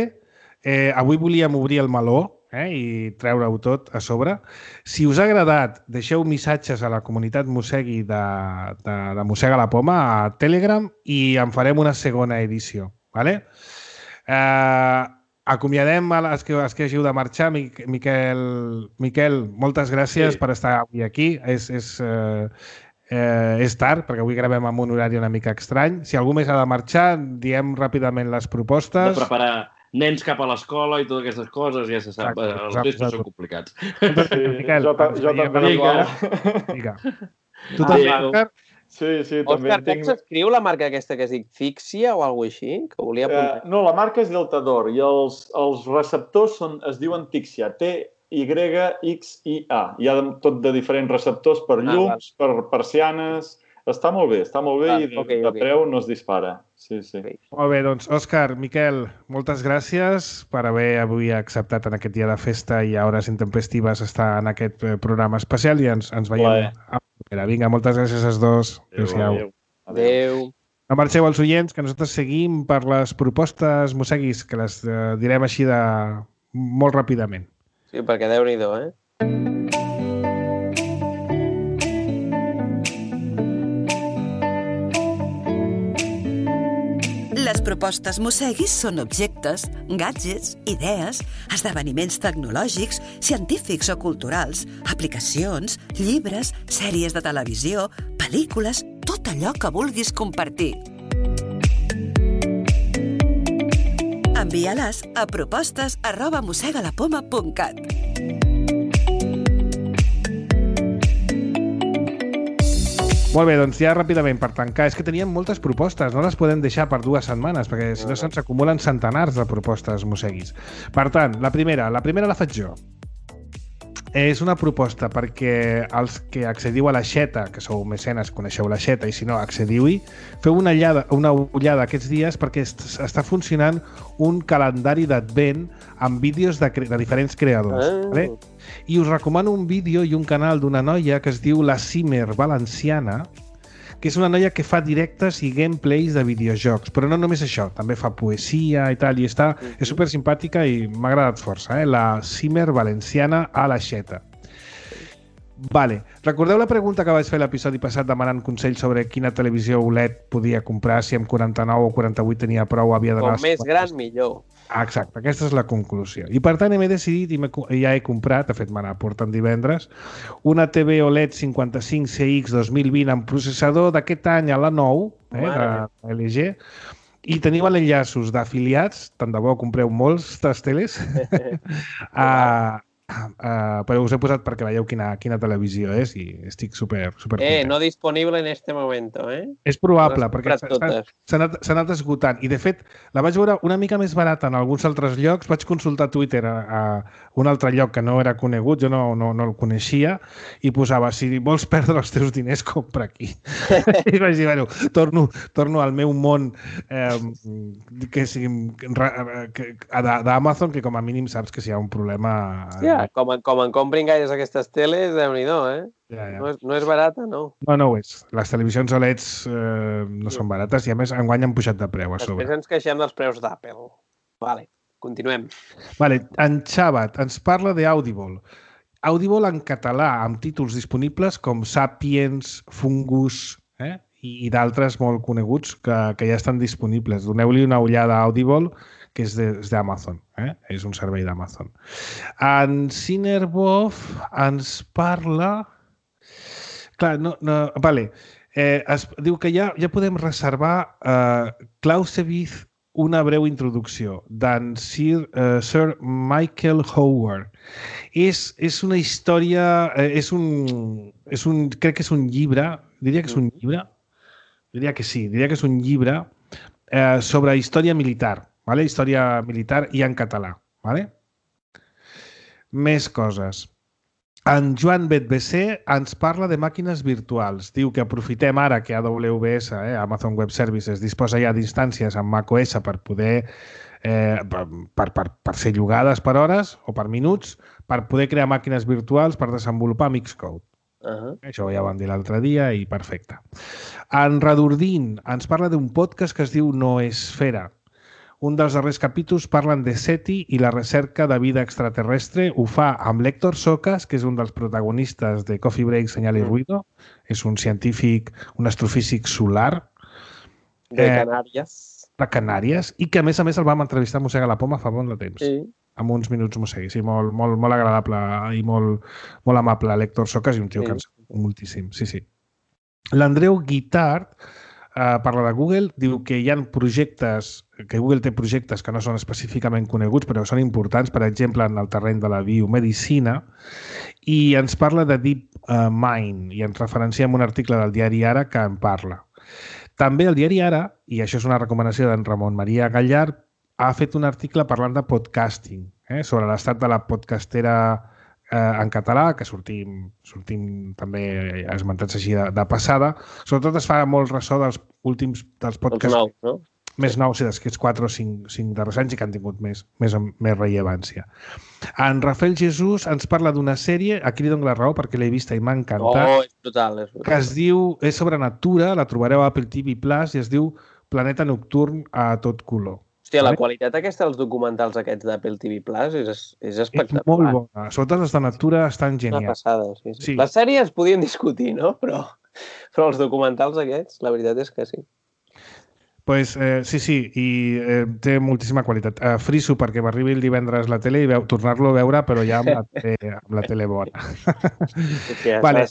Speaker 2: Eh, avui volíem obrir el meló, eh, i treure-ho tot a sobre. Si us ha agradat, deixeu missatges a la comunitat Mossegui de, de, de Mossega la Poma a Telegram i en farem una segona edició. ¿Vale? Eh, acomiadem a les que, les que hagiu de marxar. Miquel, Miquel, moltes gràcies sí. per estar avui aquí. És, és, eh, eh, és tard, perquè avui gravem amb un horari una mica estrany. Si algú més ha de marxar, diem ràpidament les propostes.
Speaker 4: De preparar nens cap a l'escola i totes aquestes coses, ja se sap, exacte, els exacte, festos són complicats.
Speaker 5: Sí, Miquel, jo, jo també igual.
Speaker 2: Vinga. Tu també, Òscar?
Speaker 5: Sí, sí, també
Speaker 3: Òscar,
Speaker 5: tinc...
Speaker 3: com s'escriu la marca aquesta que es diu Fixia o alguna cosa així? Que volia apuntar.
Speaker 5: Uh, no, la marca és Deltador i els, els receptors són, es diuen Tixia, T Y X I A. Hi ha tot de diferents receptors per llums, ah, per persianes... Està molt bé, està molt bé ah, i de, okay, de okay. preu no es dispara. Sí, sí. Okay.
Speaker 2: Molt bé, doncs, Òscar, Miquel, moltes gràcies per haver avui acceptat en aquest dia de festa i a hores intempestives estar en aquest programa especial i ens, ens veiem. Bueno. Vinga, moltes gràcies als dos. Adéu-siau.
Speaker 3: Adéu. Adéu.
Speaker 2: No marxeu els oients, que nosaltres seguim per les propostes mosseguis, que les eh, direm així de molt ràpidament.
Speaker 3: Sí, perquè Déu-n'hi-do, eh?
Speaker 6: Les propostes Mosseguis són objectes, gadgets, idees, esdeveniments tecnològics, científics o culturals, aplicacions, llibres, sèries de televisió, pel·lícules, tot allò que vulguis compartir. Envia-les a propostes arroba mossegalapoma punt cat.
Speaker 2: Molt bé, doncs ja ràpidament per tancar. És que teníem moltes propostes, no les podem deixar per dues setmanes, perquè si no se'ns acumulen centenars de propostes mosseguis. Per tant, la primera, la primera la faig jo. És una proposta perquè els que accediu a l'Aixeta, que sou mecenes, coneixeu l'Aixeta, i si no, accediu-hi, feu una ullada, una ullada aquests dies perquè està funcionant un calendari d'advent amb vídeos de, de diferents creadors. Ah. Vale? I us recomano un vídeo i un canal d'una noia que es diu la Simer Valenciana, que és una noia que fa directes i gameplays de videojocs, però no només això, també fa poesia i tal, i està, és super simpàtica i m'ha agradat força, eh? La Simer Valenciana a l'Aixeta. Vale. Recordeu la pregunta que vaig fer l'episodi passat demanant consells sobre quina televisió O L E D podia comprar, si amb quaranta-nou o quaranta-vuit tenia prou, havia d'anar...
Speaker 3: Com més gran, millor.
Speaker 2: Ah, exacte, aquesta és la conclusió. I per tant m'he decidit i ja he comprat, de fet me la porten divendres, una T V O L E D cinquanta-cinc C X dos mil vint amb processador d'aquest any a la nou, eh, de L G, i teniu enllaços d'afiliats, tant de bo compreu molts de teles, a... Uh, però us he posat perquè veieu quina, quina televisió és i estic super, super
Speaker 3: Eh, content. No disponible en este momento, eh?
Speaker 2: És probable, perquè s'ha anat, anat esgotant. I, de fet, la vaig veure una mica més barata en alguns altres llocs. Vaig consultar Twitter a, a un altre lloc que no era conegut, jo no, no, no el coneixia, i posava, si vols perdre els teus diners, compra aquí. I vaig dir, bueno, torno, torno al meu món eh, que sigui d'Amazon, que com a mínim saps que si hi ha un problema...
Speaker 3: Ja, com, com en comprin gaires aquestes teles, Déu-n'hi-do, eh?
Speaker 2: Ja, ja.
Speaker 3: No, és, no és barata, no.
Speaker 2: No, no ho és. Les televisions O L E Ds eh, no sí. són barates i, a més, enguany han pujat de preu a sobre.
Speaker 3: Després ens queixem dels preus d'Apple. Vale, continuem.
Speaker 2: Vale, en Xavat ens parla d'Audible. Audible en català, amb títols disponibles com Sapiens, Fungus, eh? i, i d'altres molt coneguts que, que ja estan disponibles. Doneu-li una ullada a Audible, que és d'Amazon, eh? És un servei d'Amazon. En Cinerbov ens parla... Clar, no... no vale. Eh, es diu que ja, ja podem reservar eh, Clausewitz, una breu introducció, d'en Sir, eh, Sir Michael Howard. És, és una història... Eh, és, un, és un... Crec que és un llibre... Diria que és un llibre? Diria que sí. Diria que és un llibre eh, sobre història militar. Vale? Història militar i en català. Vale? Més coses. En Joan Bet B C ens parla de màquines virtuals. Diu que aprofitem ara que A W S, eh, Amazon Web Services, disposa ja d'instàncies amb macOS per poder eh, per, per, per ser llogades per hores o per minuts, per poder crear màquines virtuals per desenvolupar Mixcode. Uh-huh. Això ja ho vam dir l'altre dia i perfecte. En Radurdin ens parla d'un podcast que es diu Noesfera. Un dels darrers capítols parlen de SETI i la recerca de vida extraterrestre. Ho fa amb l'Héctor Socas, que és un dels protagonistes de Coffee Break, Señal y Ruido. És un científic, un astrofísic solar.
Speaker 3: De Canàries.
Speaker 2: Eh, de Canàries. I que, a més a més, el vam entrevistar a Mossega la Poma fa bon de temps.
Speaker 3: Sí.
Speaker 2: Amb uns minuts Mossegui. Sí, molt, molt, molt agradable i molt, molt amable l'Héctor Socas i un tio sí. que ens moltíssim. Sí, sí. L'Andreu Guitart Uh, parla de Google, diu que hi ha projectes, que Google té projectes que no són específicament coneguts, però són importants, per exemple, en el terreny de la biomedicina, i ens parla de Deep uh, Mind, i ens referencia en un article del diari Ara que en parla. També el diari Ara, i això és una recomanació d'en Ramon Maria Gallard, ha fet un article parlant de podcasting, eh, sobre l'estat de la podcastera Eh, en català, que sortim, sortim també esmentats així de, de passada. Sobretot es fa molt ressò dels últims dels podcasts
Speaker 3: nous, no?
Speaker 2: més nous, sí, d'aquests quatre o cinc, cinc darrers anys i que han tingut més, més, més rellevància. En Rafael Jesús ens parla d'una sèrie, aquí li dono la raó perquè l'he vista i m'ha encantat,
Speaker 3: oh, és brutal, és brutal.
Speaker 2: que es diu, és sobre natura, la trobareu a Apple T V Plus, i es diu Planeta Nocturn a tot color.
Speaker 3: Hòstia, la qualitat aquesta dels documentals aquests d'Apple T V Plus és, és espectacular.
Speaker 2: És molt bona. Sobretot els de natura estan genials.
Speaker 3: Una passada, sí, sí.
Speaker 2: Sí.
Speaker 3: Les sèries podien discutir, no? Però, però els documentals aquests, la veritat és que sí.
Speaker 2: Pues, eh, sí, sí, i eh, té moltíssima qualitat. Eh, friso perquè m'arribi el divendres la tele i veu, tornar-lo a veure, però ja amb la tele, amb la tele bona.
Speaker 3: Sí,
Speaker 2: vale.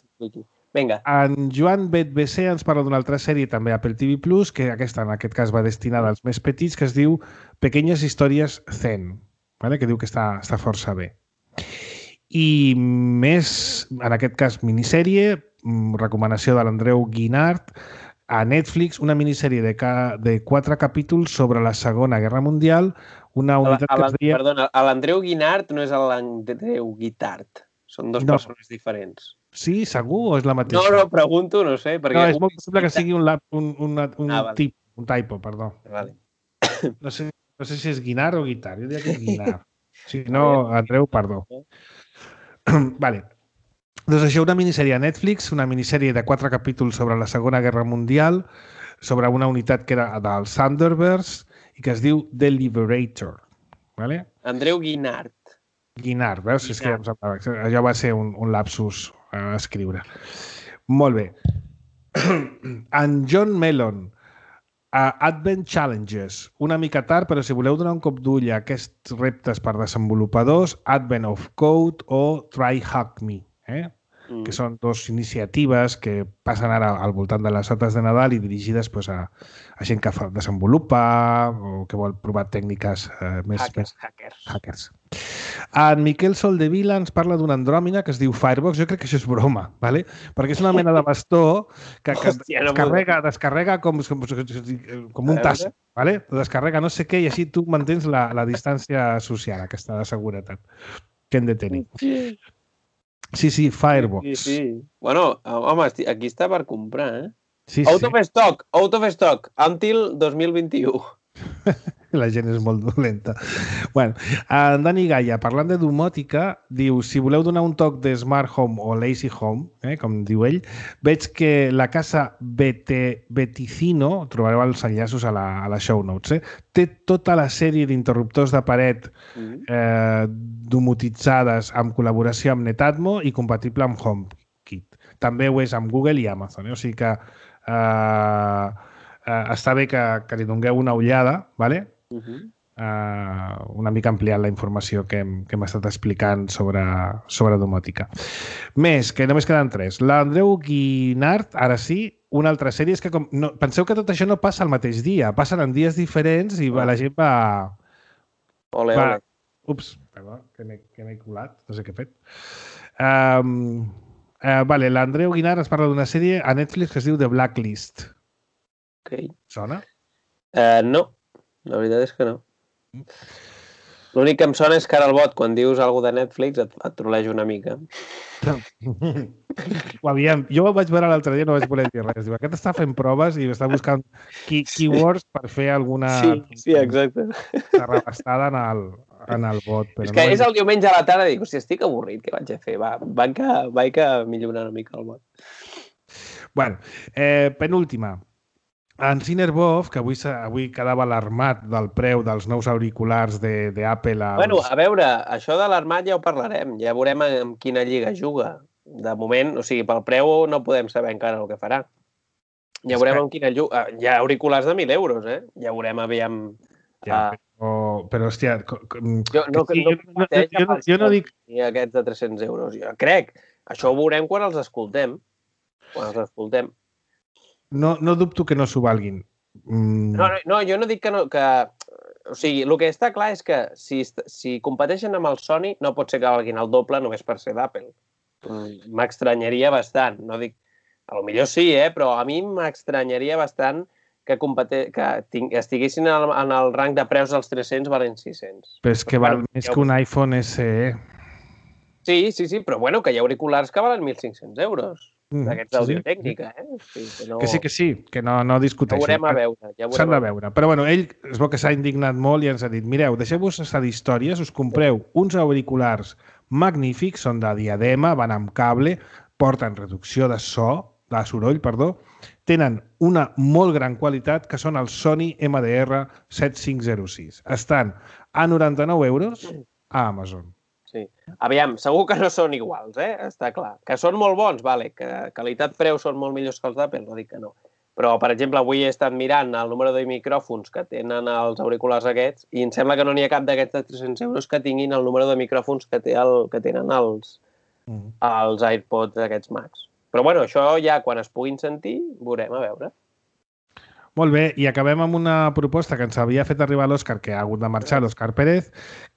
Speaker 3: Vinga.
Speaker 2: En Joan Bet B C ens parla d'una altra sèrie també a Apple T V Plus, que aquesta en aquest cas va destinada als més petits, que es diu Pequeñas històries zen, vale? Que diu que està, està força bé. I més, en aquest cas, minissèrie, recomanació de l'Andreu Guinart, a Netflix, una minissèrie de, ca... de quatre capítols sobre la Segona Guerra Mundial, una unitat que es deia...
Speaker 3: Perdona, l'Andreu Guinart no és l'Andreu Guitart. Són dues no. persones diferents.
Speaker 2: Sí, segur o és la mateixa?
Speaker 3: No, no, pregunto, no sé. Perquè
Speaker 2: no, és molt possible que sigui un, un, un, un,
Speaker 3: ah, vale.
Speaker 2: tip, un typo, perdó.
Speaker 3: Vale.
Speaker 2: No sé, no sé si és Guinart o Guitar. Jo diria que és Guinart. Si no, Andreu, perdó. Vale. Doncs això, una minissèrie a Netflix, una minissèrie de quatre capítols sobre la Segona Guerra Mundial, sobre una unitat que era dels Thunderbirds i que es diu The Liberator. Vale?
Speaker 3: Andreu Guinart.
Speaker 2: Guinart, veus? Guinart. És que ja em semblava. Allò va ser un, un lapsus a escriure. Molt bé. En John Mellon, uh, Advent Challenges. Una mica tard, però si voleu donar un cop d'ull a aquests reptes per desenvolupadors, Advent of Code o Try Hack Me, eh? Mm. que són dues iniciatives que passen ara al voltant de les dates de Nadal i dirigides pues, a, a gent que fa, desenvolupa o que vol provar tècniques eh, més...
Speaker 3: Hackers,
Speaker 2: més...
Speaker 3: hackers.
Speaker 2: hackers. En Miquel Soldevila ens parla d'una andròmina que es diu Firebox. Jo crec que això és broma, ¿vale? Perquè és una mena de bastó que, que Hòstia, no descarrega, descarrega com, com, com un tas, ¿vale? Descarrega no sé què i així tu mantens la, la distància social, aquesta de seguretat que hem de tenir. Sí, sí, Firebox.
Speaker 3: Sí, sí. Bueno, home, aquí està per comprar, eh?
Speaker 2: Sí,
Speaker 3: out
Speaker 2: sí.
Speaker 3: of stock, out of stock, until dos mil vint-i-u.
Speaker 2: La gent és molt dolenta. Bueno, en Dani Gaia, parlant de domòtica, diu, si voleu donar un toc de Smart Home o Lazy Home, eh, com diu ell, veig que la casa Bete, Beticino, trobareu els enllaços a la, a la show notes, eh, té tota la sèrie d'interruptors de paret eh, domotitzades amb col·laboració amb Netatmo i compatible amb HomeKit. També ho és amb Google i Amazon, eh? O sigui que eh, eh, està bé que, que li dongueu una ullada, ¿vale? Uh-huh. uh, una mica ampliant la informació que hem, que hem estat explicant sobre, sobre domòtica. Més, que només queden tres. L'Andreu Guinart, ara sí, una altra sèrie. És que com, no, penseu que tot això no passa al mateix dia, passen en dies diferents i va, la gent va...
Speaker 3: Ole,
Speaker 2: va,
Speaker 3: ole.
Speaker 2: Ups, perdó, que m'he colat, no sé què he fet. Um, uh, vale, l'Andreu Guinart ens parla d'una sèrie a Netflix que es diu The Blacklist.
Speaker 3: Ok.
Speaker 2: Sona?
Speaker 3: Uh, no. La veritat és que no. L'únic que em sona és que ara el bot, quan dius alguna de Netflix, et, et troleja una mica.
Speaker 2: Aviam, jo ho vaig veure l'altre dia, no vaig voler dir res. Diu, aquest està fent proves i està buscant key keywords per fer alguna
Speaker 3: Sí, sí, exacte.
Speaker 2: arrabastada en el, en el bot. Però
Speaker 3: És que
Speaker 2: no
Speaker 3: és el diumenge a la tarda i dic, hòstia, estic avorrit, què vaig a fer? Va, vaig que, vaig que millorar una mica el bot.
Speaker 2: Bueno, eh, penúltima. En Cinerbov, que avui, avui quedava alarmat del preu dels nous auriculars d'Apple... Als...
Speaker 3: Bueno, a veure, això de l'armat ja ho parlarem. Ja veurem en quina lliga juga. De moment, o sigui, pel preu no podem saber encara el que farà. Ja veurem en quina lliga... Hi ha auriculars de mil euros, eh? Ja veurem, aviam...
Speaker 2: Ja, però, però, hòstia...
Speaker 3: Jo no,
Speaker 2: sí,
Speaker 3: no,
Speaker 2: jo, jo, jo, no, jo no dic...
Speaker 3: Aquests de tres-cents euros. Jo crec. Això ho veurem quan els escoltem. Quan els escoltem.
Speaker 2: No, no dubto que no s'ho valguin. Mm.
Speaker 3: No, no, no, jo no dic que no... Que... O sigui, el que està clar és que si, si competeixen amb el Sony no pot ser que valguin el doble només per ser d'Apple. M'estranyaria bastant. No dic... A lo millor sí, eh? Però a mi m'estranyaria bastant que, compete... que ting... estiguessin en el, en el rang de preus dels tres-cents valen sis-cents.
Speaker 2: Però és que val bueno, més que un iPhone S E.
Speaker 3: Sí, sí, sí, però bueno, que hi ha auriculars que valen mil cinc-cents euros. D'aquests d'audiotècnica, eh? O sigui, que, no...
Speaker 2: que sí, que sí, que no, no discuteixo.
Speaker 3: Ja veurem a veure. Ja
Speaker 2: S'han de veure. Però bueno, ell es veu que s'ha indignat molt i ens ha dit, mireu, deixeu-vos estar d'històries, us compreu uns auriculars magnífics, són de diadema, van amb cable, porten reducció de so, de soroll, perdó, tenen una molt gran qualitat, que són els Sony M D R set cinc zero sis. Estan a noranta-nou euros a Amazon.
Speaker 3: Sí. Aviam, segur que no són iguals, eh? Està clar. Que són molt bons, vale. Que qualitat-preu són molt millors que els d'Apple, no dic que no. Però, per exemple, avui he estat mirant el número de micròfons que tenen els auriculars aquests i em sembla que no n'hi ha cap d'aquests de tres-cents euros que tinguin el número de micròfons que, té el, que tenen els, mm. els AirPods aquests Max. Però, bueno, això ja quan es puguin sentir, veurem, a veure.
Speaker 2: Molt bé, i acabem amb una proposta que ens havia fet arribar l'Òscar, que ha hagut de marxar l'Òscar Pérez,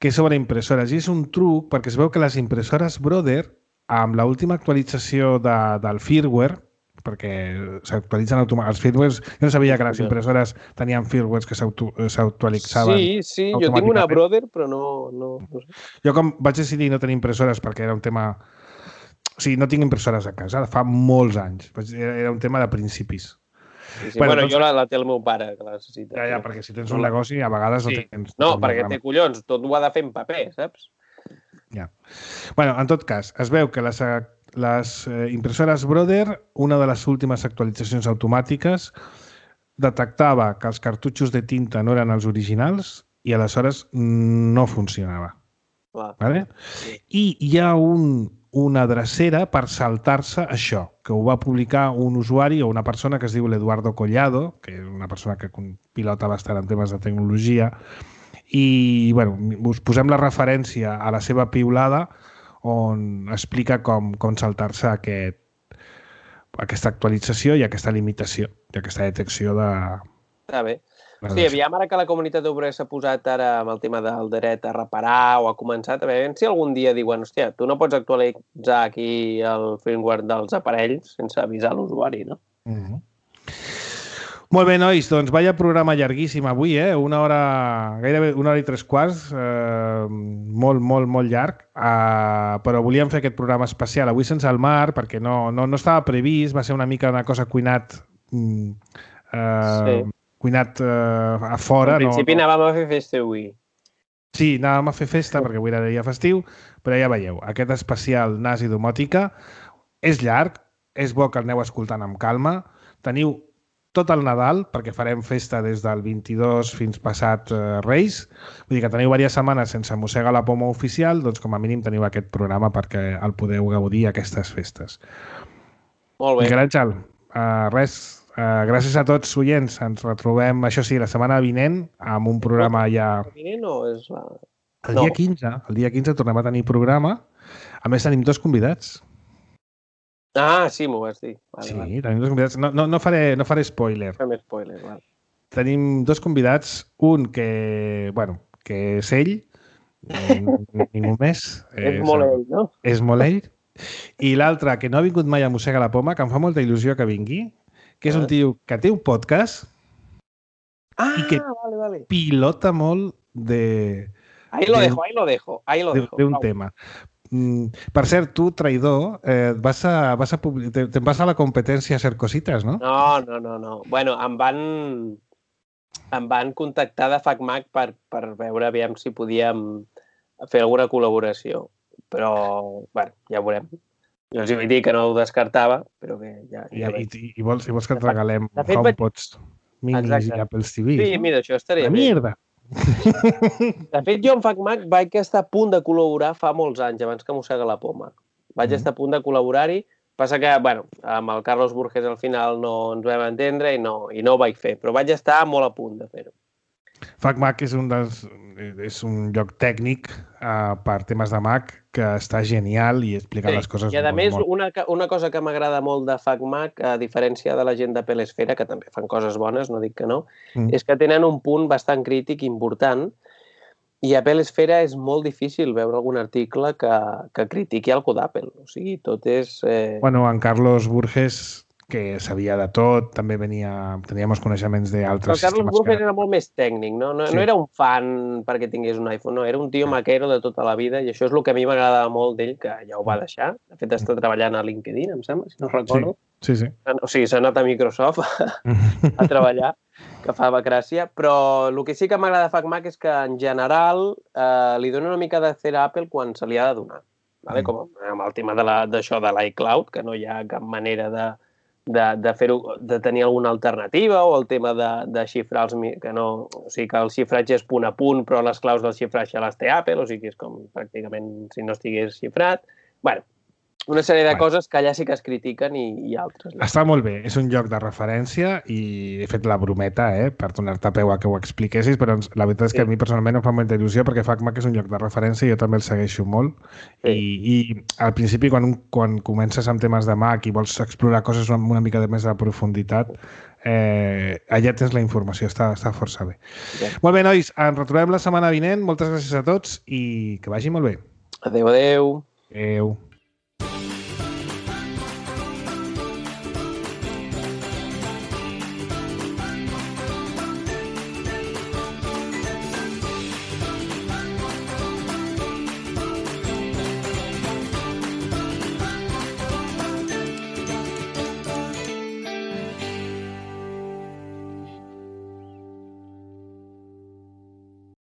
Speaker 2: que és sobre impressores. I és un truc perquè es veu que les impressores Brother, amb l'última actualització de, del firmware, perquè s'actualitzen automàticament els firmwares, jo no sabia que les impressores tenien firmwares que s'autoalitzaven.
Speaker 3: Sí, sí, jo tinc una Brother, però no, no, no sé.
Speaker 2: Jo com vaig decidir no tenir impressores perquè era un tema... O sigui, no tinc impressores a casa, fa molts anys. Era un tema de principis.
Speaker 3: Sí, sí. Bueno, bueno doncs... jo la, la té el meu pare, que la necessita.
Speaker 2: Ja, ja, perquè si tens un negoci, a vegades sí. no tens...
Speaker 3: No, perquè té collons, tot ho ha de fer en paper, saps?
Speaker 2: Ja. Bueno, en tot cas, es veu que les, les impressores Brother, una de les últimes actualitzacions automàtiques, detectava que els cartutxos de tinta no eren els originals i aleshores no funcionava.
Speaker 3: Clar.
Speaker 2: Vale? Sí. I hi ha un... una drecera per saltar-se això, que ho va publicar un usuari o una persona que es diu l'Eduardo Collado, que és una persona que pilota bastant en temes de tecnologia, i bueno, us posem la referència a la seva piulada on explica com, com saltar-se aquest, aquesta actualització i aquesta limitació, i aquesta detecció de...
Speaker 3: Està bé. Sí, aviam ara que la comunitat obrera s'ha posat ara amb el tema del dret a reparar o ha començat, a veure si algun dia diuen, hòstia, tu no pots actualitzar aquí el firmware dels aparells sense avisar l'usuari, no?
Speaker 2: Mm-hmm. Molt bé, nois, doncs vaya programa llarguíssim avui, eh? Una hora, gairebé una hora i tres quarts, eh, molt, molt, molt llarg, eh, però volíem fer aquest programa especial avui sense el Mar, perquè no, no, no estava previst, va ser una mica una cosa cuinat... Eh, sí. cuinat eh, a fora.
Speaker 3: En principi
Speaker 2: no, no...
Speaker 3: anàvem a fer festa avui.
Speaker 2: Sí, anàvem a fer festa perquè avui era dia festiu, però ja veieu, aquest especial N A S i domòtica és llarg, és bo que el aneu escoltant amb calma. Teniu tot el Nadal, perquè farem festa des del vint-i-dos fins passat eh, Reis. Vull dir que teniu diverses setmanes sense mossegar la poma oficial, doncs com a mínim teniu aquest programa perquè el podeu gaudir aquestes festes.
Speaker 3: Molt bé.
Speaker 2: Miquel Àngel, uh, res... Uh, gràcies a tots, oients. Ens retrobem, això sí, la setmana vinent amb un programa ja...
Speaker 3: El vinent o és la...
Speaker 2: El dia quinze. El dia quinze tornem a tenir programa. A més, tenim dos convidats.
Speaker 3: Ah, sí, m'ho vas dir. Vale,
Speaker 2: sí,
Speaker 3: vale.
Speaker 2: tenim dos convidats. No, no, no, faré, no faré spoiler.
Speaker 3: Fem spoiler, val.
Speaker 2: Tenim dos convidats. Un que, bueno, que és ell, ningú més.
Speaker 3: És, és molt ell, no?
Speaker 2: És molt ell. I l'altre, que no ha vingut mai a Mossega la Poma, que em fa molta il·lusió que vingui, que és un tio que té un podcast
Speaker 3: ah,
Speaker 2: i que
Speaker 3: vale, vale.
Speaker 2: pilota molt de...
Speaker 3: Ahí lo de, dejo, ahí lo dejo, ahí lo
Speaker 2: de,
Speaker 3: dejo.
Speaker 2: De un
Speaker 3: Pau.
Speaker 2: tema. Per cert, tu, traïdor, eh, vas a, vas a publi... te, te'n vas a la competència a hacer cositas, no?
Speaker 3: No, no, no, no. Bueno, em van, em van contactar de FacMac per, per veure aviam si podíem fer alguna col·laboració. Però, bueno, ja ho veurem. Jo els vaig dir que no ho descartava, però que ja... ja
Speaker 2: I, i, i, vols, I vols que et regalem
Speaker 3: de fet,
Speaker 2: HomePods minis
Speaker 3: exacte.
Speaker 2: i Apple T V?
Speaker 3: Sí,
Speaker 2: no?
Speaker 3: mira, això estaria
Speaker 2: La
Speaker 3: bé.
Speaker 2: mierda!
Speaker 3: De fet, jo amb FacMac vaig estar a punt de col·laborar fa molts anys, abans que mossega la poma. Vaig mm. estar a punt de col·laborar-hi, passa que, bueno, amb el Carlos Burges al final no ens vam entendre i no, i no ho vaig fer, però vaig estar molt a punt de fer-ho.
Speaker 2: FacMac és un, dels, és un lloc tècnic uh, per temes de Mac que està genial i explica
Speaker 3: sí.
Speaker 2: les coses
Speaker 3: I a
Speaker 2: molt,
Speaker 3: més,
Speaker 2: molt.
Speaker 3: Una, una cosa que m'agrada molt de FacMac, a diferència de la gent d'Apple Esfera, que també fan coses bones, no dic que no, mm. és que tenen un punt bastant crític important i a Apple Esfera és molt difícil veure algun article que, que critiqui algú d'Apple. O sigui, tot és... Eh...
Speaker 2: Bueno, en Carlos Burges, que sabia de tot, també venia, tenia molts coneixements d'altres
Speaker 3: sistemes. Carlos Burges
Speaker 2: que...
Speaker 3: era molt més tècnic, no? No, sí. no era un fan perquè tingués un iPhone, no, era un tio sí. maquero de tota la vida i això és el que a mi m'agradava molt d'ell, que ja ho va deixar. De fet, està treballant a LinkedIn, em sembla, si no recordo.
Speaker 2: Sí, sí. sí.
Speaker 3: O sigui, s'ha anat a Microsoft a treballar, que fa gràcia, però el que sí que m'agrada de FacMac és que, en general, eh, li dona una mica de cera a Apple quan se li ha de donar. Vale? Mm. Com amb el tema d'això de l'iCloud, que no hi ha cap manera de de, de fer-ho, de tenir alguna alternativa, o el tema de, de xifrar els... que no, o sigui, que el xifratge és punt a punt, però les claus del xifratge les té Apple, o sigui, és com pràcticament si no estigués xifrat. Bueno, una sèrie de bueno. coses que allà sí que es critiquen i, i altres. No?
Speaker 2: Està molt bé, és un lloc de referència i he fet la brometa, eh, per donar-te peu a que ho expliquessis, però la veritat és que sí. a mi personalment em fa molta il·lusió perquè FacMac és un lloc de referència i jo també el segueixo molt. Sí. I, I al principi, quan, quan comences amb temes de Mac i vols explorar coses amb una mica de més de profunditat, eh, allà tens la informació, està, està força bé. Sí. Molt bé, nois, ens retrobem la setmana vinent. Moltes gràcies a tots i que vagi molt bé.
Speaker 3: Adéu, adéu.
Speaker 2: Adéu.